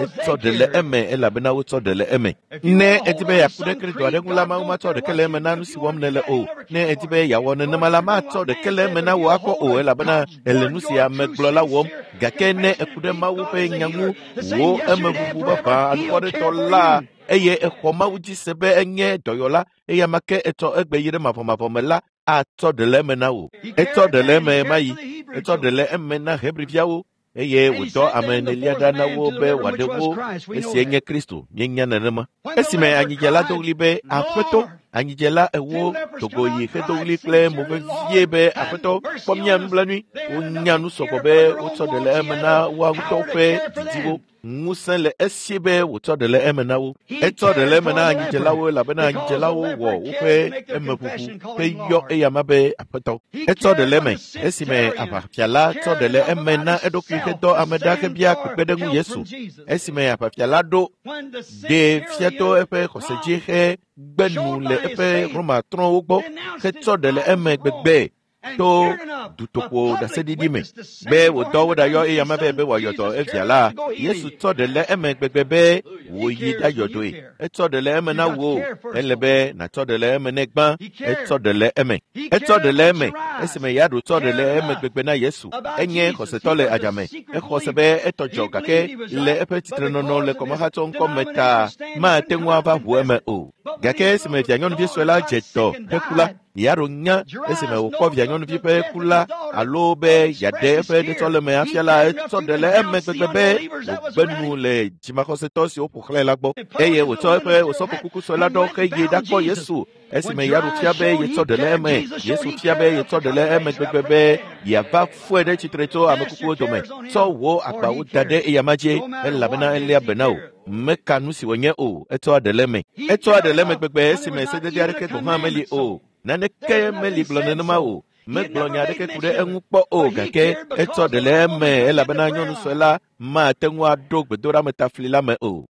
Etsɔ ɖe le eme elabena wotsɔ ɖe le eme. Ne edi be yeaku ɖe Kristo aɖe ŋu la, Mawu matsɔ ɖeke le eme na nu si wɔm nèle o. Ne edi be yeawɔ nenema la, matsɔ ɖeke le eme na wò akpɔ o elabena ele nu si ame gblɔ la wɔm. Gake ne eku ɖe Mawu ƒe nya ŋu, wò emeʋuʋu vavã anukwaretɔ la eye exɔ Mawu dzi se be enye dɔyɔla eye ame ke etsɔ egbe yi ɖe mavɔmavɔ me la, atsɔ ɖe le eme na wò. Etsɔ ɖe le eme ma yi. Etsɔ ɖe le eme na Hebriviawo eye wòdɔ ame enelia ɖa na wo be wòaɖe wo esie nye Kristo. Míenya nenema. Esime anyidzela do ɣli be Aƒetɔ, anyidzela ewo dogo yi hedo ɣli kple mo vevie be Aƒetɔ, kpɔ mía nublanui. Wonya nu sɔgbɔ be wotsɔ ɖe le eme na woa ŋutɔwo ƒe didiwo. Ŋusẽ le esi be wòtsɔ ɖe le eme na wo. Etsɔ ɖe le eme na anyidzelawo elabena anyidzelawo wɔ woƒe emeʋuʋu heyɔ eyama be Aƒetɔ. Etsɔ ɖe le eme esime aʋafia la tsɔ ɖe le eme na eɖokui hedɔ ame ɖa hebia kpekpeɖeŋu Yesu. Esime aʋafia la ɖo ɖee fia to eƒe xɔse dzi hegbe nu le eƒe Romatrɔ̃wo gbɔ hetsɔ ɖe le eme gbegbe to dutoƒo ɖaseɖiɖi me be wòdɔ wo ɖayɔ eyama be wòayɔ dɔ evia la, Yesu tsɔ ɖe le eme gbegbe be wòyi ɖayɔ dɔe. Etsɔ ɖe le eme na wò. Ele be nàtsɔ ɖe le eme ne gbã. Etsɔ ɖe le eme. Etsɔ ɖe le eme esime Yaɖo tsɔ ɖe le eme gbegbe na Yesu. Enye xɔsetɔ le adzame. Exɔ se be etɔ dzɔ gake le eƒe tsitrenɔnɔ le kɔmahatsɔ ŋkɔ me ta mate ŋu ava ʋu eme o. Gake esime vianyɔnuvi sue la dze dɔ heku la, Yaɖo nya esime wòkpɔ vianyɔnuvi ƒe ku la alo be yeaɖe eƒe ɖetsɔleme afia la, etsɔ ɖe le eme gbegbe be wògbe nu le dzimaxɔsetɔ siwo ƒo xlãe la gbɔ eye wòtsɔ eƒe osɔfokuku sue la ɖɔ heyi ɖakpɔ Yesu. Esime Yaɖo fia be yetsɔ ɖe le eme, Yesu fia be yetsɔ ɖe le eme gbegbe be yeava fɔe ɖe tsitre tso ame kukuwo dome. Tsɔ wò agbawo da ɖe eyama dzi elabena eléa be na wò. Meka nu si wònye o, etsɔa ɖe le eme. Etsɔa ɖe le eme gbegbe esime sedede aɖeke gɔ̃ hã meli o. Naneke meli gblɔ nenema o. Megblɔ nya aɖeke ku ɖe eŋu kpɔ o gake etsɔ ɖe le eme elabena nyɔnu sue la mate ŋu aɖo gbedoɖametafli la me o.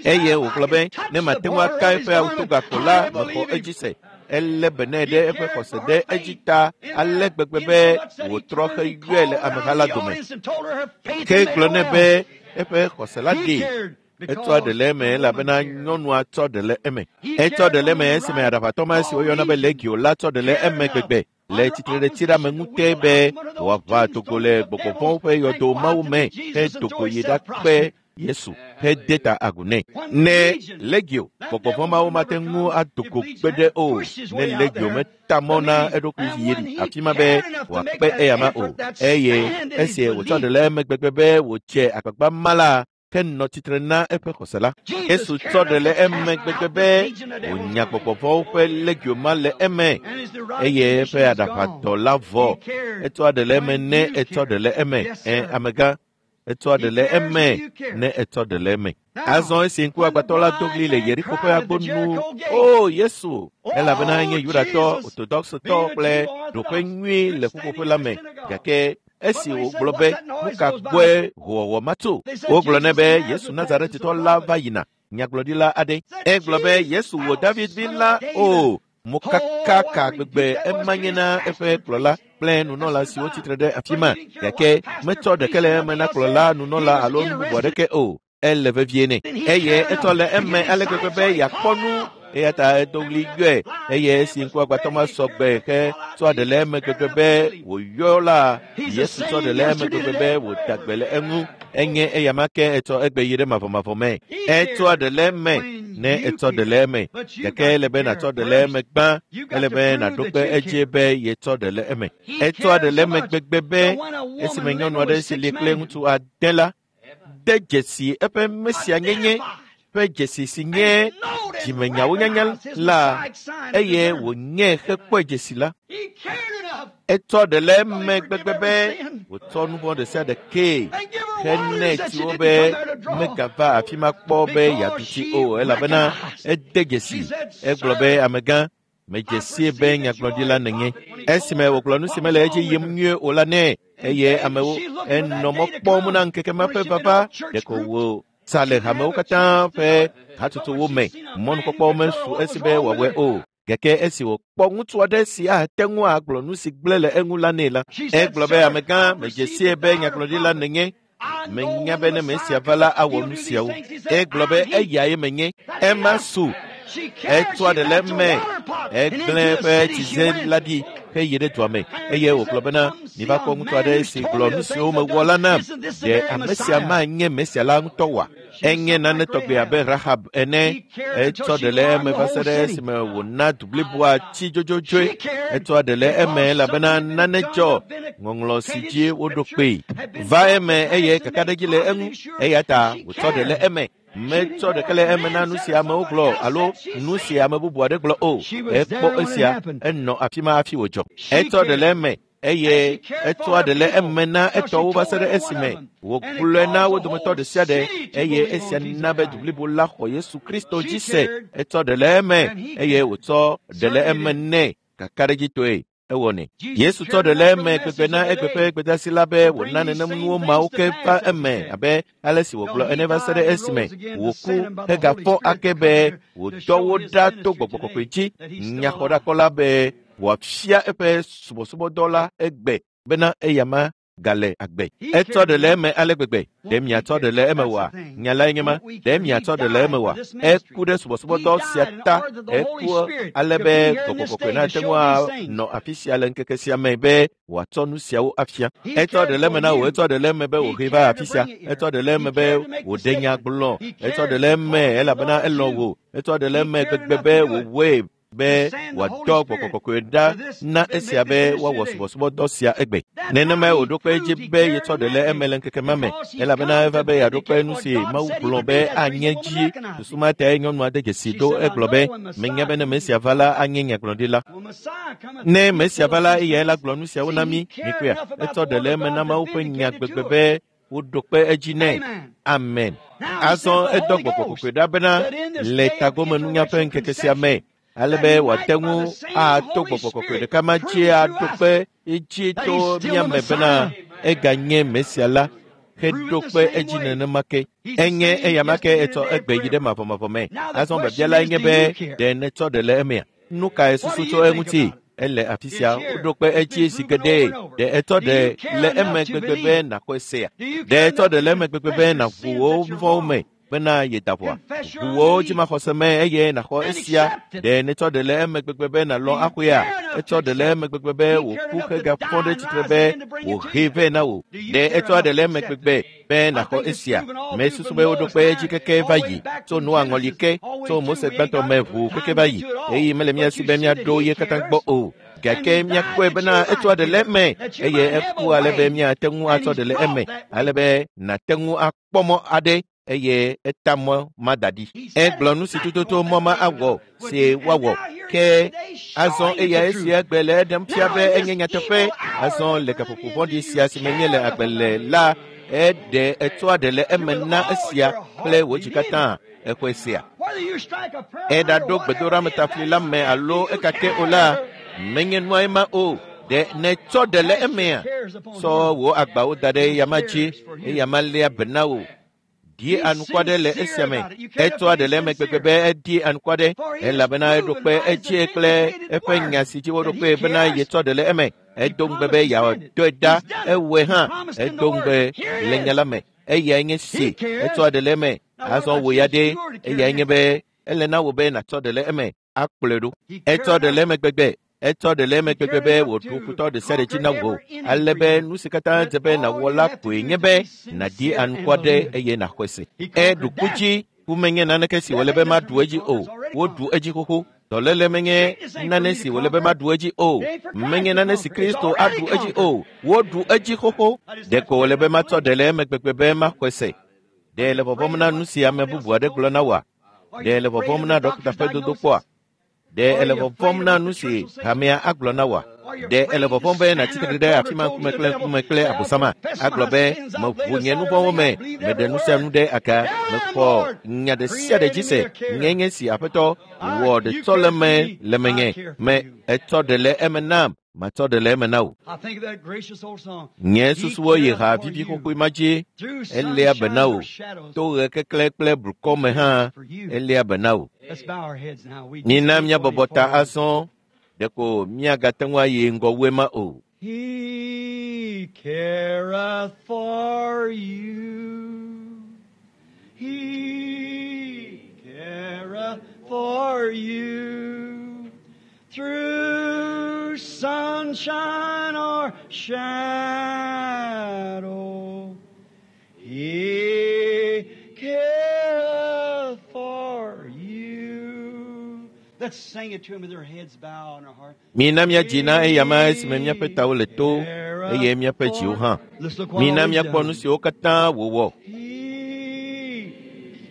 Eye wògblɔ be ne mate ŋu aka eƒe awutoga ko la, mexɔ edzi se. Elé be nɛ ɖe eƒe xɔse ɖe edzi ta ale gbegbe be wòtrɔ heyɔe le ameha la dome. Ke gblɔ nɛ be eƒe xɔse la ɖee. Etsɔ ɖe le eme elabena nyɔnua tsɔ ɖe le eme. Etsɔ ɖe le eme esime aɖaʋatɔ ma si woyɔna be Legio la tsɔ ɖe le eme gbegbe le tsitre ɖe tsiɖeameŋute be wòaʋa dogo le gbɔgbɔ vɔ̃wo ƒe yɔdo Mawu me hedogo yi ɖakpe Yesu hede ta agu nɛ. Ne Legio gbɔgbɔ vɔ̃ mawo mate ŋu adogo gbe ɖe o, ne Legio meta mɔ na eɖokui yi afi ma be wòakpe eyama o, eye esi wòtsɔ ɖe le eme gbegbe be wòdze agbagba ma la, ke nɔ tsitre na eƒe xɔse la. Yesu tsɔ ɖe le eme gbegbe be wònya gbɔgbɔvɔ̃wo ƒe legio ma le eme eye eƒe aɖaʋadɔ la vɔ. Etsɔa ɖe le eme ne etsɔ ɖe le eme. Ẽ, amegã, etsɔa ɖe le eme ne etsɔ ɖe le eme. Azɔ esi ŋkuagbãtɔ la do ɣli le Yeriko ƒe agbo nu, O Yesu! Elabena enye Yudatɔ, Orthodoxtɔ kple ɖoƒe nyui le ƒuƒoƒe la me. Gake esi wògblɔ be, nu ka gbɔe hoowɔwɔ ma tso? Wogblɔ nɛ be Yesu Nazaretitɔ la va yina, nyagblɔɖila aɖe. Egblɔ be Yesu wò David vi la o. Mokaka ka gbegbe ema nye na eƒe kplɔla kple nunɔla siwo tsitre ɖe afi ma, gake metsɔ ɖeke le eme na kplɔla, nunɔla alo nu bubu aɖeke o. Ele vevie nɛ eye etsɔ le eme ale gbegbe be yeakpɔ nu eya ta edo ɣli yɔe eye esi ŋkuagbãtɔ ma sɔ gbe he tsɔ ɖe le eme gbegbe be wòyɔ la Yesu tsɔ ɖe le eme gbegbe be wòda gbe le eŋu. Enye eyama ke etsɔ egbe yi ɖe mavɔmavɔ me. Etsɔa ɖe le eme ne etsɔ ɖe le eme gake ele be nàtsɔ ɖe le eme gbã. Ele be nàɖo kpe edzi be yetsɔ ɖe le eme. Etsɔa ɖe le eme gbegbe be esime nyɔnu aɖe si li kple ŋutsu ade la de dzesi eƒe mesianyenye ƒe dzesi si nye dzimenyawo nyanya la eye wònye hekpɔe dzesi la. Etsɔ ɖe le eme gbegbe be wòtsɔ nu vɔ̃ ɖe sia ɖe kee henɛ tsiwo be megava afi ma kpɔ be yeaɖu tsi o elabena ede dzesi. Egblɔ be amegã, medze sie be nyagblɔɖila nènye. Esime wògblɔ nu si mele edzi yim nyuie o la nɛ eye amewo enɔ mɔ kpɔm na ŋkeke ma ƒe vava ɖeko wò sa le hamewo katã ƒe hatsotsowo me. Mɔnukpɔkpɔwo mesu esi be wòawɔe o. Gake esi wòkpɔ ŋutsu aɖe si ate ŋu agblɔ nu si gblẽ le eŋu la nɛ la, egblɔ be amegã, medze sie be nyagblɔɖila nènye. Menya be ne mesia va la awɔ nu siawo. Egblɔ be eyae menye. Ema su. Etsɔa ɖe le eme. Egblẽ eƒe tsize la ɖi heyi ɖe dua me eye wògblɔ bena miva kpɔ ŋutsu aɖe si gblɔ nu siwo mewɔ la nam. Ɖe ame sia manye Mesia la ŋutɔ oa? Enye nane tɔgbe abe Rahab ene. Etsɔ ɖe le eme va se ɖe esime wòna du bliboa tsi dzodzodzoe. Etsɔa ɖe le eme elabena nane dzɔ ŋɔŋlɔ si dzi woɖo kpee va eme eye kakaɖedzi le eŋu eya ta wòtsɔ ɖe le eme. Metsɔ ɖeke le eme na nu si amewo gblɔ alo nu si ame bubu aɖe gblɔ o. Ekpɔ esia, enɔ afi ma hafi wòdzɔ. Etsɔ ɖe le eme eye etsɔa ɖe le eme na etɔwo va se ɖe esime wògblɔe na wo dometɔ ɖe sia ɖe eye esia na be du blibo la xɔ Yesu Kristo dzi se. Etsɔ ɖe le eme eye wòtsɔ ɖe le eme nɛ kakaɖedzitɔe. Ewɔnɛ. Yesu tsɔ ɖe le eme gbegbe na egbe ƒe gbedeasi la be wòna nenem nuwo mawo ke va eme abe ale si wògblɔ ene va se ɖe esime wòku hegafɔ ake be wòdɔ wo ɖa to gbɔgbɔ kɔkɔe dzi nyaxɔɖakɔla be wòafia eƒe subɔsubɔdɔ la egbe bena eyama gale agbe. Etsɔ ɖe le eme ale gbegbe. Ɖe miatsɔ ɖe le eme oa? Nya lae nye ma. Ɖe miatsɔ ɖe le eme oa? Eku ɖe subɔsubɔdɔ sia ta. Eku ale be gbɔgbɔ kɔkɔe nate ŋu anɔ afi sia le ŋkeke sia me be wòatsɔ nu siawo afia. Etsɔ ɖe le eme na wò. Etsɔ ɖe le eme be wòhee va afi sia. Etsɔ ɖe le eme be wòɖe nya gblɔ. Etsɔ ɖe le eme elabena elɔ̃ wò. Etsɔ ɖe le eme gbegbe be wòwɔe be wòadɔ gbɔgbɔ kɔkɔe ɖa na esia be woawɔ subɔsubɔdɔ sia egbe. Nenemae wòɖo kpe edzi be yetsɔ ɖe le eme le ŋkeke ma me elabena eva be yeaɖo kpe nu si Mawu gblɔ be anye dzi. Susu ma tae nyɔnua de dzesi ɖo egblɔ be menya be ne Mesia va la anye nyagblɔɖila. Ne Mesia va la eyae la gblɔ nu siawo na mí. Mikpɔea, etsɔ ɖe le eme na Mawu ƒe nya gbegbe be woɖo kpe edzi nɛ. Amen. Azɔ edɔ gbɔgbɔ kɔkɔe ɖa bena le tagomenunya ƒe ŋkeke sia me ale be wòate ŋu ato gbɔgbɔ kɔkɔe ɖeka ma dzi aɖo kpe edzi to mía me bena eganye Mesia la heɖo kpe edzi nenema ke. Enye eyama ke etsɔ egbe yi ɖe mavɔmavɔ me. Azɔ biabia lae nye be ɖe netsɔ ɖe le emea? Nu kae susu tso eŋuti? Ele afi sia woɖo kpe edzi zi geɖe. Ɖe etsɔ ɖe le eme gbegbe be nàxɔe sea? Ɖe etsɔ ɖe le eme gbegbe be nàʋu wò nu vɔ̃wo me bena yeda ʋɔa? Ʋu wò dzimaxɔse me eye nàxɔ esia. Ɖe netsɔ ɖe le eme gbegbe be nàlɔ̃ axɔea? Etsɔ ɖe le eme gbegbe be wòku hegafɔ ɖe tsitre be wòhee vɛ na wò. Ɖe etsɔ ɖe le eme gbegbe be nàxɔ esia? Mesusu be woɖo kpe edzi keke va yi tso Noa ŋɔli ke, tso Mose gbãtɔ me ʋuu keke va yi eye mele mía si be míaɖo ye katã gbɔ o. Gake míakpɔe bena etsɔa ɖe le eme eye eku ale be míate ŋu atsɔ ɖe le eme ale be nàte ŋu akpɔ mɔ aɖe. eye eta mɔ ma da ɖi. Egblɔ nu si tututu mɔ ma awɔ si woawɔ. Ke azɔ eya esia gbe le eɖem fia be enye nyateƒe. Azɔ le gaƒoƒo vɔ̃ɖi sia si me míele agbe le la, eɖe etsɔa ɖe le eme na esia kple wò dzi katã exɔe sia. Eɖaɖo gbedoɖametafli la me alo ekake o la, menye nua ema o. Ɖe nètsɔ ɖe le emea? Tsɔ wò agbawo da ɖe eyama dzi, eyama léa be na wò. Di anukua ɖe le esia me. Etsɔa ɖe le eme gbegbe be edi anukua ɖe elabena eɖo kpe edzie kple eƒe nya si dzi woɖo kpe bena yetsɔ ɖe le eme. Edo ŋugbe be yeadɔe ɖa, ewɔe hã. Edo ŋugbe le nya la me. Eyae nye si etsɔa ɖe le eme. Azɔ wò ya ɖe, eyae nye be ele na wò be nàtsɔ ɖe le eme akplɔe ɖo. Etsɔ ɖe le eme gbegbe. Etsɔ ɖe le eme gbegbe be wòɖu futɔ ɖe sia ɖe dzi na wò ale be nu si katã dze be nàwɔ la koe nye be nàdi anukua ɖe eye nàxɔe se. Eɖu ku dzi, ku menye naneke si wòle be maɖu edzi o. Woɖu edzi xoxo. Dɔléle menye nane si wòle be maɖu edzi o. Menye nane si Kristo aɖu edzi o. Woɖu edzi xoxo. Ɖeko wòle be matsɔ ɖe le eme gbegbe be maxɔe se. Ɖe le vɔvɔ̃m na nu si ame bubu aɖe gblɔ na wòa? Ɖe le vɔvɔ̃m na ɖɔkita ƒe dodokpɔa? Ɖe ele vɔvɔ̃m na nu si hamea agblɔ na wòa? Ɖe ele vɔvɔ̃m be nàtsi tre ɖe afi ma ŋkume kple ŋkume kple abosama agblɔ be meʋu nye nu vɔ̃wo me, meɖe nu sia nu ɖe aga, mexɔ nya ɖe sia ɖe dzi se, nye nye si aƒetɔ wɔ ɖetsɔleme le menye, me etsɔ ɖe le eme nam, matsɔ ɖe le eme na wò. Nye susuwo yi ha vivi xoxoe ma dzi, eléa be na wò. To ɣe keklẽ kple blukɔ me hã, eléa be na wò. Mina míabɔbɔ ta azɔ, ɖeko míagate ŋu ayi ŋgɔ wu ema o. He careth for you. He careth for you. Through sunshine or shadow, He careth for you. Let's sing it to Him with our heads bowed and our heart. Mina míadzi na eyama esime míaƒe tawo le to eye míaƒe dziwo hã. Let's look what Mina all He's míakpɔ nu done. siwo katã wòwɔ. He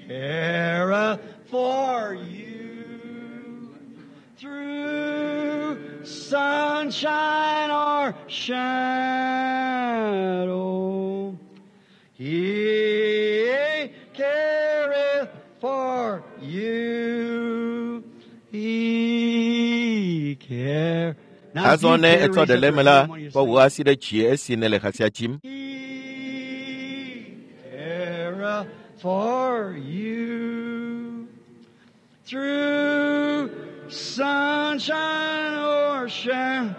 careth for you through sunshine or shadow. He careth for you. He care. Now, if Azɔ you ne care, etsɔ raise ɖe up le your eme la, hand when you kpɔ sing. wò asi ɖe dzi esi nèle ha sia dzim. He careth for you through sunshine or shine.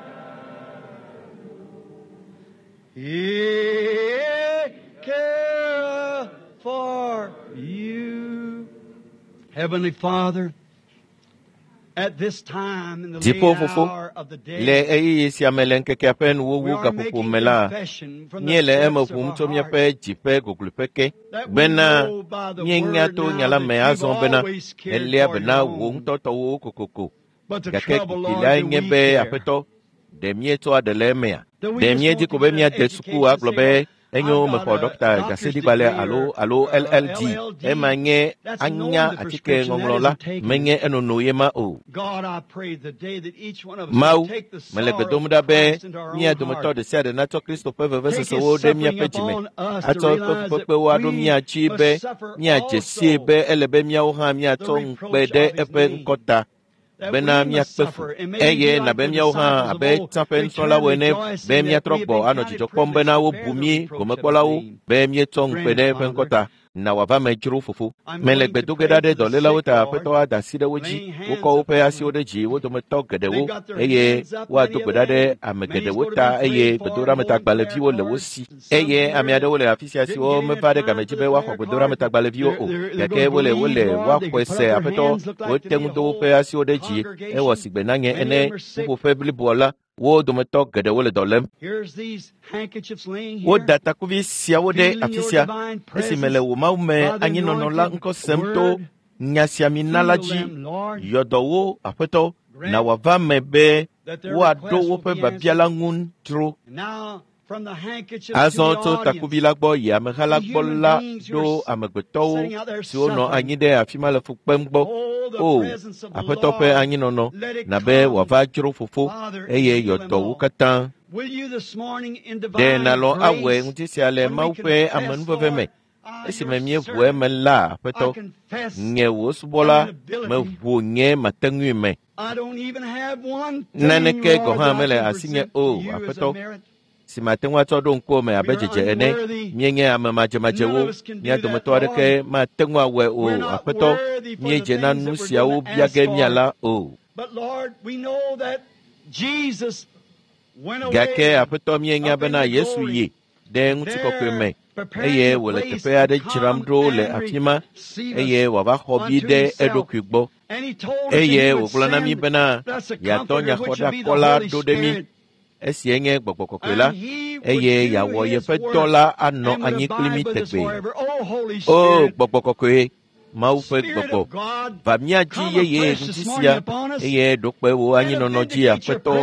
He careth for you. Heavenly Father, at this time in the late Dziƒo Fofo, hour of the Le day, ɣeyiɣi sia me le ŋkekea ƒe we nuwuwu are gaƒoƒo making me la, confession from the míele eme depths of ʋum our tso heart míaƒe dzi ƒe gogloƒe ke that we bena know by the míenya word to now nya la that me you've azɔ bena always cared èléa for be na your wò own. ŋutɔ tɔwo kokoko. But the Gake trouble, kuki Lord, lae do nye we be care? aƒetɔ, ɖe míetsɔa ɖe le emea? Do we Ɖe just míedi want ko to be get an míade suku education and agblɔ say, be well, enyo I've got mexɔ a ɖɔkta doctor's ɖaseɖigbalẽ degree alo or, alo or LLD. LLD. Ema nye That's anya knowing the atike prescription, that ŋɔŋlɔ la, isn't taking it. menye enono ye ma o. God, I pray the day that each one of us will Mawu, take the mele gbe sorrows dom of ɖa be Christ into our mía own dometɔ heart. ɖe sia ɖe natsɔ Kristo ƒe Take His vevesesewo ɖe suffering míaƒe dzime, upon us to atsɔ eƒe realize that fukpekpewo aɖo we mía dzi must be suffer míadze sii also be ele be míawo hã the míatsɔ ŋukpe reproach ɖe of His eƒe name. ŋkɔ ta That bena we must míakpe fu suffer and maybe eye be like nabe the míawo hã disciples of abe old, tsã ƒe return nusrɔ̃lawo ene be rejoicing that míatrɔ we have gbɔ been anɔ counted dzidzɔ kpɔm privileged bena to wobu bear the mí reproach of His gomekpɔlawo name. be míetsɔ ŋukpe Grant ɖe it, eƒe ŋkɔ Father. ta. Na wòava me dzro fofo. I'm Mele going gbe to do ge pray ɖa ɖe for the dɔlélawo sick, ta Lord, aƒetɔ ada asi ɖe wo dzi. laying hands Wokɔ woƒe upon asiwo them. ɖe dzi wo dometɔ They've geɖewo got their eye hands up, many woado of gbe ɖa ɖe them. ame Many's geɖewo going to ta be eye prayed for and holding prayer gbedoɖametagbalẽviwo le wo cards. si. And some Eye here ame that aɖewo le afi sia didn't siwo get in meva at ɖe time game for dzi the be woaxɔ prayer card. gbedoɖametagbalẽviwo They're, o they're, they're gake going to wole believe, wole Lord. They woaxɔe can put up se their aƒetɔ hands, look like wote to ŋu be a do woƒe whole asiwo ɖe dzi ewɔ congregation. si gbe na nye Many ene of them are sick. ƒuƒoƒe bliboa la wo dometɔ geɖewo le dɔ lém. Here's these handkerchiefs laying here, Woda takuvi siawo ɖe feeling afi your sia divine esime le presence wò Mawu me by the anyinɔnɔ la anointed ŋkɔ sem to word. nya sia mi na la Heal dzi. them, Lord. Yɔ dɔ wo aƒetɔ na Grant wòava me be that their woaɖo request will woƒe be biabia la answered. ŋu dzro. And now, Azɔ tso takuvi la gbɔ yi ameha la gbɔ la ɖo amegbetɔwo siwo nɔ anyi ɖe afi ma le fu kpem gbɔ. O, Aƒetɔ ƒe anyinɔnɔ, na be wòava dzro Fofo, eye yeɔdɔ wo katã. Ɖe nàlɔ̃ awɔe ŋuti sia le Mawu ƒe amenuveve me, esime míeʋu eme la, Aƒetɔ, nye wò subɔla, meʋu nye mateŋui me. Naneke gɔ̃ hã mele asinye o, Aƒetɔ, si mate ŋu atsɔ ɖo ŋkuwò me abe dzedze ene. Míenye ame madzemadzewo, mía dometɔ aɖeke mate ŋu awɔe o, Aƒetɔ, míedze na nu siawo bia ge míala o. Gake Aƒetɔ míenya bena Yesu yi ɖe ŋutikɔkɔe me eye wòle teƒe aɖe dzram ɖo le afi ma eye wòava xɔ vi ɖe eɖokui gbɔ. Eye wògblɔ na mí bena yeatɔ nyaxɔɖakɔla ɖo ɖe mí. Esie nye Gbɔgbɔ Kɔkɔe la, eye yeawɔ yeƒe dɔ la anɔ anyi kpli mí tegbee. O Gbɔgbɔ Kɔkɔe, Mawu ƒe Gbɔgbɔ, va mía dzi yeye ŋuti sia, eye ɖo kpe wò anyinɔnɔ dzi Aƒetɔ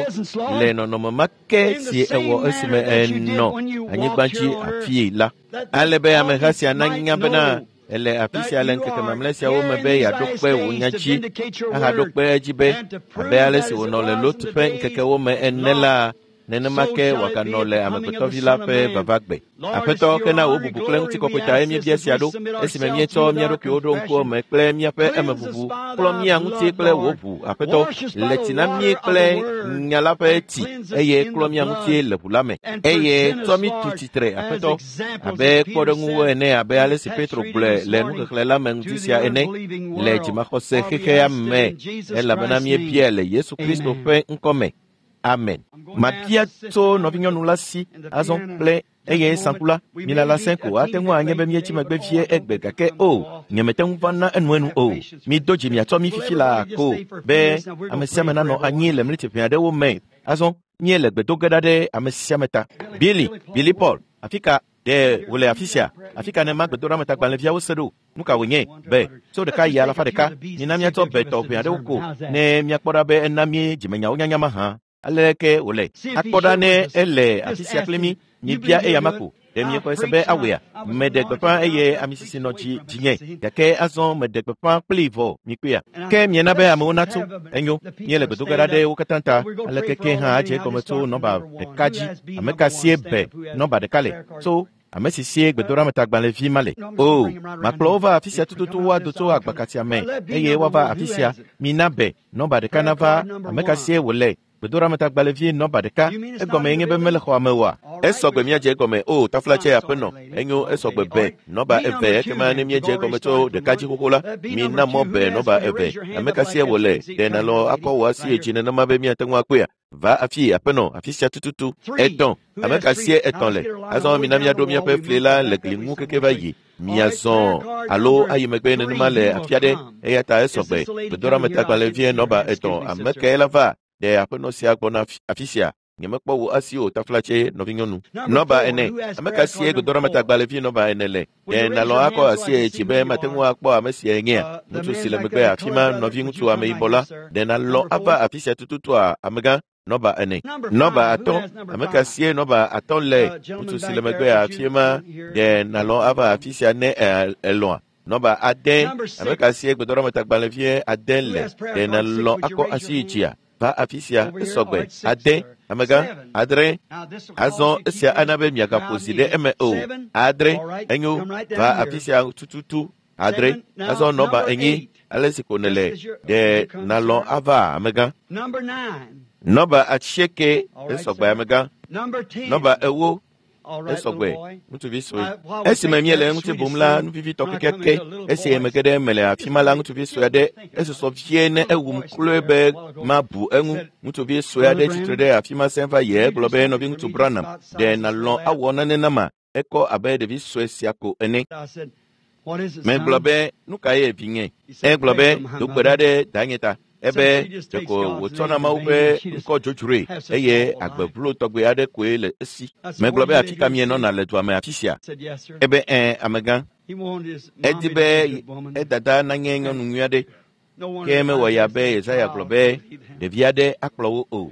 le nɔnɔme ma ke si ewɔ esime ènɔ anyigba dzi afii la. Ale be ameha sia nanya bena ele afi sia le ŋkeke mamlɛ siawo me be yeaɖo kpe wò nya dzi ahaɖo kpe edzi be abe ale si wònɔ le Lot ƒe ŋkekewo me ene la, nenema ke wòaganɔ le Amegbetɔvi la ƒe vavagbe. Aƒetɔ, ke na wò bubu kple ŋutikɔkɔe tae míebia sia ɖo, esime míetsɔ mía ɖokuiwo ɖo ŋkuwò me kple míaƒe emeʋuʋu, klɔ mía ŋuti kple wò ʋu, Aƒetɔ, le tsi na mí kple nya la ƒe tsi, eye klɔ mía ŋuti le ʋu la me, eye tsɔ mí tu tsitre, Aƒetɔ, abe kpɔɖeŋuwo ene abe ale si Petro gblɔe le nuxexlẽ la me ŋuti sia ene le dzimaxɔse xexea me, elabena míebiae le Yesu Kristo ƒe ŋkɔ me. Amen. Mabia tso nɔvinyɔnu la si azɔ kple eye saŋku la, milala sẽ ko ate ŋu anye be míetsi megbe vie egbe gake o, nyemete ŋu va na enuenu o. Mido dzi miatsɔ mí fifi laa ko be ame sia ame nanɔ anyi le mleti ʋɛ aɖewo me. Azɔ míele gbe do ge ɖa ɖe ame sia ame ta. Billy, Billy Paul, afi ka ɖe wòle afi sia? Afi ka ne magbedoɖametagbalẽviawo se ɖo? Nu ka wònye? Be tso ɖeka yi alafa ɖeka, mina míatsɔ be tɔ ʋɛ aɖewo ko ne míakpɔ ɖa be ena mí dzimenyawo nyanya mahã. Aleke wòle? Akpɔ ɖa ne ele afi sia kpli mí, mibia eya ma ko. Ɖe miexɔe se be awɔea? Meɖe gbeƒã eye ame sisi nɔ dzi dzinye, gake azɔ meɖe gbeƒã kplii vɔ mikpɔea. Ke miena be amewo natso. Enyo, míele gbedoge ɖa ɖe wo katã ta. Aleke ke hã adze egɔme tso nɔba ɖeka dzi. Ame ka sie be nɔba ɖeka le? Tso ame si sie gbedoɖametagbalẽvi ma le. O, makplɔ wo va afi sia tututu woado tso agbakasia me eye woava afi sia. Mina be nɔba ɖeka nava ame ka sie wòle. Gbedoɖametagbalẽvi nɔba ɖeka. Egɔme nye be mele xɔa me oa? Esɔgbe míadze egɔme. O, taflatse aƒenɔ, enyo esɔgbe be nɔba eve ekema ne míedze egɔme tso ɖeka dzi xoxo la, mina mɔ be nɔba eve. Ame ka sie wòle? Ɖe nàlɔ̃ akɔ wò asi dzi nenema be míate ŋu akpɔea? Va afi aƒenɔ, afi sia tututu. Etɔ̃, ame ka sie etɔ̃ le? Azɔ mina míaɖo míaƒe fli la le gli ŋu keke va yi. Miazɔ alo ayi megbe nenema le afi aɖe eya ta esɔgbe. Gbedoɖametagbalẽvie nɔba etɔ̃. Ame kae la va? Ɖe aƒenɔ sia gbɔna afi sia? Nyemekpɔ wò asi o, taflatse nɔvinyɔnu. Nɔba ene. Ame ka sie gbedoɖametagbalẽvi nɔba ene le? Ɖe nàlɔ̃ akɔ asi dzi be mate ŋu akpɔ ame sia nyea? Ŋutsu si le megbe afi ma, nɔviŋutsu ameyibɔ la. Ɖe nàlɔ̃ ava afi sia tututua, amegã? Nɔba ene. Nɔba atɔ̃. Ame ka sie nɔba atɔ̃ le? Ŋutsu si le megbe afi ma. Ɖe nàlɔ̃ ava afi sia ne elɔ̃a? Nɔba ade. Ame ka sie gbedoɖametagbalẽvie ade le? Ɖe nàlɔ̃ akɔ asi dzia? Va afi sia, esɔgbe. Ade, amegã, adre. Azɔ esia ana be miagaƒo zi ɖe eme o. Adre, enyo, va afi sia tututu. Adre, azɔ nɔba enyi, ale si ko nèle, ɖe nàlɔ̃ ava amegã. Nɔba asieke, esɔgbe amegã. Nɔba ewo, esɔgbe, ŋutsuvi sue. Esime míele ŋuti bum la, nu vivitɔ kekeake, esi mege ɖe eme le afi ma la, ŋutsuvi sue aɖe esusɔ vie ne ewum kloe be mabu eŋu. Ŋutsuvi sue aɖe tsitre ɖe afi ma sẽ va yi egblɔ be nɔviŋutsu Branham, ɖe nàlɔ̃ awɔ nane nama? Ekɔ abe ɖevi sue sia ko ene. Megblɔ be, nu kae vinye? Egblɔ be, do gbe ɖa ɖe danye ta. Ebe ɖeko wòtsɔna Mawu ƒe ŋkɔ dzodzroe eye agbevlo tɔgbe aɖe koe le esi. Megblɔ be afi ka mienɔna le dua me afi sia? Ebe ɛ̃, amegã. Edi be edada nanye nyɔnu nyui aɖe. Ke mewɔ ya be Yesaya gblɔ be ɖevi aɖe akplɔ wo o.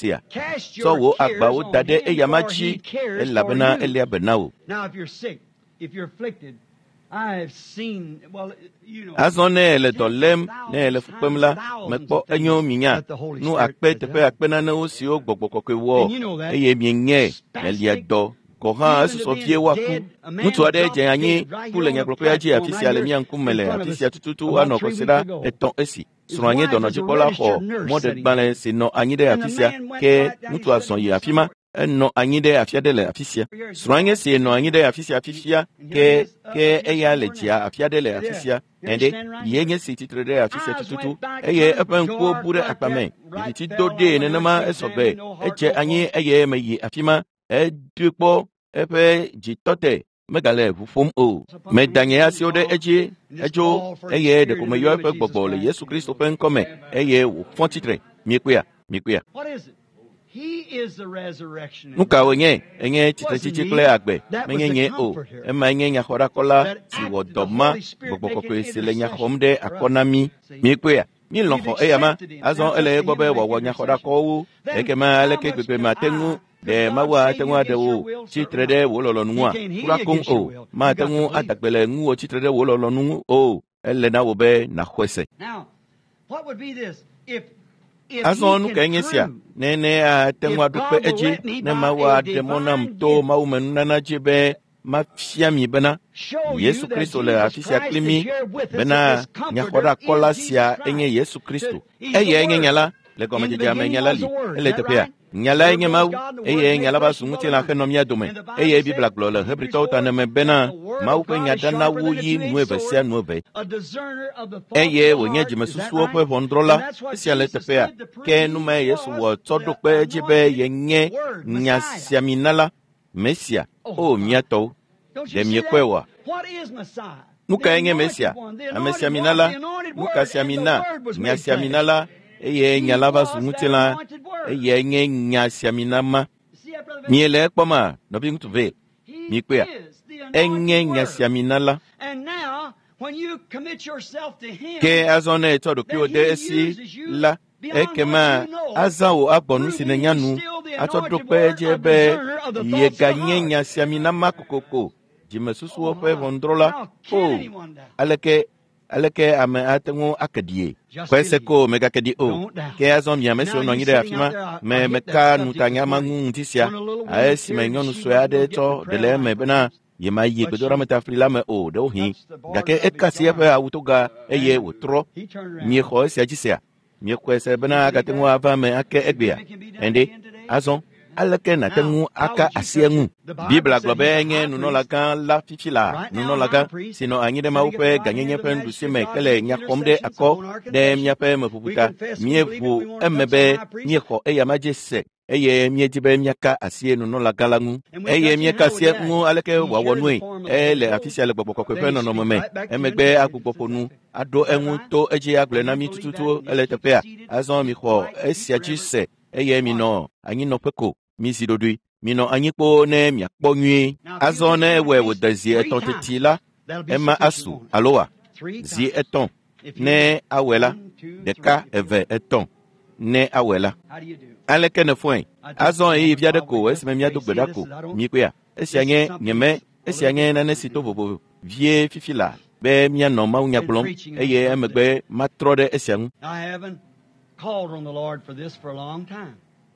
Sea? Cast Tsɔ your wò cares agbawo on da ɖe him, eyama for dzi he cares for elabena you. eléa be na wò. Now, if you're sick, Azɔ ne ele dɔ lém, ne ele fu kpem la, mekpɔ enyo minya nu akpe teƒe akpe nanewo siwo gbɔgbɔ kɔkɔe wɔ eye mienyae melia dɔ gɔ̃ hã esusɔ vie woaku. Ŋutsu aɖe dze anyi ku le nyagblɔƒea dzi afi sia le mía ŋkume le afi sia tututu anɔ kɔsiɖa etɔ̃ esi. Srɔ̃a nye dɔnɔdzikpɔla xɔ mɔɖegbalẽ si nɔ anyi ɖe afi sia ke ŋutsua zɔ yi afi ma. Enɔ anyi ɖe afi aɖe le afi sia. Srɔ̃a nye si nɔ anyi ɖe afi sia fifia ke ke eya le dzia afi aɖe le afi sia. Ɛɖe ye nye si tsitre ɖe afi sia tututu eye eƒe ŋkuwo bu ɖe akpame. Viviti do ɖee nenema esɔgbe. Edze anyi eye meyi afi ma. Edoe kpɔ eƒe dzitɔte megale ʋu ƒom o. Meda nye asiwo ɖe edzi edzo eye ɖeko meyɔ eƒe gbɔgbɔ le Yesu Kristo ƒe ŋkɔme eye wòfɔ tsitre. Miekpɔea? Miekpɔea? Nu ka wònye? Enye tsitretsitsi kple agbe. Menye nye o. Emae nye nyaxɔɖakɔla si wɔ dɔ ma gbɔgbɔ kɔkɔe si le nya xɔm ɖe akɔ na mí. Miekpɔea? Míelɔ̃ xɔ eyama. Azɔ ele egbɔ be wòawɔ nyaxɔɖakɔwo. Ekema aleke gbegbe mate ŋu ɖe Mawu ate ŋu aɖe wò tsitre ɖe wò lɔlɔ̃nu ŋua? Kura koŋ o. Mate ŋu ada gbe le ŋuwò tsitre ɖe wò lɔlɔ̃nu ŋu o. Ele na wò be nàxɔe se. Azɔ nu kae nye sia? Ne ne ate ŋu aɖo kpe edzi ne Mawu aɖe mɔ nam to mawumenunana dzi be mafia mi bena Yesu Kristo le afi sia kpli mí bena nyaxɔɖakɔla sia enye Yesu Kristo. Eyae nye nya la. Le gɔmedzedzea me nya la li. Ele teƒea. Nya lae nye Mawu eye nya la va zu ŋutilã henɔ mía dome eye Biblia gblɔ le Hebritɔwo ta neme bena Mawu ƒe nya dana wu yi nu eve sia nu eve eye wònye dzimesusuwo ƒe ʋɔnudrɔ̃la. Esia le teƒea. Ke nu mae Yesu wɔ tsɔ ɖo kpe edzi be yenye nya siaminala, Mesia. O mía tɔwo, ɖe miekpɔe oa? Nu kae nye Mesia? Ame siaminala, nu ka siamina, nya siaminala, eye nya la va zu ŋutilã, eyae nye nya siamina ma. Miele ekpɔma, nɔviŋutsu ve, mikpɔea? Enye nya siamina la. Ke azɔ ne ètsɔ ɖokuiwò de esi la, ekema azã wò agbɔ nu si nènya nu atsɔ ɖo kpe edzi be yeganye nya siamina ma kokoko. Dzimesusuwo ƒe ʋɔnudrɔ̃la. O, aleke aleke ame ate ŋu ake ɖie? Xɔe se ko mègake ɖi o. Ke azɔ mi ame siwo nɔ anyi ɖe afi ma, me meka nu ta nya ma ŋu ŋuti sia. Esime nyɔnu sue aɖe tsɔ ɖe le eme bena yemayi gbedoɖametafli la me o ɖewohĩ, gake eka asi eƒe awutoga eye wòtrɔ. Miexɔ esia dzi sea? Miexɔe se bena agate ŋu ava eme ake egbea? Ɛnde, azɔ aleke nàte ŋu aka asi eŋu? Biblia gblɔ be enye nunɔlagã la fifi la, nunɔlagã si nɔ anyi ɖe Mawu ƒe gãnyenye ƒe nuɖusi me ke le nya xɔm ɖe akɔ ɖe míaƒe meʋuʋu ta. Míeʋu eme be míexɔ eyama dzi se eye míedi be míaka asi nunɔlagã la ŋu. Eye míeka asi eŋu aleke wòawɔ nue? Ele afi sia le gbɔgbɔ kɔkɔe ƒe nɔnɔme me. Emegbe agbugbɔ ƒo nu aɖo eŋu to edzi agblɔe na mí tututu ele teƒea. Azɔ mixɔ esia dzi se eye minɔ anyinɔƒe ko. Mizi ɖoɖoe. Minɔ anyi kpoo ne miakpɔ nyuie. Azɔ ne ewɔe wòde zi etɔ̃ teti la, ema asu alo wa? Zi etɔ̃. Ne awɔe la, ɖeka, eve, etɔ̃. Ne awɔe la. Aleke nèfɔe? Azɔ ɣeyiɣi vi aɖe ko esime míado gbe ɖa ko. Mikpɔea? Esia nye nyeme, esia nye nane si to vovo vie fifi la be míanɔ mawunya gblɔm eye emegbe matrɔ ɖe esia ŋu.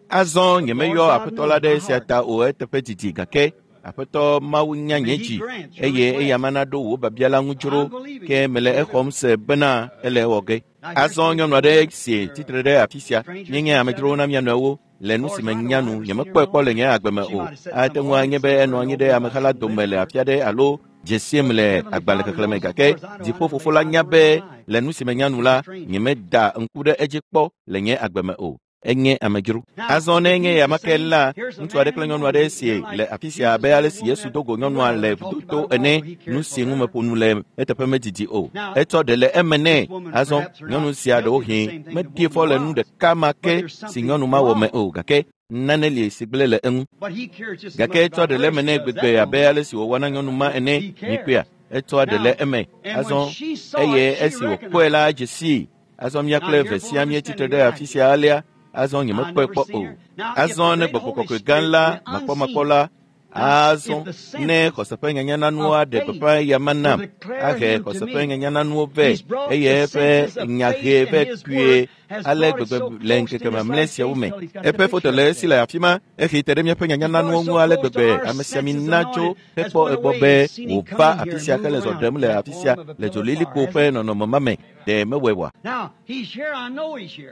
Azɔ nyemeyɔ Aƒetɔ la ɖe esia ta o eteƒe didi gake Aƒetɔ Mawu nya nye dzi eye eya mana ɖo wò biabia la ŋu dzro ke mele exɔm se bena ele ewɔ ge. Azɔ nyɔnu aɖe si tsitre ɖe afi sia míenye amedzrowo na mía nɔewo le nu si menya nu nyemekpɔe kpɔ le nye agbe me o. Ate ŋu anye be enɔ anyi ɖe ameha la dome le afi aɖe alo dze siem le agbalẽ xexlẽme gake dziƒofofo la nya be le nu si menya nu la nyemeda ŋku ɖe edzi kpɔ le nye agbe me o. Enye amedzro. Azɔ ne enye yama ke la, ŋutsu aɖe kple nyɔnu aɖe si le afi sia abe ale si Yesu do go nyɔnua le vudoto ene, nu si ŋu meƒo nu le eteƒe medidi o. Etsɔ ɖe le eme nɛ. Azɔ nyɔnu sia ɖewohĩ meɖi fɔ le nu ɖeka ma ke si nyɔnu ma wɔ me o gake nane li si gblẽ le eŋu. Gake etsɔ ɖe le eme nɛ gbegbe abe ale si wòwɔ na nyɔnu ma ene. Mikpɔea? Etsɔa ɖe le eme. Azɔ eye esi wòkpɔe la edze sii. Azɔ mía kple eve sia míetsitre ɖe afi sia alea. Azɔ nyemekpɔe kpɔ o. Azɔ ne gbɔgbɔ kɔkɔe gã la, makpɔmakpɔ la, Azɔ ne xɔse ƒe nyanyananua ɖe gbeƒã eyama nam, ahe xɔse ƒe nyanyananua vɛ eye eƒe nyahe vɛ kpuie ale gbegbe le ŋkeke mamlɛ siawo me. Eƒe foto le esi le afi ma, ehe te ɖe míaƒe nyanyananua ŋu ale gbegbe ame sia mina tso hekpɔ egbɔ be wòva afi sia hele zɔ ɖem le afi sia le dzolilikpo ƒe nɔnɔme ma me. Ɖe mewɔe oa?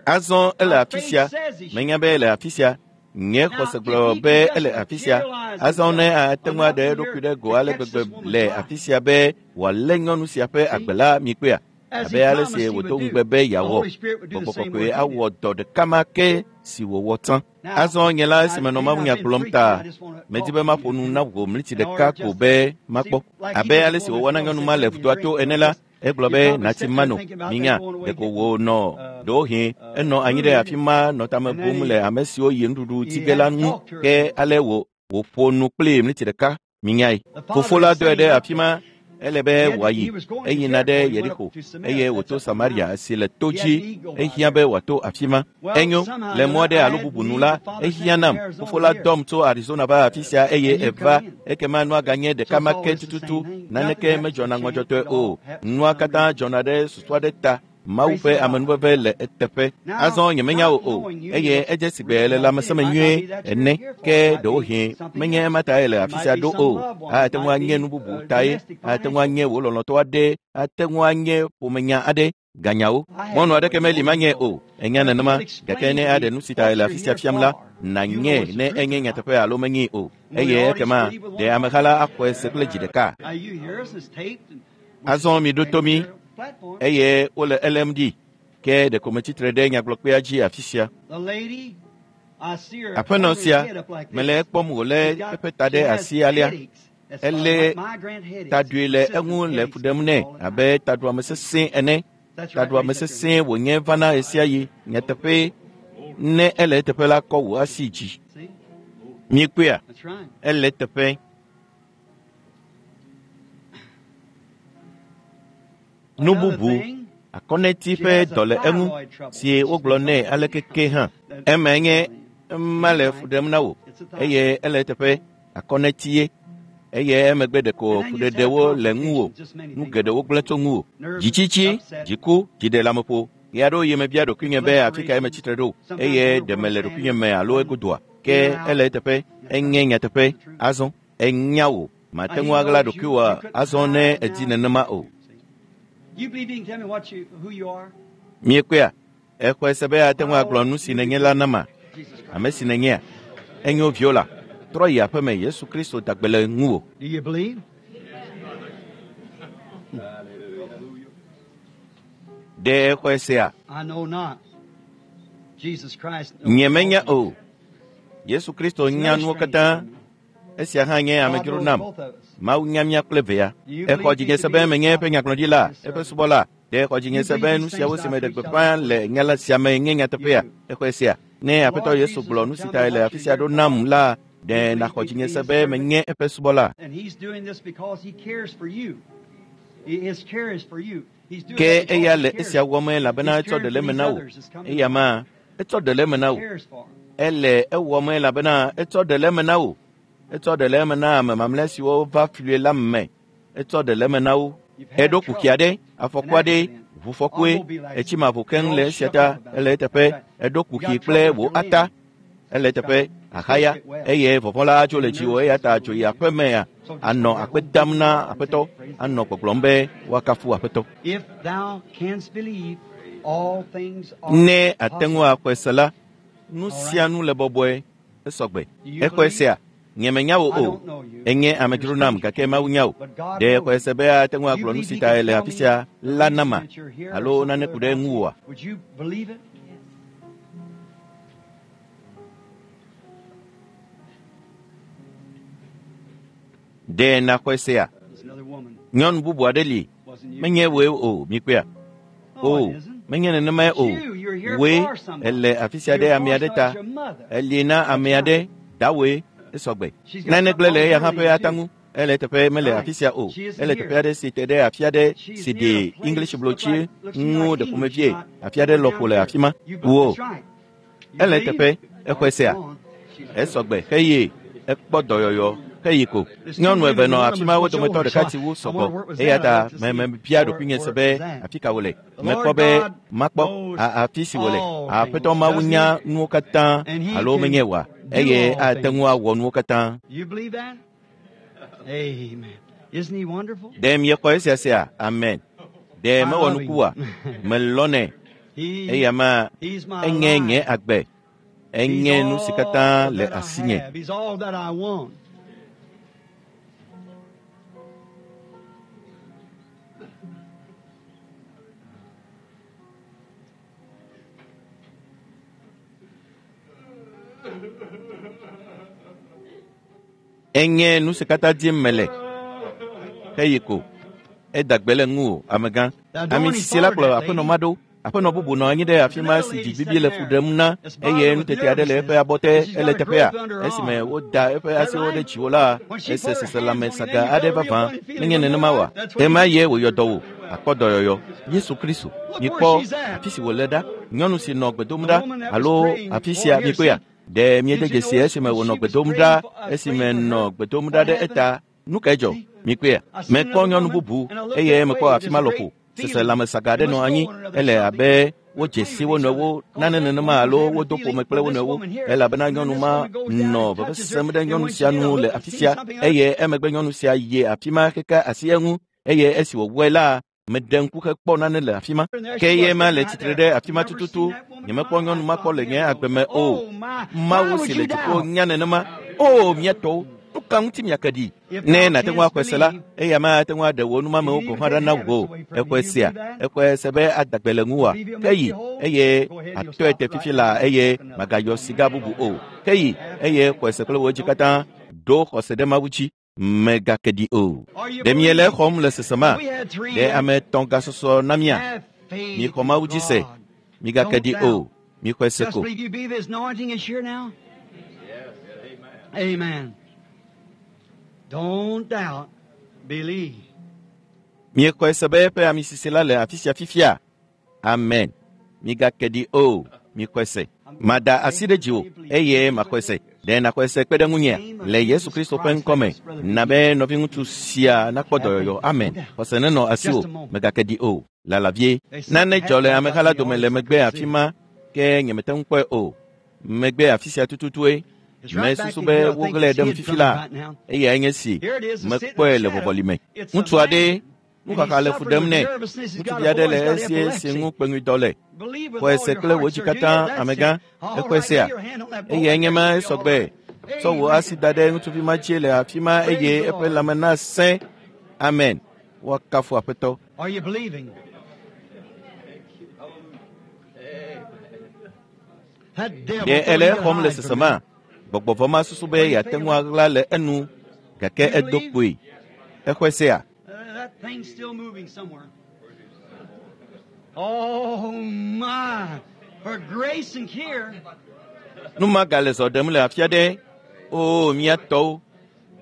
Azɔ ele afi sia, menya be ele afi sia. Nye xɔse gblɔ be ele afi sia. Azɔ ne ate ŋu aɖe eɖokui ɖe go ale gbegbe le afi sia be wòalé nyɔnu sia ƒe agbe la mi kpea, abe ale si wòdo ŋugbe be yeawɔ. Gbɔgbɔ kɔkɔe awɔ dɔ ɖeka ma ke si wòwɔ tsã. Azɔ nye la esime nɔ mawunya gblɔm ta, medi be maƒo nu na wò mliti ɖeka ko be makpɔ. Abe ale si wòwɔ na nyɔnu ma le vudoa to ene la, egblɔ be natsi mano minya ɖeko wònɔ ɖewohĩ enɔ anyi ɖe afi ma nɔ tame bum le ame siwo yi nuɖuɖu ti ge la ŋu ke ale wòƒo nu kplii mliti ɖeka minyae. Fofo la dɔe ɖe afi ma ele be wòayi eyina ɖe Yeriko eye wòto Samaria si le to dzi ehiã be wòato afi ma. Enyo le mɔ aɖe alo bubu nu la ehiã nam. Fofo la dɔm tso Arizona va afi sia eye eva ekema nua ganye ɖeka ma ke tututu naneke medzɔna ŋɔdzɔtɔe o. Nua katã dzɔna ɖe susu aɖe ta. Mawu ƒe amenuveve le eteƒe. Azɔ nyemenya wò o eye edze si gbe le lãmesẽ me nyuie ene ke ɖewohĩ menye ema tae le afi sia ɖo o. Ate ŋu anye nu bubu tae, ate ŋu anye wò lɔlɔ̃tɔ aɖe, ate ŋu anye ƒomenya aɖe, ganyawo. Mɔnu aɖeke meli manye o. Enya nenema, gake ne aɖe nu si tae le afi sia fiam la, nànye ne enye nyateƒe alo menyee o. Eye ekema ɖe ameha la axɔe se kple dzi ɖeka. Azɔ miɖo to mí eye wole elém ɖi ke ɖeko metsitre ɖe nyagblɔkpea dzi afi sia. Aƒenɔ sia, mele ekpɔm wòlé eƒe ta ɖe asi alea. Elé taɖui le eŋu le fu ɖem nɛ abe taɖuame sesẽ ene. Taɖuame sesẽ wònye vana ɣesiaɣi. Nyateƒee, ne ele eteƒe la, kɔ wò asi dzi. Miekpɔea? Ele eteƒe. Nu bubu, akɔneti ƒe dɔ le eŋu si wogblɔ nɛ aleke ke hã. Emae nye ema le fu ɖem na wò eye ele eteƒe akɔneti ye. Eye emegbe ɖeko fuɖeɖewo le ŋuwò, nu geɖewo gblẽ tso ŋuwò. Dzitsitsi, dziku, dziɖeleameƒo. Ɣe aɖewo yi mebia ɖokuinye be afi kae metsitre ɖo eye ɖe mele ɖokuinye me alo egodoa. Ke ele eteƒe, enye nyateƒe. Azɔ enya wò, mate ŋu aɣla ɖokuiwò azɔ ne èdi nenema o. Miekpɔea? Exɔe se be ate ŋu agblɔ nu si nènye la nama? Ame si nènyea? Enyo viola. Trɔ yi aƒeme Yesu Kristo da gbe le ŋuwò. Ɖe exɔe sea? Nyemenya o. Yesu Kristo nya nuwo katã. Esia hã nye amedzro nam. Mawu nya mía kple vea. Exɔ dzinye se be menye eƒe nyagblɔɖila, eƒe subɔla. Ɖe exɔ dzinye se be nu siawo si meɖe gbeƒã le nya la sia me nye nyateƒea? Exɔe sea? Ne Aƒetɔ Yesu gblɔ nu si tae le afi sia ɖo nam la, ɖe nàxɔ dzinye se be menye eƒe subɔla? Ke eya le esia wɔm elabena etsɔ ɖe le eme na wò. Eya ma, etsɔ ɖe le eme na wò. Ele ewɔm elabena etsɔ ɖe le eme na wò. Etsɔ ɖe le eme na ame mamlɛ siwo va flie la me. Etsɔ ɖe le eme na wo. Eɖo kuxi aɖe, afɔku aɖe, ʋufɔkue, etsi ma ʋu keŋ le esia ta, ele eteƒe. Eɖo kuxi kple wò ata, ele eteƒe, ahaya, eye vɔvɔ̃ la atso le dziwò eya ta tso yi aƒemea, anɔ akpe dam na Aƒetɔ, anɔ gbɔgblɔm be woakafu Aƒetɔ. Ne àte ŋu axɔe se la, nu sia nu le bɔbɔe, esɔgbe. Exɔe sea? Nye menya wò o. Enye amedzro nam gake Mawu nya wò. Ɖe exɔe se be ate ŋu agblɔ nu si tae le afi sia la nama alo nane ku ɖe ŋuwòa? Ɖe nàxɔe sea? Nyɔnu bubu aɖe li, menye wòe o, mikpɔea? O, menye nenemae o. Wòe ele afi sia ɖe ame aɖe ta. Eli na ame aɖe, dawoe, esɔgbe. Nane gblẽ le eya hã ƒe ata ŋu. Ele teƒe mele afi sia o. Ele teƒe aɖe si te ɖe afi aɖe si ɖi English blotsi ŋu ɖe ƒomevie. Afi aɖe lɔƒo le afi ma. Wo. Ele teƒe, exɔe sea? Esɔgbe xeye ekpɔ dɔyɔyɔ. Heyi ko. Nyɔnu eve nɔ afi ma wo dometɔ ɖeka si wu sɔgbɔ eya ta mebia ɖokuinye se be afi ka wòle. Mekpɔ be makpɔ afi si wòle. Aƒetɔ Mawu nya nuwo katã alo menye wòa eye ate ŋu awɔ nuwo katã. Ɖe miexɔ esia sea? Amen. Ɖe mewɔ nuku oa? Melɔ̃nɛ. Eya ma enye nye agbe. Enye nu si katã le asinye. Enye nu si katã dim mele. Heyi ko. Eda gbe le ŋuwò, amegã. Ame sisi la kplɔ aƒenɔ ma ɖo. Aƒenɔ bubu nɔ anyi ɖe afi ma si dzibibi le fu ɖem na eye nutete aɖe le eƒe abɔte ele teƒea. Esime woda eƒe asiwo ɖe dziwò la, ese seselãme saga aɖe vavã. Menye nenema oa? Ɖe ma ye wòyɔ dɔ wò akpɔ dɔyɔyɔ. Yesu Kristo, mikpɔ afi si wòle ɖa. Nyɔnu si nɔ gbe dom ɖa alo afi sia mikpɔea? Ɖe miede dzesi esime wònɔ gbe dom ɖa esime nɔ gbe dom ɖa ɖe eta. Nu kae dzɔ? Mikpɔea? Mekpɔ nyɔnu bubu eye mekpɔ afi ma lɔƒo. Seselãmesaga aɖe nɔ anyi. Ele abe wodze si wo nɔewo nane nenema alo wodo ƒome kple wo nɔewo elabena nyɔnu ma nɔ veve sem ɖe nyɔnu sia nu le afi sia eye emegbe nyɔnu sia yi afi ma heka asi eŋu eye esi wòwɔe la meɖe ŋku hekpɔ nane le afi ma. Ke ye ma le tsitre ɖe afi ma tututu. Nyemekpɔ nyɔnu ma kpɔ le nye agbe me o. Mawu si le dziƒo nya nenema. O mía tɔwo, nu ka ŋuti miake ɖi? Ne nàte ŋu axɔe se la, eya ma ate ŋu aɖe wò numamewo gɔ̃ hã ɖa na wò. Exɔe sea? Exɔe se be ada gbe le ŋuwòa? Ke yi eye àtɔe te fifi laa eye màgayɔ siga bubu o. Ke yi eye xɔe se kple wò dzi katã. Ɖo xɔse ɖe Mawu dzi. Mègake ɖi o. Ɖe miele exɔm le sesema? Ɖe ame etɔ̃ gasɔsɔ na mía? Mixɔ Mawu dzi se. Migake ɖi o. Mixɔe se ko. Amen. Don't doubt, believe. Miexɔe se be eƒe amisisi la le afi sia fifia? Amen. Migake ɖi o. Mixɔe se. Mada asi ɖe dziwò eye maxɔe se. Ɖe nàxɔe se kpe ɖe ŋunyea? Le Yesu Kristo ƒe ŋkɔ me, na be nɔviŋutsu sia nakpɔ dɔyɔyɔ. Amen. Xɔse nenɔ asiwò. Mègake ɖi o. Lala vie. Nane dzɔ le ameha la dome le megbe afi ma ke nyemete ŋu kpɔe o. Megbe afi sia tututue. Mesusu be woɣlae ɖem fifi la. Eyae nye si mekpɔe le vɔvɔli me. Ŋutsu aɖe nuxaxa le fu ɖem nɛ. Ŋutsuvi aɖe le esie si ŋu kpeŋuidɔ le. Xɔe se kple wò dzi katã, amegã. Exɔe sea? Eyae nye ma esɔgbe. Tsɔ wò asi da ɖe ŋutsuvi ma dzi le afi ma eye eƒe lãme nasẽ. Amen. Woakafu Aƒetɔ. Are you believing? That devil Ɖe thought ele he could exɔm le hide from sesema? Gbɔgbɔ vɔ̃ ma susu be yeate ŋu aɣla le enu gake edo kpoe. Exɔe sea? That thing's still moving somewhere. Oh my! For grace and care. Nu ma gale zɔ ɖem le afi aɖe. O mía tɔwo,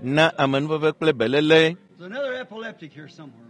na amenuveve kple beléle. There's another epileptic here somewhere.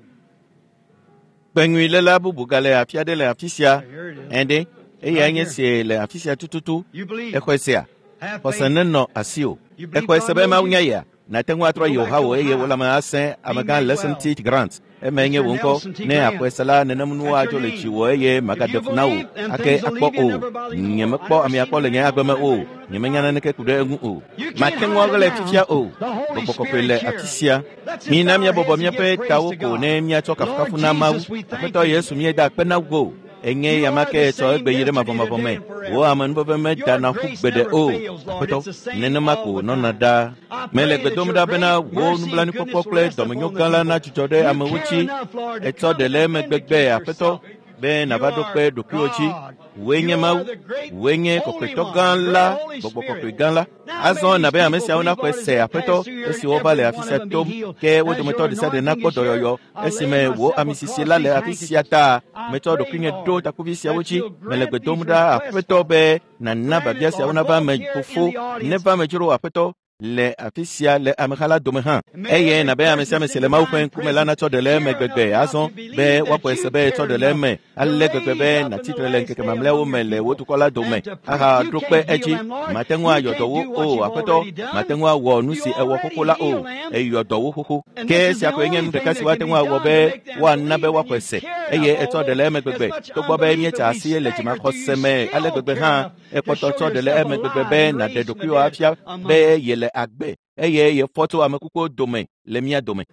Kpeŋuiléla bubu gale afi aɖe le afi sia. Here it is. Ɛ̃ ɖe, eyae nye si le afi sia tututu. You believe. Exɔe sea? Have Xɔse faith. nenɔ asiwò. You believe Exɔe se God be knows Mawu you? nya yea? Nàte ŋu atrɔ yi wò hawò eye wò lãme asẽ amegã Lesson T. Grant. Emae nye wò ŋkɔ. Ne àxɔe se la, nenem nuwo adzo le dziwò eye magaɖe fu na wò ake akpɔ o. Nyemekpɔ amea kpɔ le nye agbe me o. Nyemenya naneke ku ɖe eŋu o. You can't Mate ŋu hide aɣlae now. fifia o. The Holy Gbɔgbɔ kɔkɔe Spirit's le here. afi sia. Let's just Mina bow our míabɔbɔ heads and give míaƒe praise tawo to ko God. ne míatsɔ kafukafu Lord na Mawu. Jesus, we thank Aƒetɔ you. Yesu míeda akpe na wò. Enye You ya ma are ke the tsɔ same egbe yi ɖe yesterday, mavɔmavɔ today, me. and Wò forever. amenuveve meda Your na ƒu grace gbeɖe never o. fails, Lord. Aƒetɔ, It's the same nenema all ko the nɔna time. ɖaa. I Mele pray gbe that dom your ɖa bena great wò mercy and nublanuikpɔkpɔ goodness will kple rest upon dɔmenyo the gã la people. nadzudzɔ ɖe You amewo care dzi. enough, Lord, to Etsɔ come ɖe le and eme gbegbe, vindicate Aƒetɔ, yourself. be You nàva ɖo are kpe ɖokuiwò dzi. God. Wòe nye You Mawu, are the great wòe nye Holy kɔkɔetɔ One, gã the la, great Holy gbɔgbɔ kɔkɔe Spirit. gã la. Now Azɔ may na these be ame people siawo believe, naxɔe Lord, as se they Aƒetɔ pass through here and esi wova le every afi one sia of them be tom healed. ke wo As dometɔ your ɖe sia ɖe anointing nakpɔ is here, dɔyɔyɔ I lay esime wò myself amisisi across la le these afi sia handkerchiefs. ta I metsɔ pray, ɖokuinye ɖo Lord, takuvi siawo that dzi you'll mele grant gbe dom these ɖa requests, Aƒetɔ Father. be nàna Grant biabia it, siawo Lord, nava both eme here in fofo the audience neva eme dzro Aƒetɔ le afi sia le ameha la dome hã. Eye nabe ame sia ame si le Mawu ƒe ŋkume la natsɔ ɖe le eme gbegbe azɔ be woaxɔe se be etsɔ ɖe le eme ale gbegbe be nàtsitre le ŋkeke mamlɛawo me le wò dukɔ la dome ahaɖo kpe edzi. Mate ŋu ayɔ dɔ wo o, Aƒetɔ, mate ŋu awɔ nu si ewɔ xoxo la o. Eyɔ dɔ wo xoxo. Ke esia koe nye nu ɖeka si woate ŋu awɔ be woana be woaxɔe se eye etsɔ ɖe le eme gbegbe. Togbɔ be míetsa asi le dzimaxɔse me ale gbegbe hã, ekpɔtɔ tsɔ ɖe le eme gbegbe be nàɖe ɖokuiwò afia be yele agbe eye yefɔ tso ame kukuwo dome le mía dome.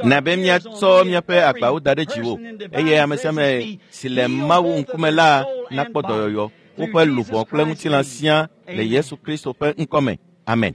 Na be míatsɔ míaƒe agbawo da ɖe dziwò eye ame sia ame si le Mawu ŋkume la nakpɔ dɔyɔyɔ, woƒe luʋɔ kple ŋutilã siaa le Yesu Kristo ƒe ŋkɔme. Amen.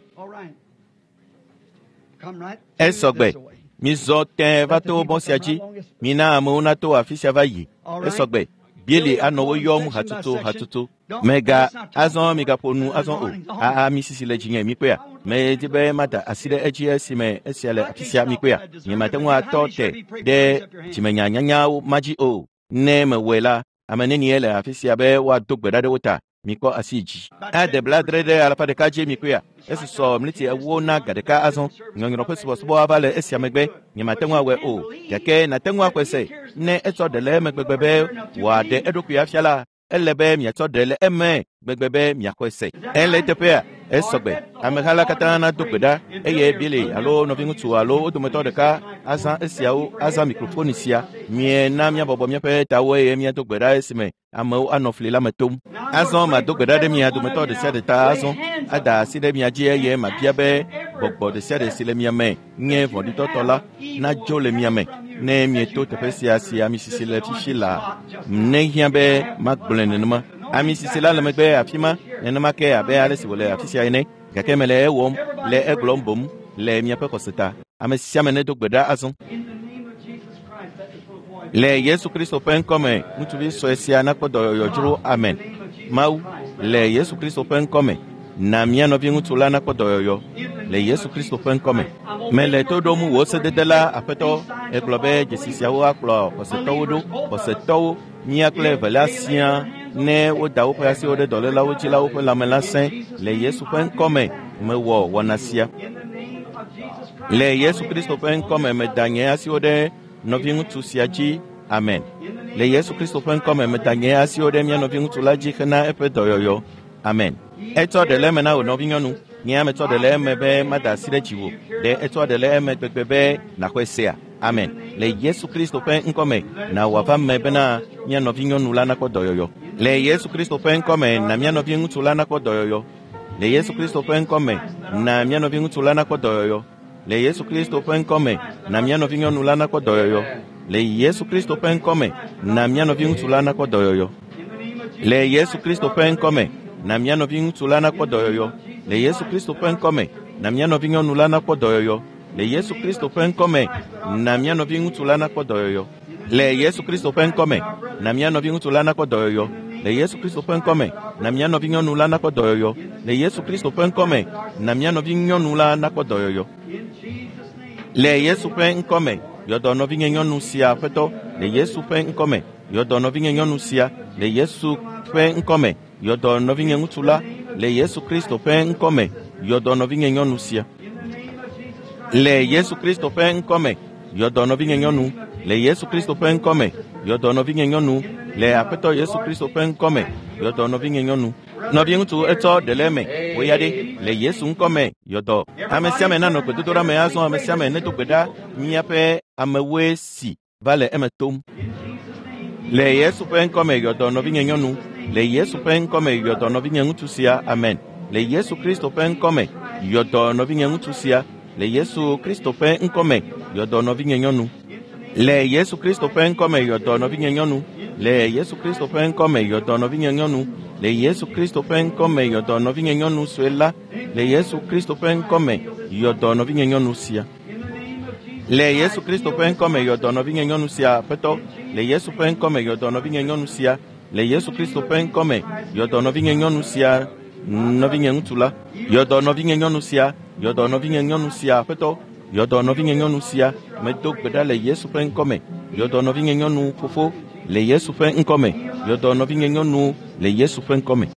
Esɔgbe. Mizɔ tẽe va to mɔ sia dzi. Mina amewo nato afi sia va yi. Esɔgbe. Bieli anɔ wo yɔm hatutu hatutu. Mega azɔ migaƒo nu azɔ o. Aa mi sisi le dzinye mikpɔea. Medi be mada asi ɖe edzi esime esia le afi sia mikpɔea. Nyemate ŋu atɔ te ɖe dzimenyanyanyawo ma dzi o. Ne mewɔe la, ame nenie le afi sia be woado gbe ɖa ɖe wo ta? Mikɔ asi dzi. Ade 7.5 dzi mikpɔea. Esusɔ mliti 40 na ga ɖeka azɔ. Nyɔnyrɔ ƒe subɔsubɔ ava le esia megbe. Nyemate ŋu awɔe o. Gake nàte ŋu axɔe se. Ne etsɔ ɖe le eme gbegbe be wòaɖe eɖokui afia la, ele be miatsɔ ɖe le eme gbegbe be miaxɔe se. Ele eteƒea? Esɔgbe. Ameha la katã nado gbe ɖa eye Billy alo nɔviŋutsu alo wo dometɔ ɖeka azã esiawo azã mikrofoni sia. Miena míabɔbɔ míaƒe tawo eye míado gbe ɖa esime amewo anɔ fli la me tom. Azɔ mado gbe ɖa ɖe mia dometɔ ɖe sia ɖe ta azɔ ada asi ɖe mia dzi eye mabia be gbɔgbɔ ɖe sia ɖe si le mia me nye vɔ̃ɖitɔtɔ la nadzo le mia me ne mieto teƒe sia si ami sisi le fifi la. Ne hiã be magblɔe nenema. Ami sisi la le megbe afi ma nenema ke abe ale si wòle afi sia ene. Gake mele ewɔm le egblɔm boŋ le miaƒe xɔse ta. Ame sia ame nedo gbe ɖa azɔ. Le Yesu Kristo ƒe ŋkɔme, ŋutsuvi sue sia nakpɔ dɔyɔyɔ dzro. Amen. Mawu, le Yesu Kristo ƒe ŋkɔme, na mía nɔviŋutsu la nakpɔ dɔyɔyɔ. Le Yesu Kristo ƒe ŋkɔme. Mele to ɖom wò sedede la, Aƒetɔ. Egblɔ be dzesi siawo akplɔ xɔsetɔwo ɖo. Xɔsetɔwo, mía kple evelia siaa, ne woda woƒe asiwo ɖe dɔlélawo dzi la, woƒe lãme la sẽ. Le Yesu ƒe ŋkɔme, mewɔ wɔna sia. Le Yesu Kristo ƒe ŋkɔme, meda nye asiwo ɖe nɔviŋutsu sia dzi. Amen. Le Yesu Kristo ƒe ŋkɔme, meda nye asiwo ɖe mía nɔviŋutsu la dzi hena eƒe dɔyɔyɔ. Amen. Etsɔ ɖe le eme na wò nɔvinyɔnu. Nye ame tsɔ ɖe le eme be mada asi ɖe dziwò. Ɖe etsɔ ɖe le eme gbegbe be nàxɔe sea? Amen. Le Yesu Kristo ƒe ŋkɔme, na wòava me bena mía nɔvinyɔnu la nakpɔ dɔyɔyɔ. Le Yesu Kristo ƒe ŋkɔme, na mía nɔviŋutsu la nakpɔ dɔyɔyɔ. Le Yesu Kristo ƒe ŋkɔme, na mía nɔviŋutsu la nakpɔ dɔyɔyɔ. Le Yesu Kristo ƒe ŋkɔme, na mía nɔvinyɔnu la nakpɔ dɔyɔyɔ. Le Yesu Kristo ƒe ŋkɔme, na mía nɔviŋutsu la nakpɔ dɔyɔyɔ. Le Yesu Kristo ƒe ŋkɔme, na mía nɔviŋutsu la nakpɔ dɔyɔyɔ. Le Yesu Kristo ƒe ŋkɔme, na mía nɔvinyɔnu la nakpɔ dɔyɔyɔ. Le Yesu Kristo ƒe ŋkɔme, na mía nɔviŋutsu la nakpɔ dɔyɔyɔ. Le Yesu Kristo ƒe ŋkɔme, na mía nɔviŋutsu la nakpɔ dɔyɔyɔ. Le Yesu Kristo ƒe ŋkɔme, na mía nɔvinyɔnu la nakpɔ dɔyɔyɔ. Le Yesu Kristo ƒe ŋkɔme, na mía nɔvinyɔnu la nakpɔ dɔyɔyɔ. Le Yesu ƒe ŋkɔme, yɔ dɔ nɔvinyenyɔnu sia Aƒetɔ. Le Yesu ƒe ŋkɔme, yɔ dɔ nɔvinyenyɔnu sia. Le Yesu ƒe ŋkɔme, yɔ dɔ nɔvinyeŋutsu la. Le Yesu Kristo ƒe ŋkɔme, yɔ dɔ nɔvinyenyɔnu sia. Le Yesu Kristo ƒe ŋkɔme, yɔ dɔ nɔvinyenyɔnu. Le Yesu Kristo ƒe ŋkɔme, yɔ dɔ nɔvinyenyɔnu. Le Aƒetɔ Yesu Kristo ƒe ŋkɔme, yɔ dɔ nɔvinyenyɔnu. Nɔviŋutsu etsɔ ɖe le eme, wò ya ɖe, le Yesu ŋkɔme, yɔ dɔ. Ame sia ame nanɔ gbedodoɖa me azɔ. Ame sia ame nedo gbe ɖa. Míaƒe amewoe si va le eme tom. Le Yesu ƒe ŋkɔme, yɔ dɔ nɔvinyenyɔnu. Le Yesu ƒe ŋkɔme, yɔ dɔ nɔvinyeŋutsu sia. Amen. Le Yesu Kristo ƒe ŋkɔme, yɔ dɔ nɔvinyeŋutsu sia. Le Yesu Kristo ƒe ŋkɔme, yɔ dɔ nɔvinyenyɔnu. Le Yesu Kristo ƒe ŋkɔme, yɔ dɔ nɔvinyenyɔnu. Le Yesu Kristo ƒe ŋkɔme, yɔ dɔ nɔvinyenyɔnu. Le Yesu Kristo ƒe ŋkɔme, yɔ dɔ nɔvinyenyɔnu sue la. Le Yesu Kristo ƒe ŋkɔme, yɔ dɔ nɔvinyenyɔnu sia. Le Yesu Kristo ƒe ŋkɔme, yɔ dɔ nɔvinyenyɔnu sia, Aƒetɔ. Le Yesu ƒe ŋkɔme, yɔ dɔ nɔvinyenyɔnu sia. Le Yesu Kristo ƒe ŋkɔme, yɔ dɔ nɔvinyenyɔnu sia, nɔvinyeŋutsu la. Yɔ dɔ nɔvinyenyɔnu sia, yɔ dɔ nɔvinyenyɔnu sia, Aƒetɔ. Yɔ dɔ nɔvinyenyɔnu sia, medo gbe ɖa le Yesu ƒe ŋkɔme. Yɔ dɔ nɔvinyenyɔnu fofo le Yesu ƒe ŋkɔme. Yɔ dɔ nɔvinyenyɔnu le Yesu ƒe ŋkɔme.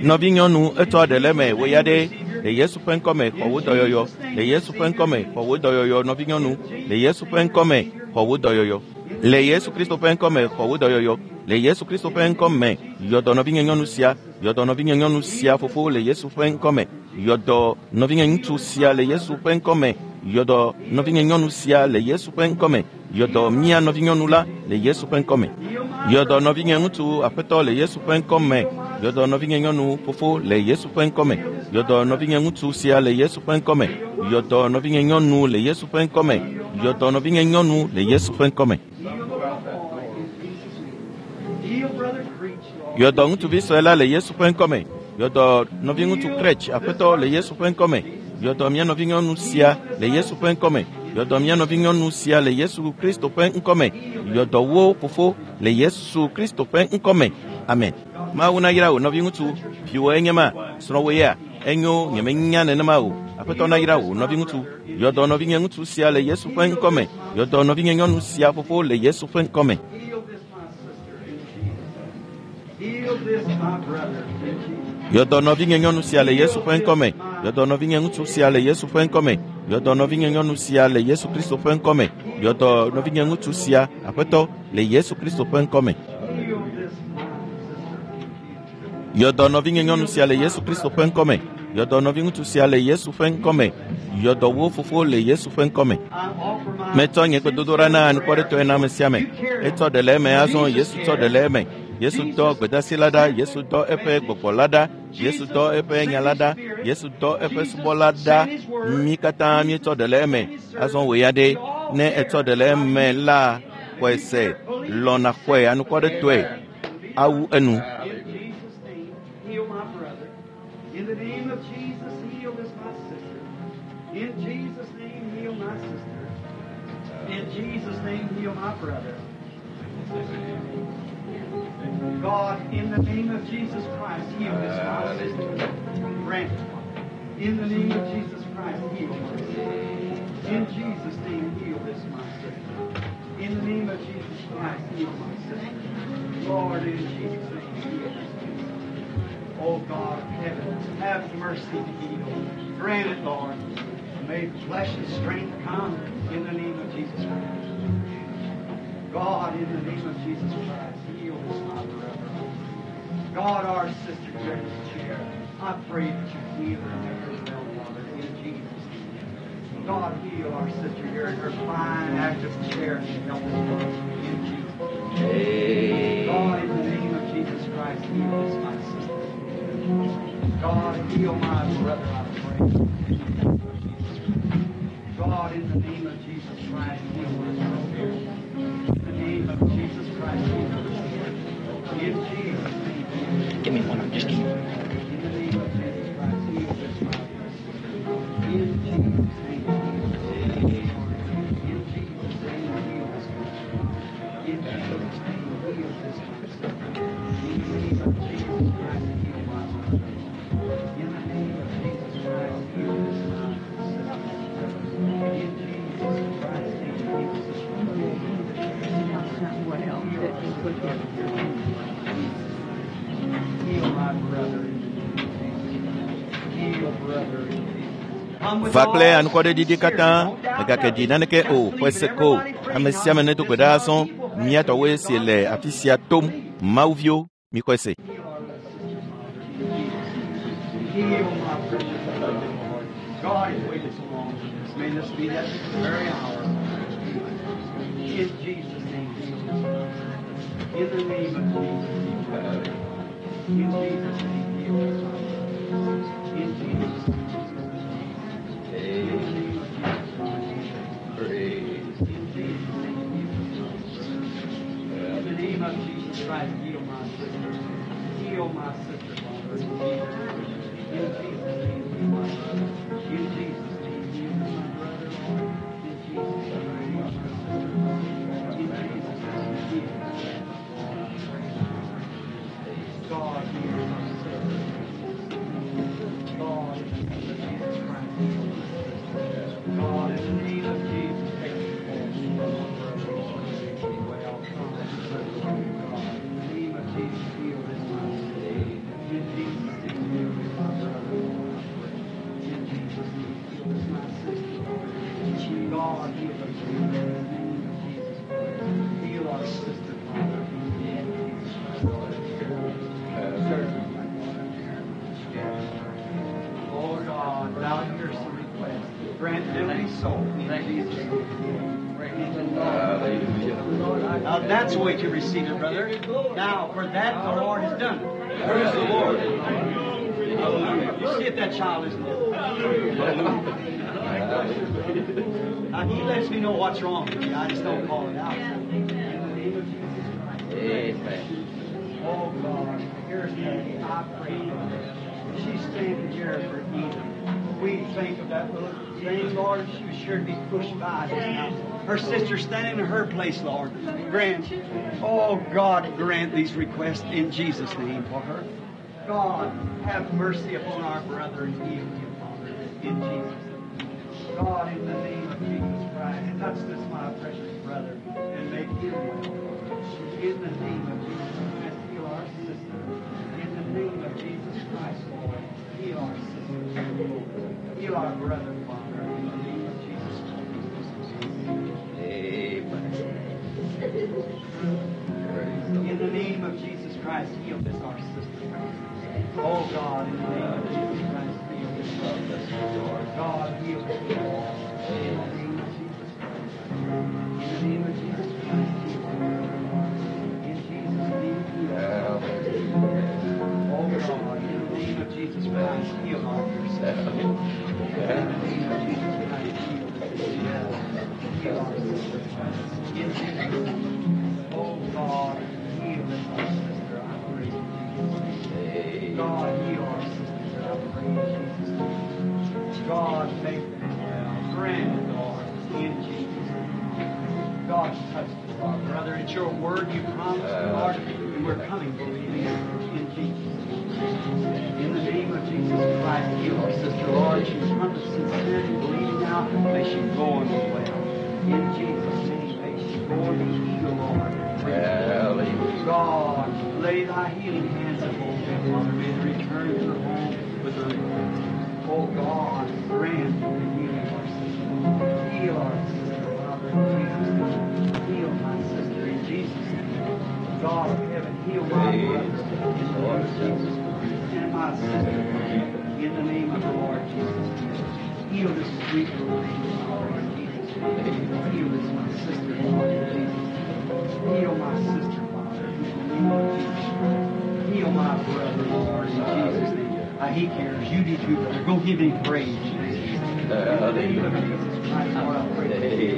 Nɔvinyɔnu etsɔ ɖe le eme, wò ya ɖe, Le Yesu ƒe ŋkɔme xɔ wò dɔyɔyɔ. Le Yesu ƒe ŋkɔme xɔ wò dɔyɔyɔ nɔvinyɔnu. Le Yesu ƒe ŋkɔme xɔ wò dɔyɔyɔ. Le Yesu Kristo ƒe ŋkɔme xɔ wò dɔyɔyɔ. Le Yesu Kristo ƒe ŋkɔme yɔdɔ nɔvinye nyɔnu sia. Yɔdɔ nɔvinye nyɔnu sia fofo le Yesu ƒe ŋkɔme. Yɔdɔ nɔvinye ŋutsu sia le Yesu ƒe ŋkɔme. Yɔdɔ nɔvinye nyɔnu sia le Yesu ƒe ŋkɔme. Yɔdɔ mía nɔvinyɔnu la le Yesu ƒe ŋkɔme. Yɔdɔ nɔvinye ŋutsu aƒetɔ le Yesu ƒe ŋkɔme. Yɔdɔ nɔvinye nyɔnu fofo le Yesu ƒe ŋkɔme. Yɔdɔ nɔvinye ŋutsu sia le Yesu ƒe ŋkɔme. Yɔdɔ nɔvinye nyɔnu le Yesu ƒe ŋkɔme. Yɔdɔ nɔvinye nyɔnu le Yesu ƒe ŋkɔme. Heal brother Creech, Lord. Yɔdɔ ŋutsuvi sue la le Yesu ƒe ŋkɔme. Yɔdɔ nɔviŋutsu Krech aƒetɔ le Yesu ƒe ŋkɔme. Yɔdɔ mía nɔvinyɔnu sia le Yesu ƒe ŋkɔme. Yɔdɔ mía nɔvinyɔnu sia le Yesu Kristo ƒe ŋkɔme. Yɔdɔ wo fofo le Yesu Kristo ƒe ŋkɔme. Amen. Mawu nayra wò nɔviŋutsu. Viwò enye ma. Srɔ̃wò ya. Enyo nyemenya nenema o. Aƒetɔ nayra wò nɔviŋutsu. Yɔdɔ nɔvinye ŋutsu sia le Yesu ƒe ŋkɔme. Yɔdɔ nɔvinye nyɔnu sia fofo le Yesu ƒe ŋkɔme. Heal this my sister in Jesus. Heal this my brother in Jesus. Yɔdɔ nɔvinye nyɔnu sia le Yesu ƒe ŋkɔme. Yɔdɔ nɔvinye ŋutsu sia le Yesu ƒe ŋkɔme. Yɔdɔ nɔvinye nyɔnu sia le Yesu Kristo ƒe ŋkɔme. Yɔdɔ nɔvinye ŋutsu sia aƒetɔ le Yesu Kristo ƒe ŋkɔme. Heal this my sister in Jesus. Yɔdɔ nɔvinye nyɔnu sia le Yesu Kristo ƒe ŋkɔme. Yɔdɔ nɔviŋutsu sia le Yesu ƒe ŋkɔme. Yɔdɔ wo fofo le Yesu ƒe ŋkɔme. I offer my Metsɔ nye gbedodoɖa na anukwaretɔe na ame sia ame. Etsɔ ɖe le eme azɔ Yesu tsɔ ɖe le eme. Yesu dɔ gbedasi la ɖa, Yesu dɔ eƒe gbɔgbɔ la ɖa, Yesu dɔ eƒe nya la ɖa, Yesu dɔ eƒe subɔla ɖa. Mí katã míetsɔ ɖe le eme. Azɔ wò ya ɖe, ne etsɔ ɖe le eme la, xɔe se, lɔ̃na xɔe anukwaretɔe awu enu. In Jesus' name, heal my brother. In the name of Jesus, heal this my sister. In Jesus' name, heal my sister. In Jesus' name, heal my brother. God, in the name of Jesus Christ, heal this my sister. Grant it. In the name of Jesus Christ, heal my sister. In Jesus' name, heal this my sister. In the name of Jesus Christ, heal my sister. Lord, in Jesus' name, heal this sister. Oh God of heaven, have mercy to heal. Grant it, Lord. May flesh and strength come in the name of Jesus Christ. God, in the name of Jesus Christ, heal this my brother. God, our sister here in this chair, I pray that you heal her and make her well, Father, in Jesus' name. God, heal our sister here in her fine, active chair and help us, Lord, in Jesus' name. God, in the name of Jesus Christ, heal this my sister. God, heal my brother, I pray. In the name of Jesus Christ. God, in the name of Jesus Christ, heal this sister. In the name of Jesus Christ, heal this sister. In Jesus' name. Give me one. Just give me one. In the name of Jesus Christ, heal this my sister. In Jesus' name, heal this sister. In Jesus' name, heal this sister. In Jesus' name, heal this sister. In the name of Jesus Christ, heal my brother. In the name of Jesus Christ, heal this my sister. In Jesus Christ's name, heal this Not well that you put here. Heal my brother in the name of Jesus. Heal brother in Jesus. Come with Va kple all anukwareɖiɖi katã, mègake ɖi naneke o, xɔe se ko. Ame sia ame nedo gbe ɖa azɔ, mía tɔwoe si le afi sia tom, Mawuviwo, mixɔe se. Heal my precious brother, Lord. God has waited so long for this. May this be that very hour. In Jesus' name, heal this brother. In the name of Jesus, heal this brother. In Jesus' name, heal this brother. In Jesus' name, heal this brother. In the name of Jesus Christ, In Jesus' name, heal this brother. In the name of Jesus Christ, heal my sister. Heal my sister, Father. In Jesus' name. In Jesus' name, heal my brother. In Jesus' name, heal my brother, Lord. In Jesus' name, heal my sister. In Jesus' name, heal this Lord, I pray. God, heal my sister. God, in the name of Jesus Christ, heal my sister. God, in the name of Jesus, take the force from my brother, Lord, and make me well. God, in the name of Jesus, heal this my sister. In Jesus' name, heal this my brother, Lord, I pray. be so. In Jesus' name. Hallelujah. Now that's the way to receive it, brother. Now, for that the Lord has done it. Praise the Lord. Hallelujah. You see if that child isn't Hallelujah. Now, he lets me know what's wrong with me. I just don't call it out. In the name of Jesus Christ. Amen. Oh, God, here's Peggy. I pray for her. She's standing here for healing. We think of that little thing, Lord. She was sure to be pushed by just now. Her sister's standing in her place, Lord. Grant, oh, God, grant these requests in Jesus' name for her. God, have mercy upon our brother and heal him, Father, in Jesus' name. God, in the name of Jesus Christ, touch this, my precious brother, and make him well. In the name of Jesus Christ, heal our sister. In the name of Jesus Christ, Lord, heal our sister. Heal our brother, Father, in the name of Jesus Christ. Amen. Praise the In the name of Jesus Christ, heal this, our sister. Oh God, in the name of Jesus Christ, heal this, our sister. God, heal this. In the name of Jesus Christ. In the name of Jesus Christ, heal her. In Jesus' name, heal her. Hallelujah. Oh God, in the name of Jesus Christ, heal our dear sister. In the name of Jesus Christ, heal this sister. Heal our sister. In Jesus' name. Oh God, heal this our sister. I pray in Jesus' name. Amen. God, heal our sister. I pray in Jesus' name. God, make them well. Grant it, Lord, in Jesus' name. God, touch us, our brother. It's your word you promised, Lord, and we're coming believing it in Jesus' name. In the name of Jesus Christ, heal our sister, Lord. She's come with sincerity, believing now. May she go and be well. In Jesus' name, may she go and be healed, Lord. Hallelujah. God, lay thy healing hands upon them, Father. May they return to their home with their request. Oh God, grant the healing of our sister. Heal our sister, Father, in Jesus' name. Heal my sister in Jesus' name. God of heaven, heal my brother in the name of Jesus Christ. And my sister, in the name of the Lord Jesus Christ. Heal this sweet little thing, Father, in Jesus' name. Heal this, my sister, Lord, in Jesus' name. Heal my sister, Father, in the name of Jesus Christ. Heal my brother, Lord, in Jesus' name. He cares. You do too, brother. Go give him praise. In the name of Jesus Christ, Lord, I pray.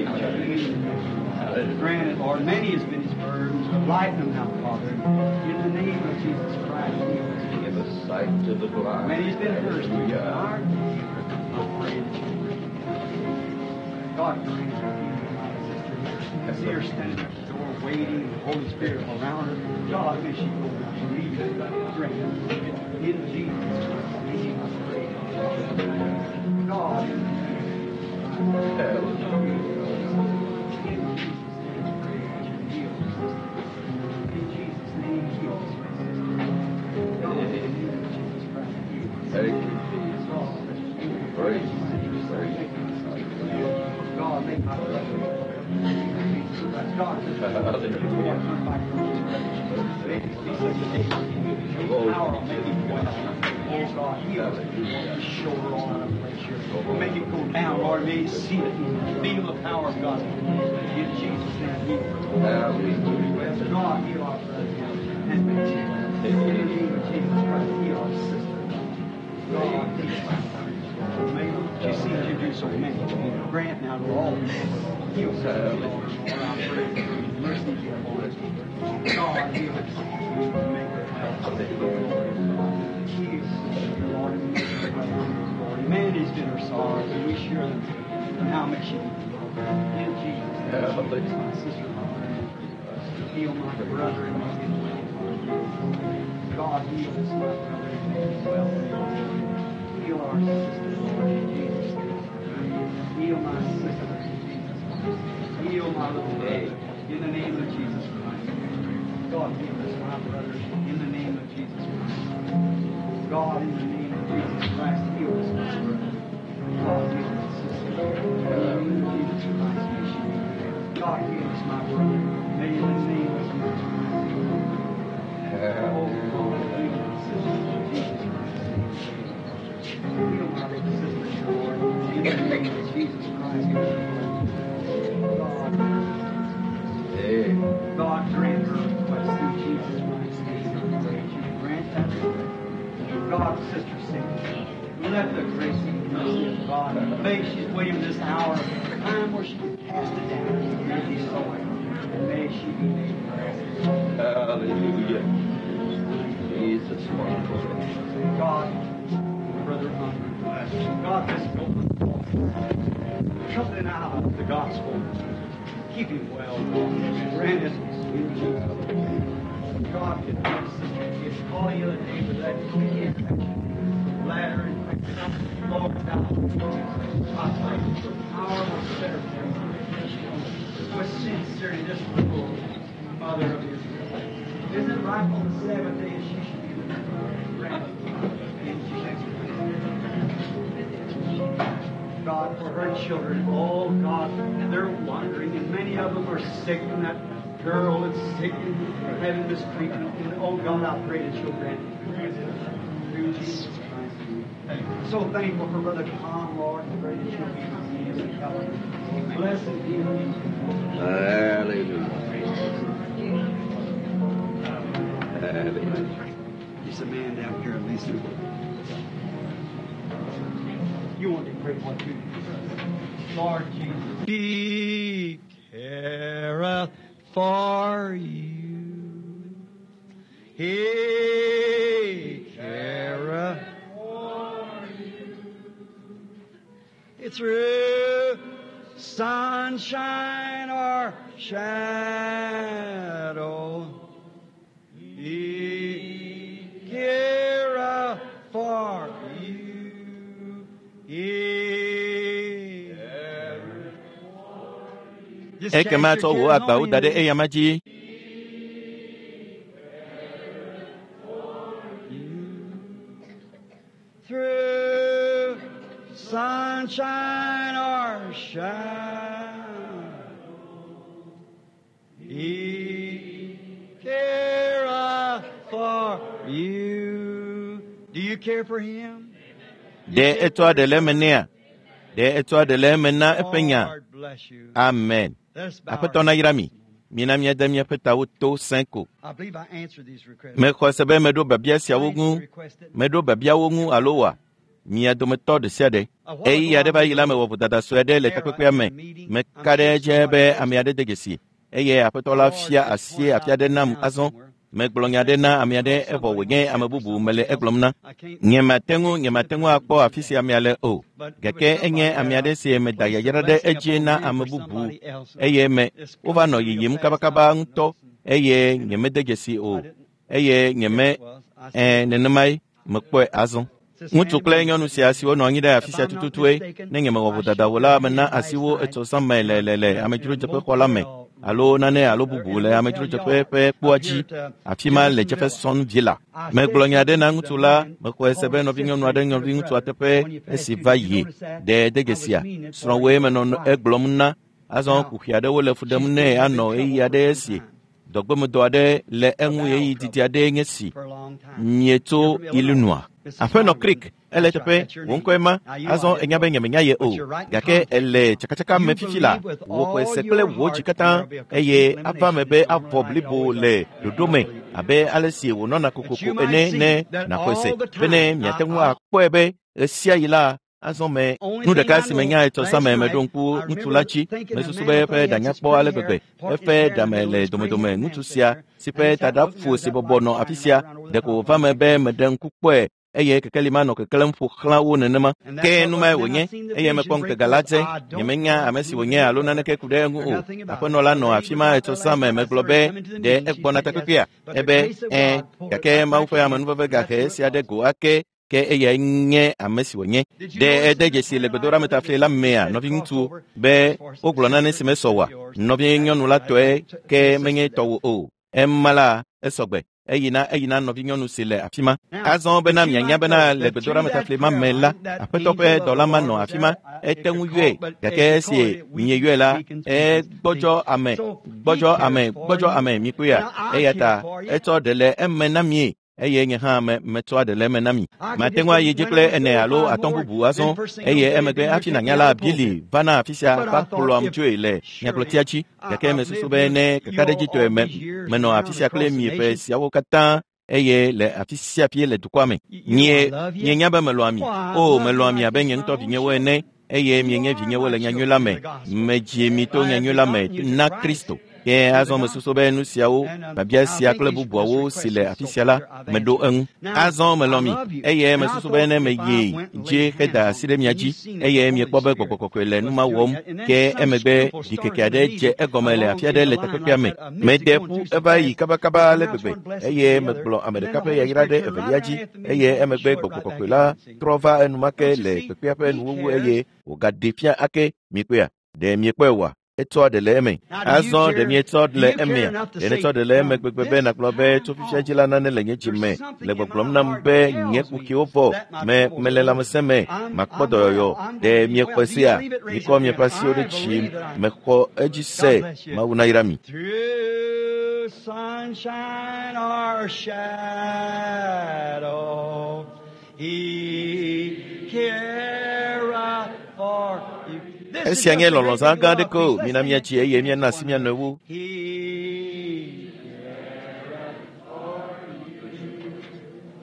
Amen. Grant it, Lord. Many has been his burdens, but lighten them now, Father. In the name of Jesus Christ, heal us. Give us sight to the blind. Many has been thirsty. Hallelujah. I pray that you grant. God grant her healing, my sister here. See her standing at the door waiting, the Holy Spirit around her. God, may she go now. Believe it. Grant it. In Jesus' name, I pray. God, in the name of Hallelujah. In Jesus' name, I pray that you heal her sister. In Jesus' name, heal this my sister. God, in the name of Jesus Christ, heal her. Thank you, Jesus. Praise you, praise you. God, make my brother. God, Hallelujah. may this be such a day. Your power will make it well. Oh, God, heal us. Shoulder all out of place here. Make it go down, Lord. May you see it and feel the power of God. In Jesus' name, heal. Hallelujah. God, heal our brother now. And make it well. In the name of Jesus Christ, heal our sister. God, heal our sister. May she seems to do so many. Grant now to all people. Heal sister, Lord. Lord, I pray. Mercy be upon us. God, heal us. Make her well. Heal sister, Lord, and make her well. Lord, man has been her sorrows, and we share them. And how may she be healed? In Jesus' name, my sister, Lord. Heal my brother and make him well. God, heal this my brother and make him well. Heal our sister, Lord, in Jesus' name. Heal my sister in Jesus' name. Heal my little brother in the name of Jesus Christ. God, heal this my brother in the name of Jesus Christ. God, in the name of Jesus Christ, heal this my brother. God, heal this sister. In the name of Jesus Christ, may she be healed. God, heal this my brother. May in the name of Jesus Christ heal him. Oh, God, heal my sister in Jesus Christ's name. Heal my little sister, Lord, in the name of Jesus Christ. God, Sister Cindy, let the grace and mercy of God, may she's waiting this hour, time where she can cast it down and be so. And may she be made well. Hallelujah. Jesus, wonderful. God, Brother Unger, God, this open something out of the gospel. Keep him well, Lord. Grant it in Jesus' name. God, if my sister is calling you the day with that infection, bladder infection, Lord, thou I pray for the power of set her free. With sincerity, this little mother of Israel. Isn't it right on the Sabbath day she should be granted in Jesus' name? God, for her children, oh God, they're wandering, and many of them are sick, and that girl is sick and having this treatment. And oh God, I pray that you'll grant it through Jesus Christ. So thankful for Brother Tom, Lord, and pray that you'll be with him and help him. Blessed be him. Hallelujah. Hallelujah. There's a man down here, Lisa. You want to pray one too. Lord Jesus. He careth for you. He careth for you. It's through sunshine or shadow. He careth for you. He Just Ekema cast tsɔ your wò cares agbawo on da ɖe him. eyama dzi. Through sunshine or shadow, He careth for you. Do you care for Him? Ɖe etsɔa ɖe le eme nɛa? Ɖe etsɔa ɖe le eme na eƒe nya? Lord bless you. Amen. Let us bow our Aƒetɔ nayra mi. Mina míade míaƒe tawo to sẽ ko. I believe I answered these requests. Mexɔ se be meɖo biabia siawo ŋu. Meɖo biabiawo ŋu alo wa? Mia dometɔ ɖe sia ɖe. Ɣeyiɣi aɖe va yi la mewɔ vodada sue aɖe le takpekpea me. Meka ɖe edzi be ame aɖe de dzesi eye aƒetɔ la fia asi afi aɖe nam azɔ. Megblɔ nya aɖe na ame aɖe evɔ wònye ame bubu mele egblɔm na. Nyemate ŋu nyemate ŋu akpɔ afi sia amea le o. Gake enye ame aɖe si meda yayra ɖe edzi na ame bubu eye me wova nɔ yiyim kabakaba ŋutɔ eye nyemede dzesi o eye nyeme ɛ nenemae mekpɔe azɔ. Ŋutsu kple nyɔnu sia siwo nɔ anyi ɖe afi sia tututue ne nyemewɔ vodada o la mena asi wo etsɔ zã me le le le amedzrodzeƒexɔ la me alo nane alo bubu le amedzrodzeƒe ƒe kpoa dzi afi ma le Jefferson Villa. Megblɔ nya aɖe na ŋutsu la mexɔe se be nɔvinyɔnu aɖe nɔviŋutsua teƒe esi va yi ɖe de dzesia srɔ̃woe menɔ egblɔm na azɔ kuxi aɖewo le fu ɖem nɛ anɔ ɣeyiɣi aɖe esi dɔgbemedɔ aɖe le eŋu ɣeyiɣi didi aɖee nye si For a long time. mietso Illinois. Aƒenɔ Creek, ele teƒe, wò ŋkɔe ma, azɔ enya be nyemenya ye o, gake ele tsakatsaka me fifi la, wò xɔe se kple wò dzi katã, eye ava me be avɔ blibo le ɖoɖo me abe ale si wònɔna kokoko ene ne nàxɔe se, bene miate ŋu akpɔe be ɣe sia ɣi la, azɔ me nu ɖeka si menya etsɔ zã me meɖo ŋku ŋutsu la dzi mesusu be eƒe ɖa nyakpɔ ale gbegbe eƒe ɖame le domedome ŋutsu sia si ƒe taɖa ƒo si bɔbɔ nɔ afi sia ɖeko wòva me be meɖe ŋku kpɔe eye kekeli ma nɔ keklẽm ƒo xlã wo nenema ke nu mae wònye eye mekpɔ ŋutega la dze nyemenya ame si wònye alo naneke ku ɖe eŋu o aƒenɔ la nɔ afi ma etsɔ zã me megblɔ be ɖe egbɔna takpekpea ebe ẽ gake Mawu ƒe amenuveve gahe esia ɖe go ake ke eyae nye ame si wònye ɖe ede dzesi le gbedoɖametafli la mea nɔviŋutsu be wogblɔ nane si mesɔ oa nɔvinyɔnu la tɔe ke menye tɔwò o ema la esɔgbe eyina eyina nɔvinyɔnu si le afi ma azɔ bena mianya bena le gbedoɖametafli ma me la aƒetɔ ƒe dɔla ma nɔ afi ma ete ŋu yɔe gake esi mieyɔe la egbɔdzɔ ame gbɔdzɔ ame gbɔdzɔ ame mikpɔea eya ta etsɔ ɖe le eme na mie eye nye hã me metsɔa ɖe le eme na mi mate ŋu ayi dzi kple ene alo atɔ̃ bubu azɔ eye emegbe hafi nànya la Bili va na afi sia va kplɔam dzoe le nyagblɔtia dzi gake mesusu be ne kakaɖedzitɔe me menɔ afi sia kple mi ƒe siawo katã eye le afi sia afi le dukɔa me. Mie mienya be melɔ̃a mi. O, melɔ̃a mi abe nye ŋutɔ vinyewo ene eye mienye vinyewo le nyanyui la me. Medzi mi to nyanyui la me na Kristo. Ke azɔ mesusu be nu siawo, biabia sia kple bubuawo si le afi sia la, meɖo eŋu. Azɔ melɔ̃ mi eye mesusu be ne meyi dzi heda asi ɖe mia dzi eye miekpɔ be gbɔgbɔ kɔkɔe le nu ma wɔm ke emegbe ɖikeke aɖe dze egɔme le afi aɖe le takpekpea me. Mede ƒu eva yi kabakaba ale gbegbe eye megblɔ ame ɖeka ƒe yayra ɖe evelia dzi eye emegbe gbɔgbɔ kɔkɔe la trɔ va enumake le kpekpea ƒe nuwuwu eye wògaɖe fia ake miekpɔea? Ɖe miekpɔe oa? Etsɔ ɖe le eme. Azɔ ɖe mietsɔ le emea? Ɖe netsɔ ɖe le eme gbegbe be nàgblɔ be tso fifia dzi la nane le nye dzi me le gbɔgblɔm nam be nye kuxiwo vɔ me mele lãmesẽ me makpɔ dɔyɔyɔ. Ɖe miexɔe sea? Mikɔ miaƒe asiwo ɖe dzi. Mexɔ edzi se. Mawu nayra mi. Through sunshine or shadow, He careth for you. This is Esia just nye a great lɔlɔ̃zã big gã love aɖeke o. piece. Let's Mina sing míatsi it. eye míana asi mía nɔewo. He careth for you.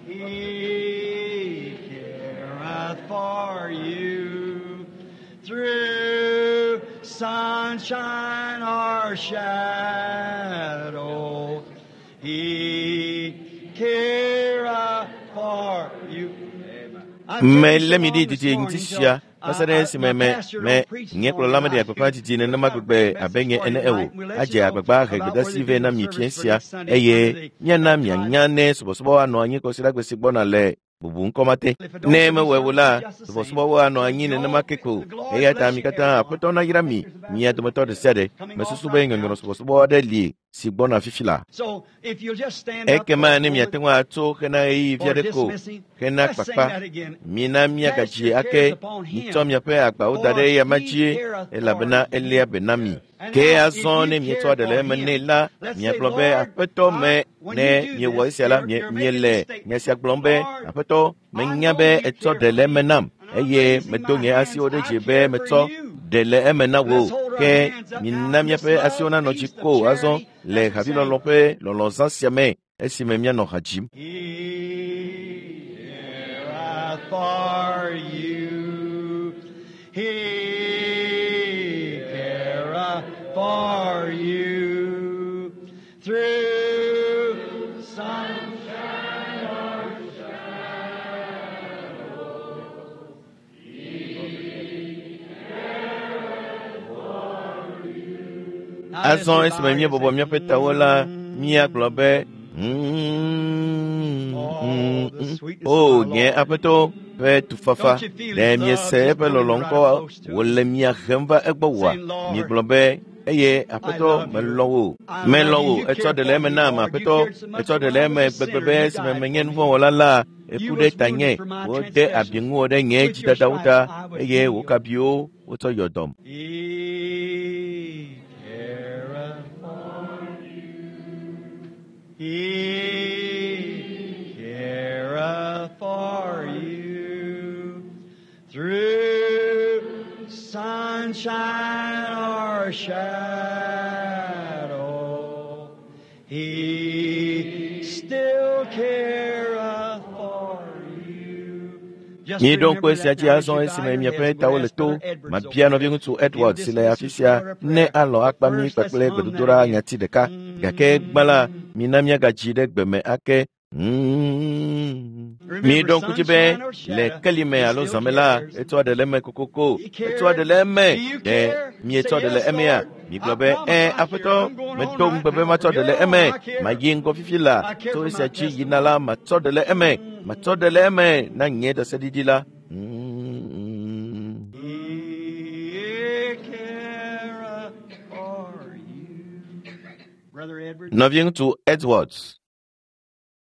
He careth for you through sunshine or shadow. He careth for you. Melé mi ɖi didi ŋuti sia va se ɖe esime me me nye kplɔla meɖea gbeƒã didi nenema gbegbe abe nye ene o. Adze agbagba he gbedeasi vɛ na mi fiẽ sia eye míana mianya ne subɔsubɔ anɔ anyi kɔsiɖagbe si gbɔna le bubu ŋkɔ ma te. Ne mewɔe o la, subɔsubɔwo anɔ anyi nenema ke ko. Eya ta mi katã Aƒetɔ nayra mi, mia dometɔ ɖe sia ɖe. Mesusu be nyɔnyrɔ subɔsubɔ aɖe li si gbɔna fifi la. So if you'll just stand up Ekema for a ne miate moment ŋu atso hena ɣeyiɣi vi for aɖe ko dismissing, hena let's sing kpakpa, that again. mina Cast míagadzi your ake cares upon mitsɔ him, miaƒe agbawo da for ɖe eyama he dzie careth for elabena eléa you. be na mi. And Ke now, if azɔ you ne mietsɔ care ɖe le for eme nɛ him, la, let's say, miagblɔ be Lord, Aƒetɔ I, me when ne you do miewɔ this, esia la, you're, mie you're making miele a nya statement. sia gblɔm be Lord, Aƒetɔ I menya know be you etsɔ care ɖe for le eme me, nam and I'm eye raising medo my nye hands. asiwo ɖe I dzi be care for metsɔ you. ɖe le eme na wò. Let's hold our Ke hands up now mina in this míaƒe asiwo love nanɔ dzi feast of ko azɔ charity le as we sing. havilɔlɔ̃ ƒe lɔlɔ̃zã sia me esime míanɔ ha dzim. He careth for you. He careth for you. Through sunshine or shadow. Now as Azɔ we esime bow our heads, míebɔbɔ say, míaƒe tawo la, míagblɔ be Oh, the sweetness of O our nye Lord. Aƒetɔ ƒe tufafa, Don't you feel ɖe His love miese just eƒe coming lɔlɔ̃ right ŋkɔ close to us? wòle mia hem va egbɔ oa? Saying, Lord, Miegblɔ be eye I Aƒetɔ love you. melɔ̃ wò, I love melɔ̃ you. wò. You Etsɔ cared ɖe le for eme me, nam Lord. You Aƒetɔ, cared so much etsɔ ɖe when le I eme was a gbegbe sinner. be You esime died menye for me. nuvɔ̃wɔla la, You eku ɖe was tanye. wounded for my Wode abi transgressions. ŋuwò ɖe nye With your dzidadawo stripes ta I was eye wò healed. kabiwo wotsɔ yɔ dɔm. He careth for you. He careth for you. Through sunshine or shadow, He still careth for you. Just Míeɖo ŋku remember esia that dzi now as azɔ you bow esime your miaƒe heads. We're tawo going to le ask to. Brother Edwards over Mabia here nɔviŋutsu if he'll Edward si le dismiss afi us sia with a ne prayer. alɔ̃ But akpa mí first, let's kpakple hum that gbedodoɖa again. nyati ɖeka. Gake gbã la, mina míagadzi ɖe gbe me ake. Remember, Míeɖo ŋku dzi be sunshine or le shadow, kelime he alo still zãme la, cares. etsɔ ɖe le eme kokoko. He Etsɔ ɖe cares. le eme. Do you Ɖe care? Say, mietsɔ ɖe le yes, emea? Lord. Migblɔ I be, promise ẽ, I care. Aƒetɔ, I'm going on medo right ŋugbe be now. matsɔ From ɖe le here on, eme. I care. Mayi ŋgɔ fifi la. I care Tso for esia my dzi yina la, testimony. matsɔ ɖe le eme. Matsɔ ɖe le eme na nye ɖaseɖiɖi la. He careth for you. Brother Edwards. Nɔviŋutsu Edwards.